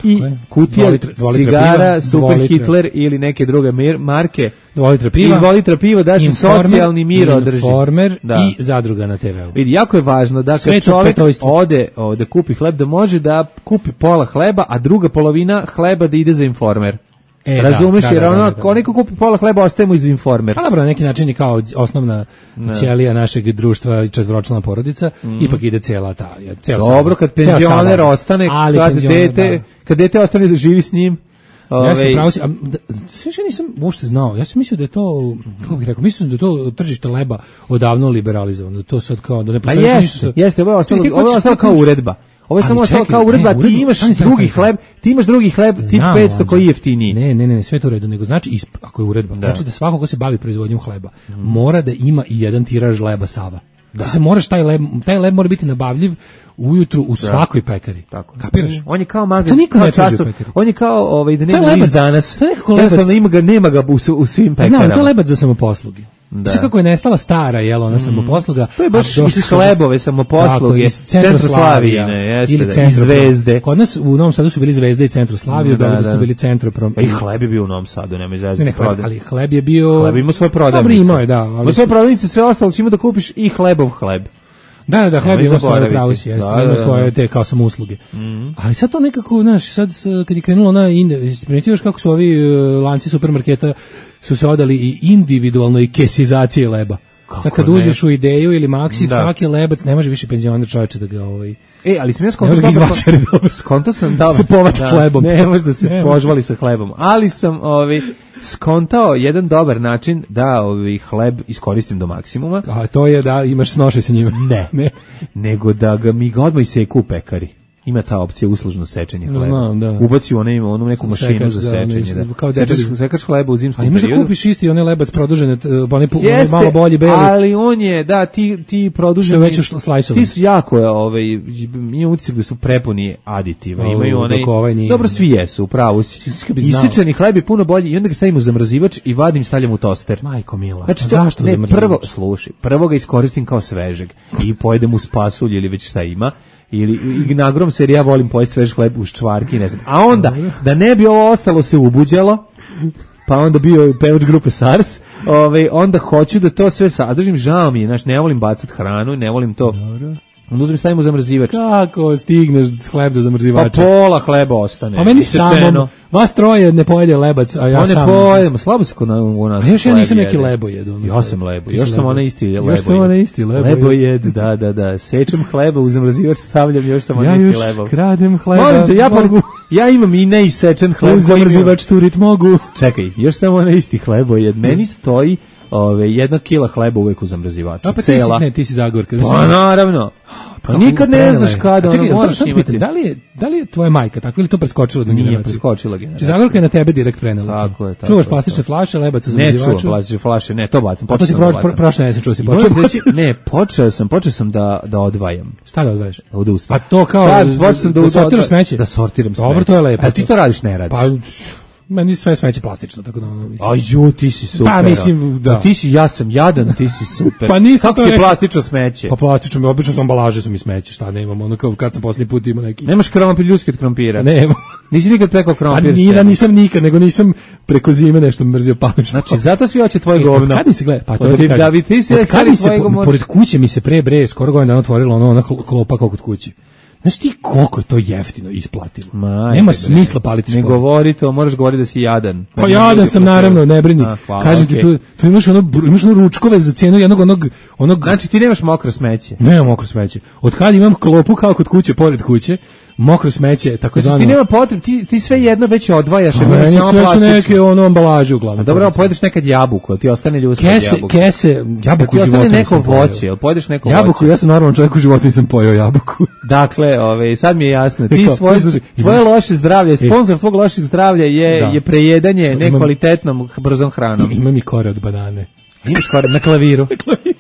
I kutija cigara, Super Hitler ili neke druge marke, dva litra piva, i dva litra piva da se socijalni mir održi. Informer da. I zadruga na te veu. Vidi, jako je važno da kad čovjek ode da kupi hleb, da može da kupi pola hleba, a druga polovina hleba da ide za Informer. E, razumeš, da, da, jer ono, da, da, da. Neko kupi pola hleba, ostajemo iz Informer. Pa dobro, na neki način je kao osnovna ne. ćelija našeg društva, četvoročlana porodica, mm. ipak ide cijela ta, ceo dobro, kad penzioner ostane, kad, penzioner, dete, da. kad dete ostane da živi s njim, Jeste, pravo si, a sve što nisam uopšte znao, ja sam mislio da je to, kako bih rekao, mislio da je to tržište leba odavno liberalizovano, da to sad kao, da ne postoji pa ništa. Jeste, jeste, ovo je ostalo, ovo je ostalo kao uredba. Ovo je samo ostalo kao uredba, ti imaš drugi hleb, ti imaš drugi hleb, tip petsto koji je jeftiniji. Ne, ne, ne, sve to u redu, nego znači, ako je uredba, znači da svako ko se bavi proizvodnjom hleba, mora da ima i jedan tiraž leba Sava. Da se moraš taj leb, taj leb mora biti nabavljiv ujutru u svakoj pekari. Tako. Kapiraš? On je kao magazin, kao časop. On je kao ovaj da nema list danas. Jednostavno ima ga, nema ga u, u svim pekarama. Znam, to je lebac za samoposluge. Da. Sve kako je nestala stara, jel, ona mm. samoposluga. To je baš iz hlebove samoposluge, Centroslavijine, jeste, ili da, Zvezde. Kod nas u Novom Sadu su bili Zvezde i Centroslavije, u Beogradu su bili Centroprom. Pa i hleb je bio u Novom Sadu, nema izazva. Ne, ne, hleb, ali hleb je bio... Hleb ima svoje prodavnice. Dobro, imao je, da. Ali ima svoje prodavnice, sve ostalo će ima da kupiš i hlebov hleb. Da, da, da, hleb ima svoje pravosi, jeste, da, ima svoje te kao samo usluge. Mm. Ali sad to nekako, znaš, sad kad je krenulo na, primitivaš kako su ovi uh, lanci supermarketa su se odali i individualno i kesizacije leba. Kako sad kad ne? Uđeš u Ideju ili Maxi, da. Svaki lebac, ne može više penzioner čovječe da ga ovaj... E, ali sam ja skonto dobro, skonto sam dobro, se povati da, hlebom. Ne može da se ne požvali sa hlebom, ali sam ovaj, skontao jedan dobar način da ovaj hleb iskoristim do maksimuma. A to je da imaš snoše sa njima. Ne, ne. Nego da ga mi ga odmah iseku u pekari. Ima ta opcija uslužno sečenje hleba. Znam, da. Ubaci one ima onu neku mašinu sekač, za sečenje, da. Kao sečeš, sekač hleba u zimskom periodu. A imaš da kupiš isti onaj lebac produžene, onaj malo bolji beli. Ali on je, da, ti ti produženi već slajsovi. Ti su jako, ovaj, imam utisak da su prepuni aditiva. O, imaju onaj. Ovaj dobro, svi jesu, upravo si. Isečeni hleb je puno bolji i onda ga stavim u zamrzivač i vadim, stavljam u toster. Majko mila. Znači, to, zašto ne, prvo, slušaj, prvo ga iskoristim kao svežeg i pojedem uz pasulj ili već šta ima. Ili ignagrom se, jer ja volim pojesti svež hleb uz čvarki, ne znam. A onda, da ne bi ovo ostalo se ubuđalo, pa onda bio pevač grupe SARS, ovaj, onda hoću da to sve sadržim, žao mi je, znaš, ne volim bacat hranu, ne volim to... Dobro. Onda uzmem stavimo zamrzivač. Kako stigneš s hleb do zamrzivača? Pa pola hleba ostane. A meni samo, vas troje ne pojede lebac, a ja on sam... On ne pojedemo, slabo se kod u nas. A još ja nisam neki lebo jedu. Ja sam lebo, još sam ona isti lebo. Još sam ona isti lebo. Lebo jed, da, da, da. Sečem hleba u zamrzivač, stavljam, još sam ona isti lebo. Ja još kradem hleba. Molim te, ja, mogu. Ja imam i neisečen hleb. U zamrzivač turit mogu. Čekaj, još sam ona isti hlebo jed. Meni stoji ove jedna kila hleba uvek u zamrzivaču. A pa ti si, ne, ti si Zagorka. Pa naravno. Pa nikad ne znaš kada, ono moraš imati. Da li je, da li je tvoja majka tako ili to preskočilo do generaciju? Nije preskočila generacija. Zagorka je na tebe direkt prenela. Tako je, tako. Čuvaš plastične flaše, lebac u zamrzivaču? Ne čuvam plastične flaše, ne, to bacam. Pa to si prošle ne se čuo si počeo. Ne, počeo sam, počeo sam da da odvajam. Šta da odvajaš? Od usta. A to kao da sortiraš smeće? Da sortiram smeće. Dobro, to je lepo. A ti to radiš, ne radiš? Pa Meni sve smeće plastično, tako da ono... Aj, ju, ti si super. Pa, mislim, da. Ti si, ja sam jadan, ti si super. Pa nisam kako to ti je rekao. plastično smeće? Pa plastično, mi obično su ambalaže su mi smeće, šta nemam, ono kao kad sam posljednji put imao neki... Nemaš krompir ljudski od krompira? Nema. Nisi nikad preko krompir? Pa nije, nisam nikad, nego nisam preko zime nešto mrzio palično. Znači, zato svi hoće tvoje govno. E, od kad se gleda? Pa to od, ti kažem. Da bi ti se od kad mi se, po, pored kuće mi se pre bre, skoro godinu dana otvorilo ono, ona klopa kao kod kuće. Znaš ti koliko je to jeftino isplatilo? Majte, nema bre. Smisla paliti šport. Ne govori to, moraš govoriti da si jadan. Pa jadan sam naravno, ne brini. A, hvala, kažem okay. ti, tu, tu imaš ono, imaš ono ručkove za cijenu jednog onog... onog... Znači ti nemaš mokro smeće? Nemam mokro smeće. Od kad imam klopu kao kod kuće, pored kuće, mokro smeće, tako znači, zvano... Ti nema potreb, ti, ti sve jedno već odvajaš. A meni sve su neke ono ambalaže uglavnom. Dobro, pojedeš nekad jabuku, ti ostane ljudska kese, jabuka. Kese, jabuku ti života neko voće, jel pojedeš neko jabuku, voće? Ja sam normalan čovjek u životu, nisam pojeo jabuku. Dakle, ove, sad mi je jasno, ti svoj, tvoje loše zdravlje, sponsor tvog lošeg zdravlja je, je prejedanje nekvalitetnom brzom hranom. Imam i kore od banane. Imaš kore na klaviru. Na klaviru.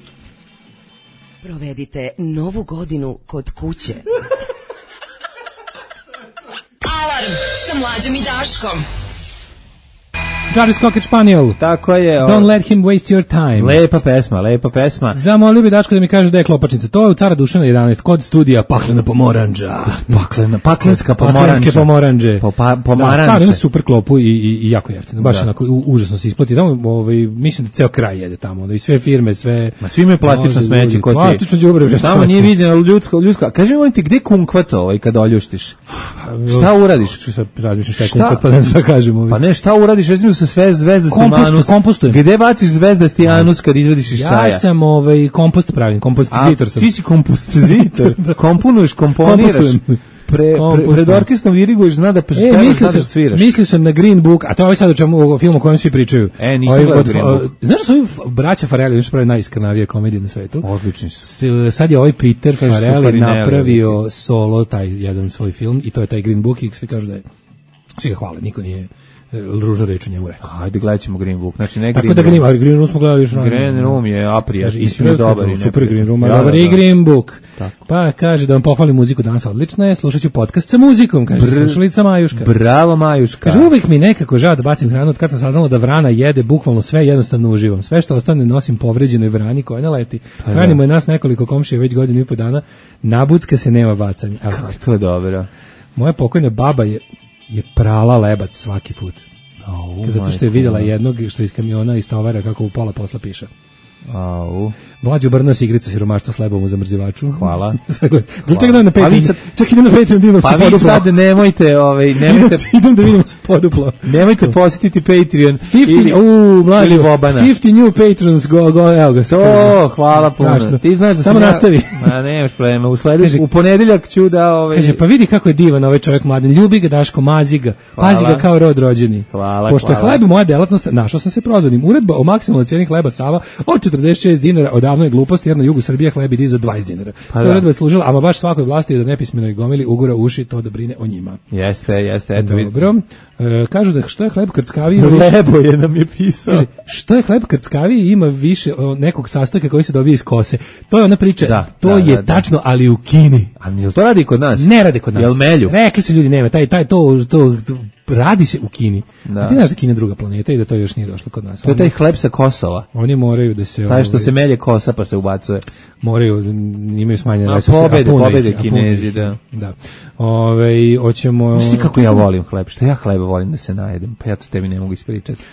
Provedite novu godinu kod kuće. Alarm sa Mlađom i Daškom. Jarvis Cocker Spaniel. Tako je. Don't let him waste your time. Lepa pesma, lepa pesma. Zamolio bi Daško da mi kaže da je klopačnica. To je u Cara Dušana jedanaest, kod studija Paklena pomoranđa. Paklena, paklenska pomoranđa. Paklenske pomoranđe. Po, pa, pomoranđe. Da, stvarno ima super klopu i, i, i jako jeftino. Baš da. Onako, u, užasno se isplati. Tamo, ovaj, mislim da ceo kraj jede tamo. Da, i sve firme, sve... Ma svi imaju plastično no, smeće kod ti. Plastično đubre. Tamo nije viđeno ljudsko, ljudsko. Kaži mi, molim te, gde kunkvato ovaj kada oljuštiš? Šta uradiš? Šta razmišljaš kaj kunkvat, pa ne znam šta kažem. Ovaj. Pa ne, šta uradiš? Recimo sa sve zvezda Kompost, kompostujem. Gde baciš zvezdasti anus kad izvediš iz čaja? Ja sam ovaj kompost pravim, kompostizitor sam. A ti si kompostizitor. Komponuješ, komponiraš. Pre, pre, pred orkestrom diriguješ, zna da pevaš, zna da sviraš. Mislio sam na Green Book, a to je ovaj sad o čemu o filmu o kojem svi pričaju. E, nisam gledao Green Book. Znaš da su ovi braća Farrelly, još pravi najiskrnavije komedije na svetu? Odlični su. Sad je ovaj Peter Farrelly napravio solo taj jedan svoj film i to je taj Green Book i svi kažu da je, svi ga hvale, niko nije ružna reč u njemu rekao. Ajde, gledat ćemo Green Book. Znači, ne Tako Green da Green, Green Room smo gledali još rano. Green Room je aprija, mislim je dobar. I super Green Room, dobar i Green Book. Tako. Pa kaže da vam pohvalim muziku danas odlična je, slušat ću podcast sa muzikom, kaže Br slušalica Majuška. Bravo Majuška. Kaže, uvijek mi nekako žao da bacim hranu od kad sam saznala da vrana jede bukvalno sve, jednostavno uživam. Sve što ostane nosim povređenoj vrani koja ne leti. Pa hranimo je nas nekoliko komšija već godinu i po dana, nabucka se nema bacanja. Kako to dobro. Moja pokojna baba je, je prala lebac svaki put. Oh, zato što je vidjela jednog što iz kamiona iz tovara kako u pola posla piše. Au. Mlađi obrnuo se igricu siromaštva s lebom u zamrzivaču. Hvala. Čekaj da na Patreon. Sad, čak idem na Patreon da imam pa vi sad nemojte, ovaj, nemojte. idem da vidim se poduplo. Nemojte posjetiti Patreon. pedeset, u, mlađi, pedeset new patrons, go, go, evo ga. To, hvala puno. Ti znaš da samo sam nastavi. Ja, ma nemaš problema. U sledeći, u ponedeljak ću da, ovaj. Kaže, pa vidi kako je divan ovaj čovjek mladen. Ljubi ga Daško, mazi ga. Pazi ga kao rod rođeni. Hvala, Pošto je hleb moja delatnost, našao sam se prozvanim. Uredba o maksimalnoj cijeni hleba Sava od četrdeset šest dinara odavno je glupost, jer na jugu Srbije hleb ide za dvadeset dinara. Pa uredba je služila, ama baš svakoj vlasti da nepismenoj gomili ugura uši to da brine o njima. Jeste, jeste, eto vidite. Dobro. E, kažu da što je hleb krckaviji... Lebo je nam je pisao. Kaže, što je hleb krckaviji ima više o, nekog sastojka koji se dobije iz kose. To je ona priča, da, to da, je da, tačno, ali u Kini. A jel to radi kod nas? Ne radi kod nas. Jel melju? Rekli su ljudi, nema, taj, taj, to, to, to radi se u Kini. Da. A ti znaš da Kina je druga planeta i da to još nije došlo kod nas. To je taj hleb sa Kosova. Oni moraju da se... Taj što ovaj, se melje kosa pa se ubacuje. Moraju, imaju smanjene resurse. Pobede, pobede ih, Kinezi, da. Da. Ove, hoćemo... Znaš ti kako ja volim hleb? Što ja hleba volim da se najedem? Pa ja to tebi ne mogu ispričati.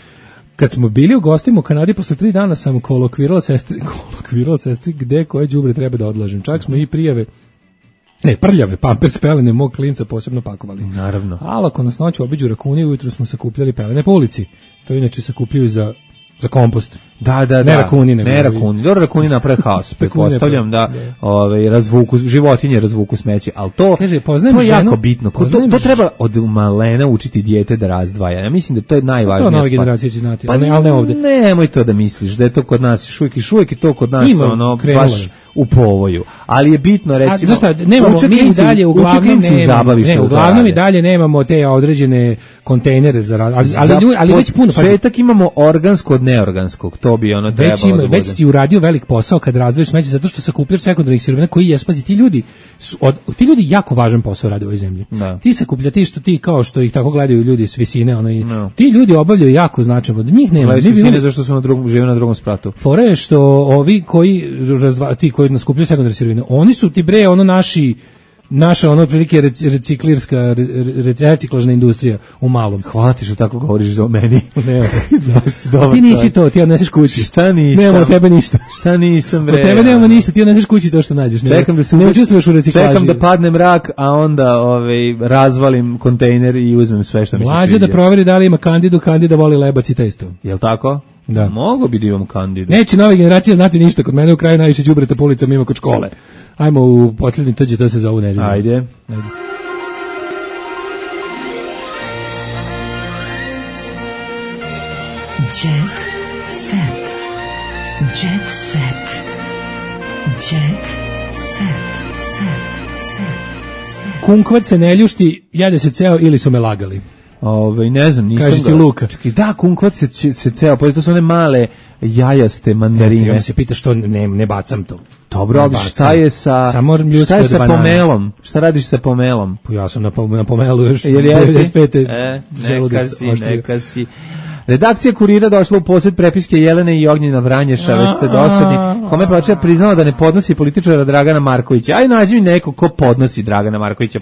Kad smo bili u gostima u Kanadi, posle tri dana sam kolokvirala sestri, kolokvirala sestri gde koje đubre treba da odlažem. Čak smo i prijave Ne, prljave, pampers, pelene, mog klinca posebno pakovali. Naravno. Ali ako nas noću obiđu rakuni, ujutro smo sakupljali pelene po ulici. To inače sakupljaju za, za kompost. Da, da, da. Ne rakuni, nego. Ne rakuni. Dobro, rakuni naprave haos. Pretpostavljam da, da. Ove, razvuku, životinje razvuku smeće. Ali to, Kaže, to je ženu, jako bitno. To, to treba od malena učiti dijete da razdvaja. Ja mislim da to je najvažnije. To nove generacije će znati, pa, ali, ne, ali ne ovde. Nemoj to da misliš, da je to kod nas još uvijek i šuvijek i to kod nas Ima, ono, krenula. baš u povoju. Ali je bitno, recimo... A, znaš šta, nemamo, mi i dalje uglavnom nemamo, ne, uglavnom i dalje nemamo te određene kontejnere za... Ali, ali, ali, ali već puno... Početak imamo organsko od neorganskog, to to bi ono trebalo već ima, da bude. Već si uradio velik posao kad razdvojiš smeće, zato što sakupljaš sekundarnih sirovina koji jesu, pazi, ti ljudi, su, od, ti ljudi jako važan posao rade u ovoj zemlji. Da. Ti sakuplja, ti što ti kao što ih tako gledaju ljudi s visine, ono, i, no. ti ljudi obavljaju jako značajno, da njih nema. Gledaju s visine zašto su na drugom, žive na drugom spratu. Fore je što ovi koji, razdva, ti koji naskupljaju sekundarne sirovine, oni su ti bre, ono naši, naša ono otprilike reciklirska reciklažna industrija u malom. Hvala ti što tako govoriš za meni. Ne, ti nisi to, ti odneseš kući. Šta nisam? Nemamo od tebe ništa. Šta nisam bre? Od tebe nemamo ništa, ti odneseš kući to što nađeš. Čekam da se ne učestvuješ u reciklaži. Čekam da padne mrak, a onda ovaj razvalim kontejner i uzmem sve što mi se sviđa. Mlađe da proveri da li ima kandidu, kandida voli lebac i testo. Jel tako? Da. Mogu bi da imam kandidu. Neće nove generacije znati ništa, kod mene u kraju najviše đubreta po ulicama ima kod škole. Ajmo u posljednji T G T se za ovu nedelju. Ajde. Ajde. Jet set. Jet set. Jet set. Set. Set. Kunkvat se ne ljušti, jede se ceo ili su me lagali. Ove, ne znam, nisam Kaži ti Luka. Čekaj, da, kunkvat se, se ceo, pa to su one male jajaste mandarine. Ja se pita što ne, ne bacam to. Dobro, ali šta je sa, šta je sa pomelom? Šta radiš sa pomelom? Pa ja sam na, na pomelu još devedeset pete E, neka si, neka si. Redakcija Kurira došla u posjed prepiske Jelene i Ognjena Vranješa, već ste dosadni. Kome plaća priznala da ne podnosi političara Dragana Markovića. Aj nađi mi neko ko podnosi Dragana Markovića.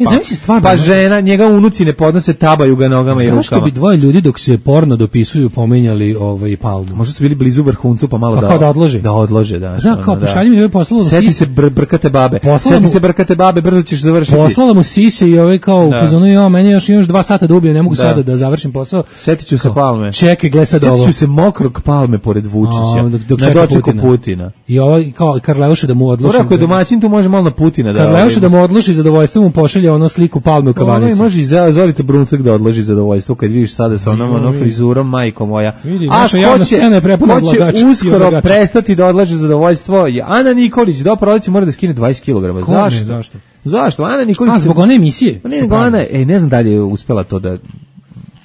Pa, pa žena, njega unuci ne podnose, tabaju ga nogama i rukama. Zašto bi dvoje ljudi dok se porno dopisuju pomenjali ovaj Palmu? Možda su bili blizu vrhuncu pa malo pa da, kao da odlože. Da odlože, da. Da, kao pošalji mi ovaj poslalo mu sisi. Seti se br brkate babe. Seti mu, se brkate babe, brzo ćeš završiti. Poslala mu sise i ovaj kao u fazonu, ja, meni još još dva sata da ubijem, ne mogu da. sada da završim posao. Setiću se Palme. Čekaj, gle sad ovo. Se mokrog Palme pored Vučića, a, dok, dok na dočeku Putina. Putina. I ovaj kao Karleuša da mu odluči. Ako je domaćin, tu može malo na Putina da. Karleuša da mu odluči zadovoljstvo, mu pošalje ono sliku Palme u kavanici. Ovaj može i Zorica Brunflik da odloži zadovoljstvo kad vidiš sada sa onom onom frizurom, majko moja. Vidi, naša javna scena je prepuna odlagača. Uskoro prestati da odlaže zadovoljstvo. Ana Nikolić do proleća mora da skine dvadeset kilograma. Zašto? Zašto? Zašto? Ana Nikolić. A zbog one emisije. Pa ne, nego Ana, ej, ne znam da li je uspela to da.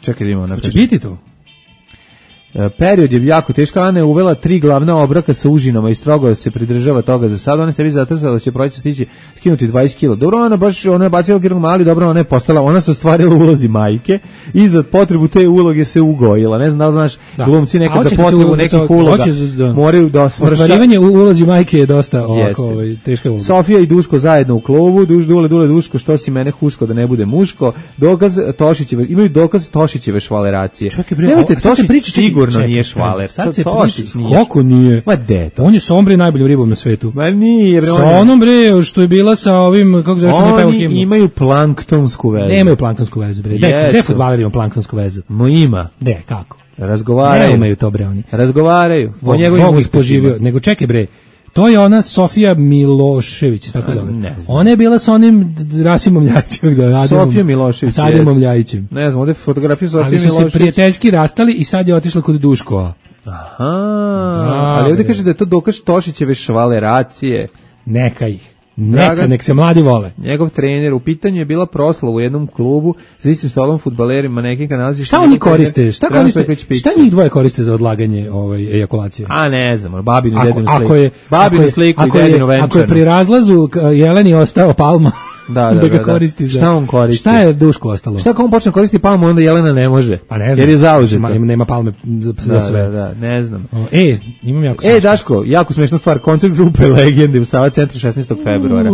Čekaj, idemo na. Hoće biti to. Period je jako teško. Ana je uvela tri glavna obroka sa užinama i strogo se pridržava toga za sad. Ona se vidi zatrasala da će proći stići skinuti dvadeset kilograma. Dobro, ona baš, ona je bacila kilograma, ali dobro, ona je postala, ona se ostvarila u ulozi majke i za potrebu te uloge se ugojila. Ne znam da li znaš, da. Glumci nekad za potrebu nekih uloga da. moraju da smrša. Ostvarivanje u ulozi majke je dosta ovako, ovaj, teška uloga. Sofija i Duško zajedno u klubu, Duš, Dule, Dule, Duško, što si mene huško da ne bude muško. Dokaz Tošićeve, imaju dokaz Tošićeve švaleracije. Nemojte, Tošić sigurno nije švaler. Sad se priča, kako nije? Ma deta. On je sa ombre najboljim ribom na svetu. Ma nije, bre. Sa onom bre, što je bila sa ovim, kako zove što ne peva himnu. Oni imaju planktonsku vezu. Nemaju planktonsku vezu, bre. Gde fudbaleri imaju planktonsku vezu? Mo ima. De, kako? Razgovaraju. Ne imaju to, bre, oni. Razgovaraju. O njegovim uspoživio. Nego čekaj, bre. To je ona Sofija Milošević, tako zove. Ona je bila sa onim Rasimom Ljajićem, Sofija Milošević. Sa Ademom Ljajićem. Ne znam, ovdje fotografiju Sofije Milošević. Ali su se prijateljski rastali i sad je otišla kod Duškova. Aha, ali ovdje kaže da je to dokaz Tošićeve švaleracije. Neka ih. Neka, nek se mladi vole. Njegov trener, u pitanju je bila proslava u jednom klubu za istim stolom fudbalerima, nekim nalazi. Šta oni koriste? Šta koriste? Šta njih dvoje koriste za odlaganje ovaj ejakulacije? A ne znam, babinu i dedinu sliku. Ako je, babinu sliku i dedinu venčanu. Ako je pri razlazu Jeleni ostao Palma, da, da, da ga da, koristi za... Šta on koristi? Šta je Duško ostalo? Šta ako on počne koristiti Palmu, onda Jelena ne može? Pa ne znam. Jer je zauzeta. Nema, nema Palme za, za da, sve. Da, da, ne znam. O, e, imam jako smešno. E, Daško, jako smešna stvar, koncert grupe Legende u Sava centru šesnaestog februara.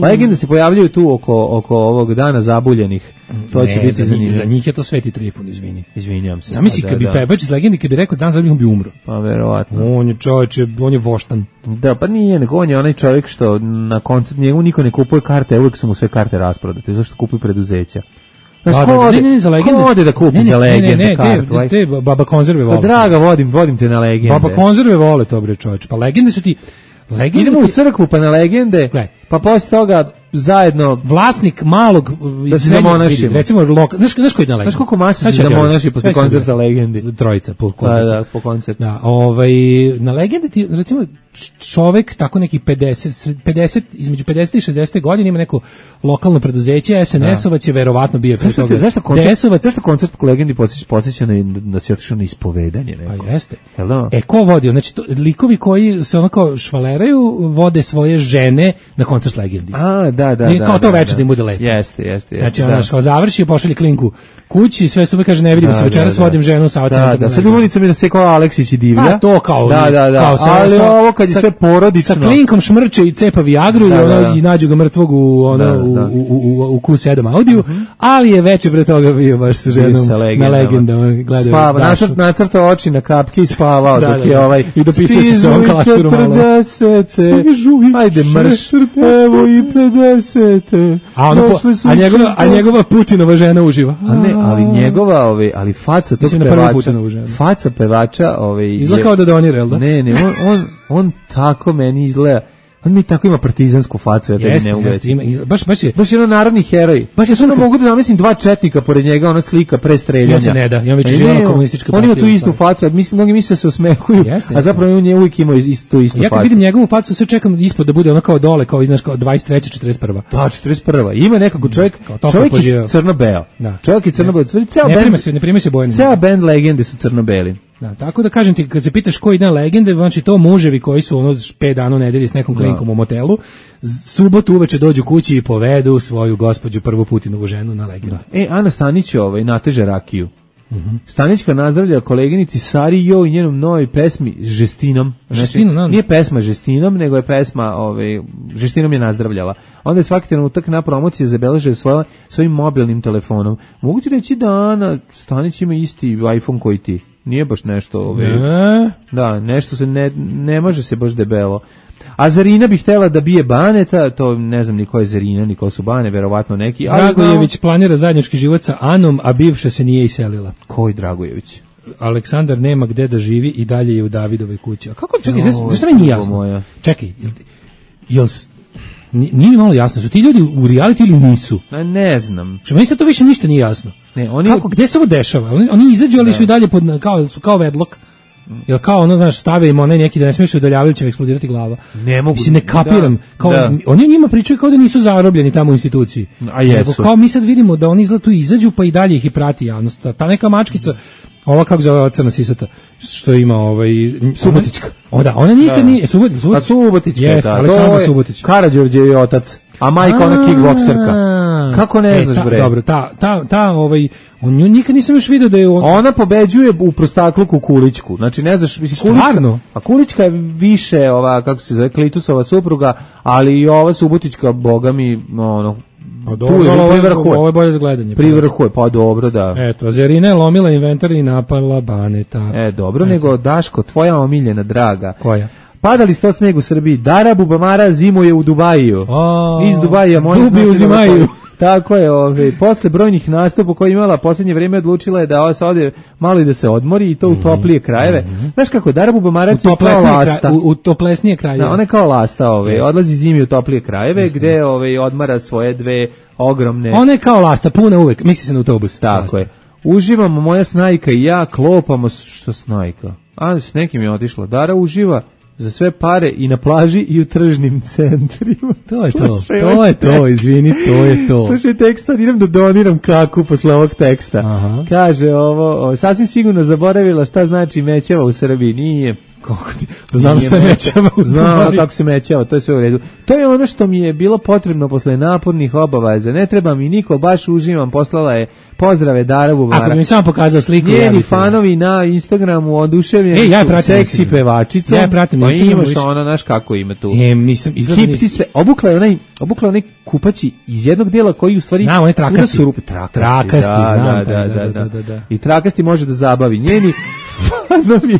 Legende se pojavljaju tu oko, oko ovog dana zabuljenih. To ne, će biti za zanimljivo. Za njih je to Sveti Trifun, izvini. Izvinjam se. Zamisli kad bi pevač iz Legende, kad bi rekao dan zabuljenih, on bi umro. Pa verovatno. On je čovječe, on je voštan. Da, pa nije, nego on je onaj čovjek što na koncert njemu niko ne kupuje karte, uvijek su mu sve karte rasprodate. Zašto kupuju preduzeća? Znaš, ko ode, ne, ne, za Legende, ko ode da kupi ne, ne, za Legende ne, ne, kartu? Ne, te, te baba konzerve vole. Pa draga, vodim, vodim te na Legende. Baba konzerve vole to, bre, čovječe. Pa Legende su ti... Legende Idemo ti... u crkvu, pa na Legende, Gle. pa posle toga zajedno vlasnik malog da se zamonašimo. Recimo loka, znaš, znaš koji je na Legendi? Znaš koliko masa se zamonaši posle koncerta Legendi? Trojica po koncertu. Da, da, po koncertu. Da, ovaj, na Legendi ti, recimo, čovek tako neki pedeset, pedeset, između pedeset i šezdeset godina ima neko lokalno preduzeće, es en es-ovac je verovatno bio pre toga. Zašto koncert, zašto koncert po Legendi podsjeća na da se otišao na ispovedanje neko? A jeste. Jel da? E, ko vodio? Znači, to, likovi koji se onako švaleraju, vode svoje žene na koncert Legendi. A, da, da, I da. kao to da, večer da im bude lepo. Jeste, jeste, jeste. Znači, da. ono, kao završi, pošalje klinku kući, sve su mi kaže, ne vidimo da, se večeras, da, da. vodim ženu sa ocem. Da, da, sad ulicom je da se kao Aleksić i divlja. Pa to kao, da, da, da. Kao sa, ali sa, ovo kad je sa, sve porodično. Sa klinkom šmrče i cepa Viagru da, i, ono, da, da. i nađu ga mrtvog u, ono, da, da. u, u, u, u Q sedam Audiju, uh-huh. ali je veče pre toga bio baš sa ženom sa na Legendama. Spava, nacrt, nacrtao oči na kapke i spavao da, dok da, je da. ovaj... I dopisao se sa ovom kalašturu malo. Ajde mrš, evo i pedesete. A, ono po, a, njegova, a njegova Putinova žena uživa. A ne, ali njegova, ovaj, ali faca tog pevača, faca pevača, ovaj, izgleda kao da donira, jel da? Ne, ne, on, on, on tako meni izgleda. On mi tako ima partizansku facu, ja tebi ne uvećam. Baš, baš je... Baš je ono narodni heroj. Baš je ono mogu da zamislim dva četnika pored njega, ona slika pre streljanja. On se ne da, i on već živa na komunistička partija. On ima tu istu facu, mislim, mnogi misle da se osmehuju, a zapravo on je uvijek imao istu, istu facu. Ja kad vidim njegovu facu, sve čekam ispod da bude ono kao dole, kao, znaš, kao dvadeset treća četrdeset prva Da, četrdeset prva Ima nekako čovjek, čovjek je crno-beo. Čovjek je crno-beo. Ne prime se bojeni. Ceo band Legende su crno-beli. Da, tako da kažem ti, kad se pitaš koji dan Legende, znači to muževi koji su ono pet dana u nedelji s nekom klinkom u motelu, subotu uveče dođu kući i povedu svoju gospođu prvu Putinovu ženu na Legendu. E, Ana Stanić ovaj, nateže rakiju. Mm-hmm. Stanićka nazdravlja koleginici Sari Jo i njenom novoj pesmi Žestinom. Znači, Žestinom, nije pesma Žestinom, nego je pesma ovaj, Žestinom je nazdravljala. Onda je svaki trenutak na promociji zabeležio svoje, svojim mobilnim telefonom. Mogu ti reći da Ana Stanić ima isti iPhone koji ti. Nije baš nešto... Ovaj, ne. Da, nešto se ne, ne može se baš debelo. A Zarina bi htjela da bije Baneta, to ne znam ni ko je Zarina, ni ko su Bane, verovatno neki. Dragojević planira zajednički život sa Anom, a bivša se nije iselila. Koji Dragojević? Aleksandar nema gde da živi i dalje je u Davidovoj kući. A kako, čekaj, no, zašto mi nije jasno? Moja. Čekaj, jel, jel, nije mi malo jasno, su ti ljudi u reality ili nisu? Ne, ne znam. Što meni sad to više ništa nije jasno. Ne, oni... Kako, gde se ovo dešava? Oni, oni izađu, ali su i dalje pod, kao, su kao vedlok. Jel kao ono, znaš, stave im onaj neki da ne smiješ udaljavaju, će eksplodirati glava. Ne mogu. Mislim, ne kapiram. Da, kao, da. Oni njima pričaju kao da nisu zarobljeni tamo u instituciji. A jesu. Nego kao mi sad vidimo da oni izgleda tu izađu, pa i dalje ih i prati javnost. Ta neka mačkica, ova kako zove crna sisata, što ima ovaj... Subotićka. O da, ona nikad da. nije... Subotić, Subotić. Pa Subotićka, jest, da. Aleksandar Subotić. Karađorđe je otac, a majka ona kickbokserka. Kako ne e, znaš, ta, bre? Dobro, ta, ta, ta, ovaj... On nju nikad nisam još vidio da je on... Ona pobeđuje u prostakluku Kulićku. Znači, ne znaš, mislim, Kulićka... Stvarno? A Kulićka je više, ova, kako se zove, Klitusova supruga, ali i ova Subotićka, boga mi, ono... Pa dobro, ovo, ovo je bolje za gledanje. Privrhuje, pa dobro, da. Eto, Zarina je lomila inventar i napala Baneta. E, dobro, Eto. Nego, Daško, tvoja omiljena draga. Koja? Padali sto sneg u Srbiji, Dara Bubamara zimuje u Dubaju. O, Iz Dubaja, moja Dubi uzimaju. Tako je, ove, posle brojnih nastupa koje imala posljednje vrijeme odlučila je da se ode malo i da se odmori i to u toplije krajeve. Mm-hmm. Znaš kako, Dara Bubamara je kao lasta. Kraj, u, u toplesnije krajeve. Da, ona je kao lasta, ove, odlazi zimi u toplije krajeve Jeste. Gde ove, odmara svoje dve ogromne... Ona je kao lasta, puna uvek, misli se na autobus. Tako lasta. Je. Uživamo, moja snajka i ja, klopamo, što snajka? A, s nekim je otišla. Dara uživa za sve pare i na plaži i u tržnim centrima. To je to, Slušaj, to je to, izvini, to je to. Slušaj tekst, sad idem da doniram kaku posle ovog teksta. Aha. Kaže ovo, ovo, sasvim sigurno zaboravila šta znači mećava u Srbiji, nije. Kako ti? Znam šta je mećava u Znam kako se mećava, to je sve u redu. To je ono što mi je bilo potrebno posle napornih obaveza. Ne treba mi niko, baš uživam, poslala je pozdrave Dara Bubamara. Ako mi samo pokazao sliku. Njeni fanovi na Instagramu oduševljeni e, ja su seksi pevačicom. Ja je pratim pa imaš ona, znaš kako ima tu. E, nisam, Hipsi sve, obukla je onaj, obukla je onaj kupaći iz jednog dela koji u stvari... Znam, on je trakasti. Su rupe, trakasti, trakasti da, znam. Da, da, da, da, da, da. I trakasti može da zabavi. Njeni fanovi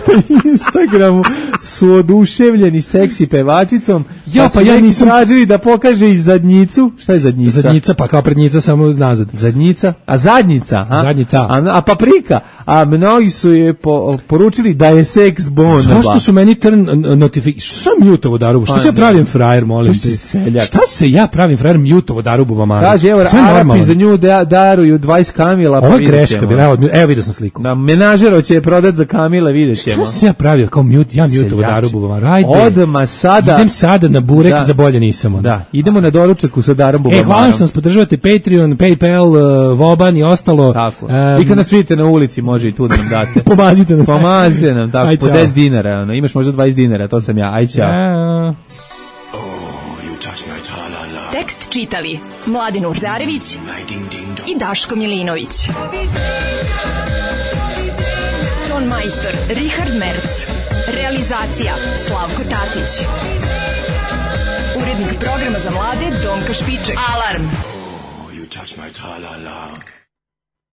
na Instagramu su oduševljeni seksi pevačicom, ja, pa, pa ja nisam tražili da pokaže i zadnjicu. Šta je zadnjica? Zadnjica, pa kao prednjica samo nazad. Zadnjica? A zadnjica? A, zadnjica. A, a paprika? A mnogi su je po, poručili da je seks bomba. Zašto su meni turn notification? Što sam mutovo darubu? Što pa, se ja pravim frajer, molim te? Šta se ja pravim frajer mutovo darubu mamara? Kaže, evo, Arapi za nju da, daruju dvadeset kamila. Ovo je greška, bila, evo, evo vidio sam sliku. Na menažero će je prodat za kamile, vidjet ćemo. Što se ja pravio kao mute, ja mutovo darubu mamara? Ajde. Odma sada. Idem sada na burek, da. Za bolje nisam. Da, idemo na doručak u Sadarambu. E, hvala što nas podržavate, Patreon, PayPal, uh, Voban i ostalo. Tako. Um, I kad nas vidite na ulici, može i tu da nam date. Pomazite nas. Pomazite nam, tako, aj, po deset dinara. Ono. Imaš možda dvadeset dinara, to sam ja. Aj, čao. Ja. Tekst čitali Mladin Urdarević i Daško Milinović. Ton majstor Richard Merc. Realizacija Slavko Tatić. Urednik programa za mlade Donka Špiček. Alarm! Oh, you touch my tra-la-la.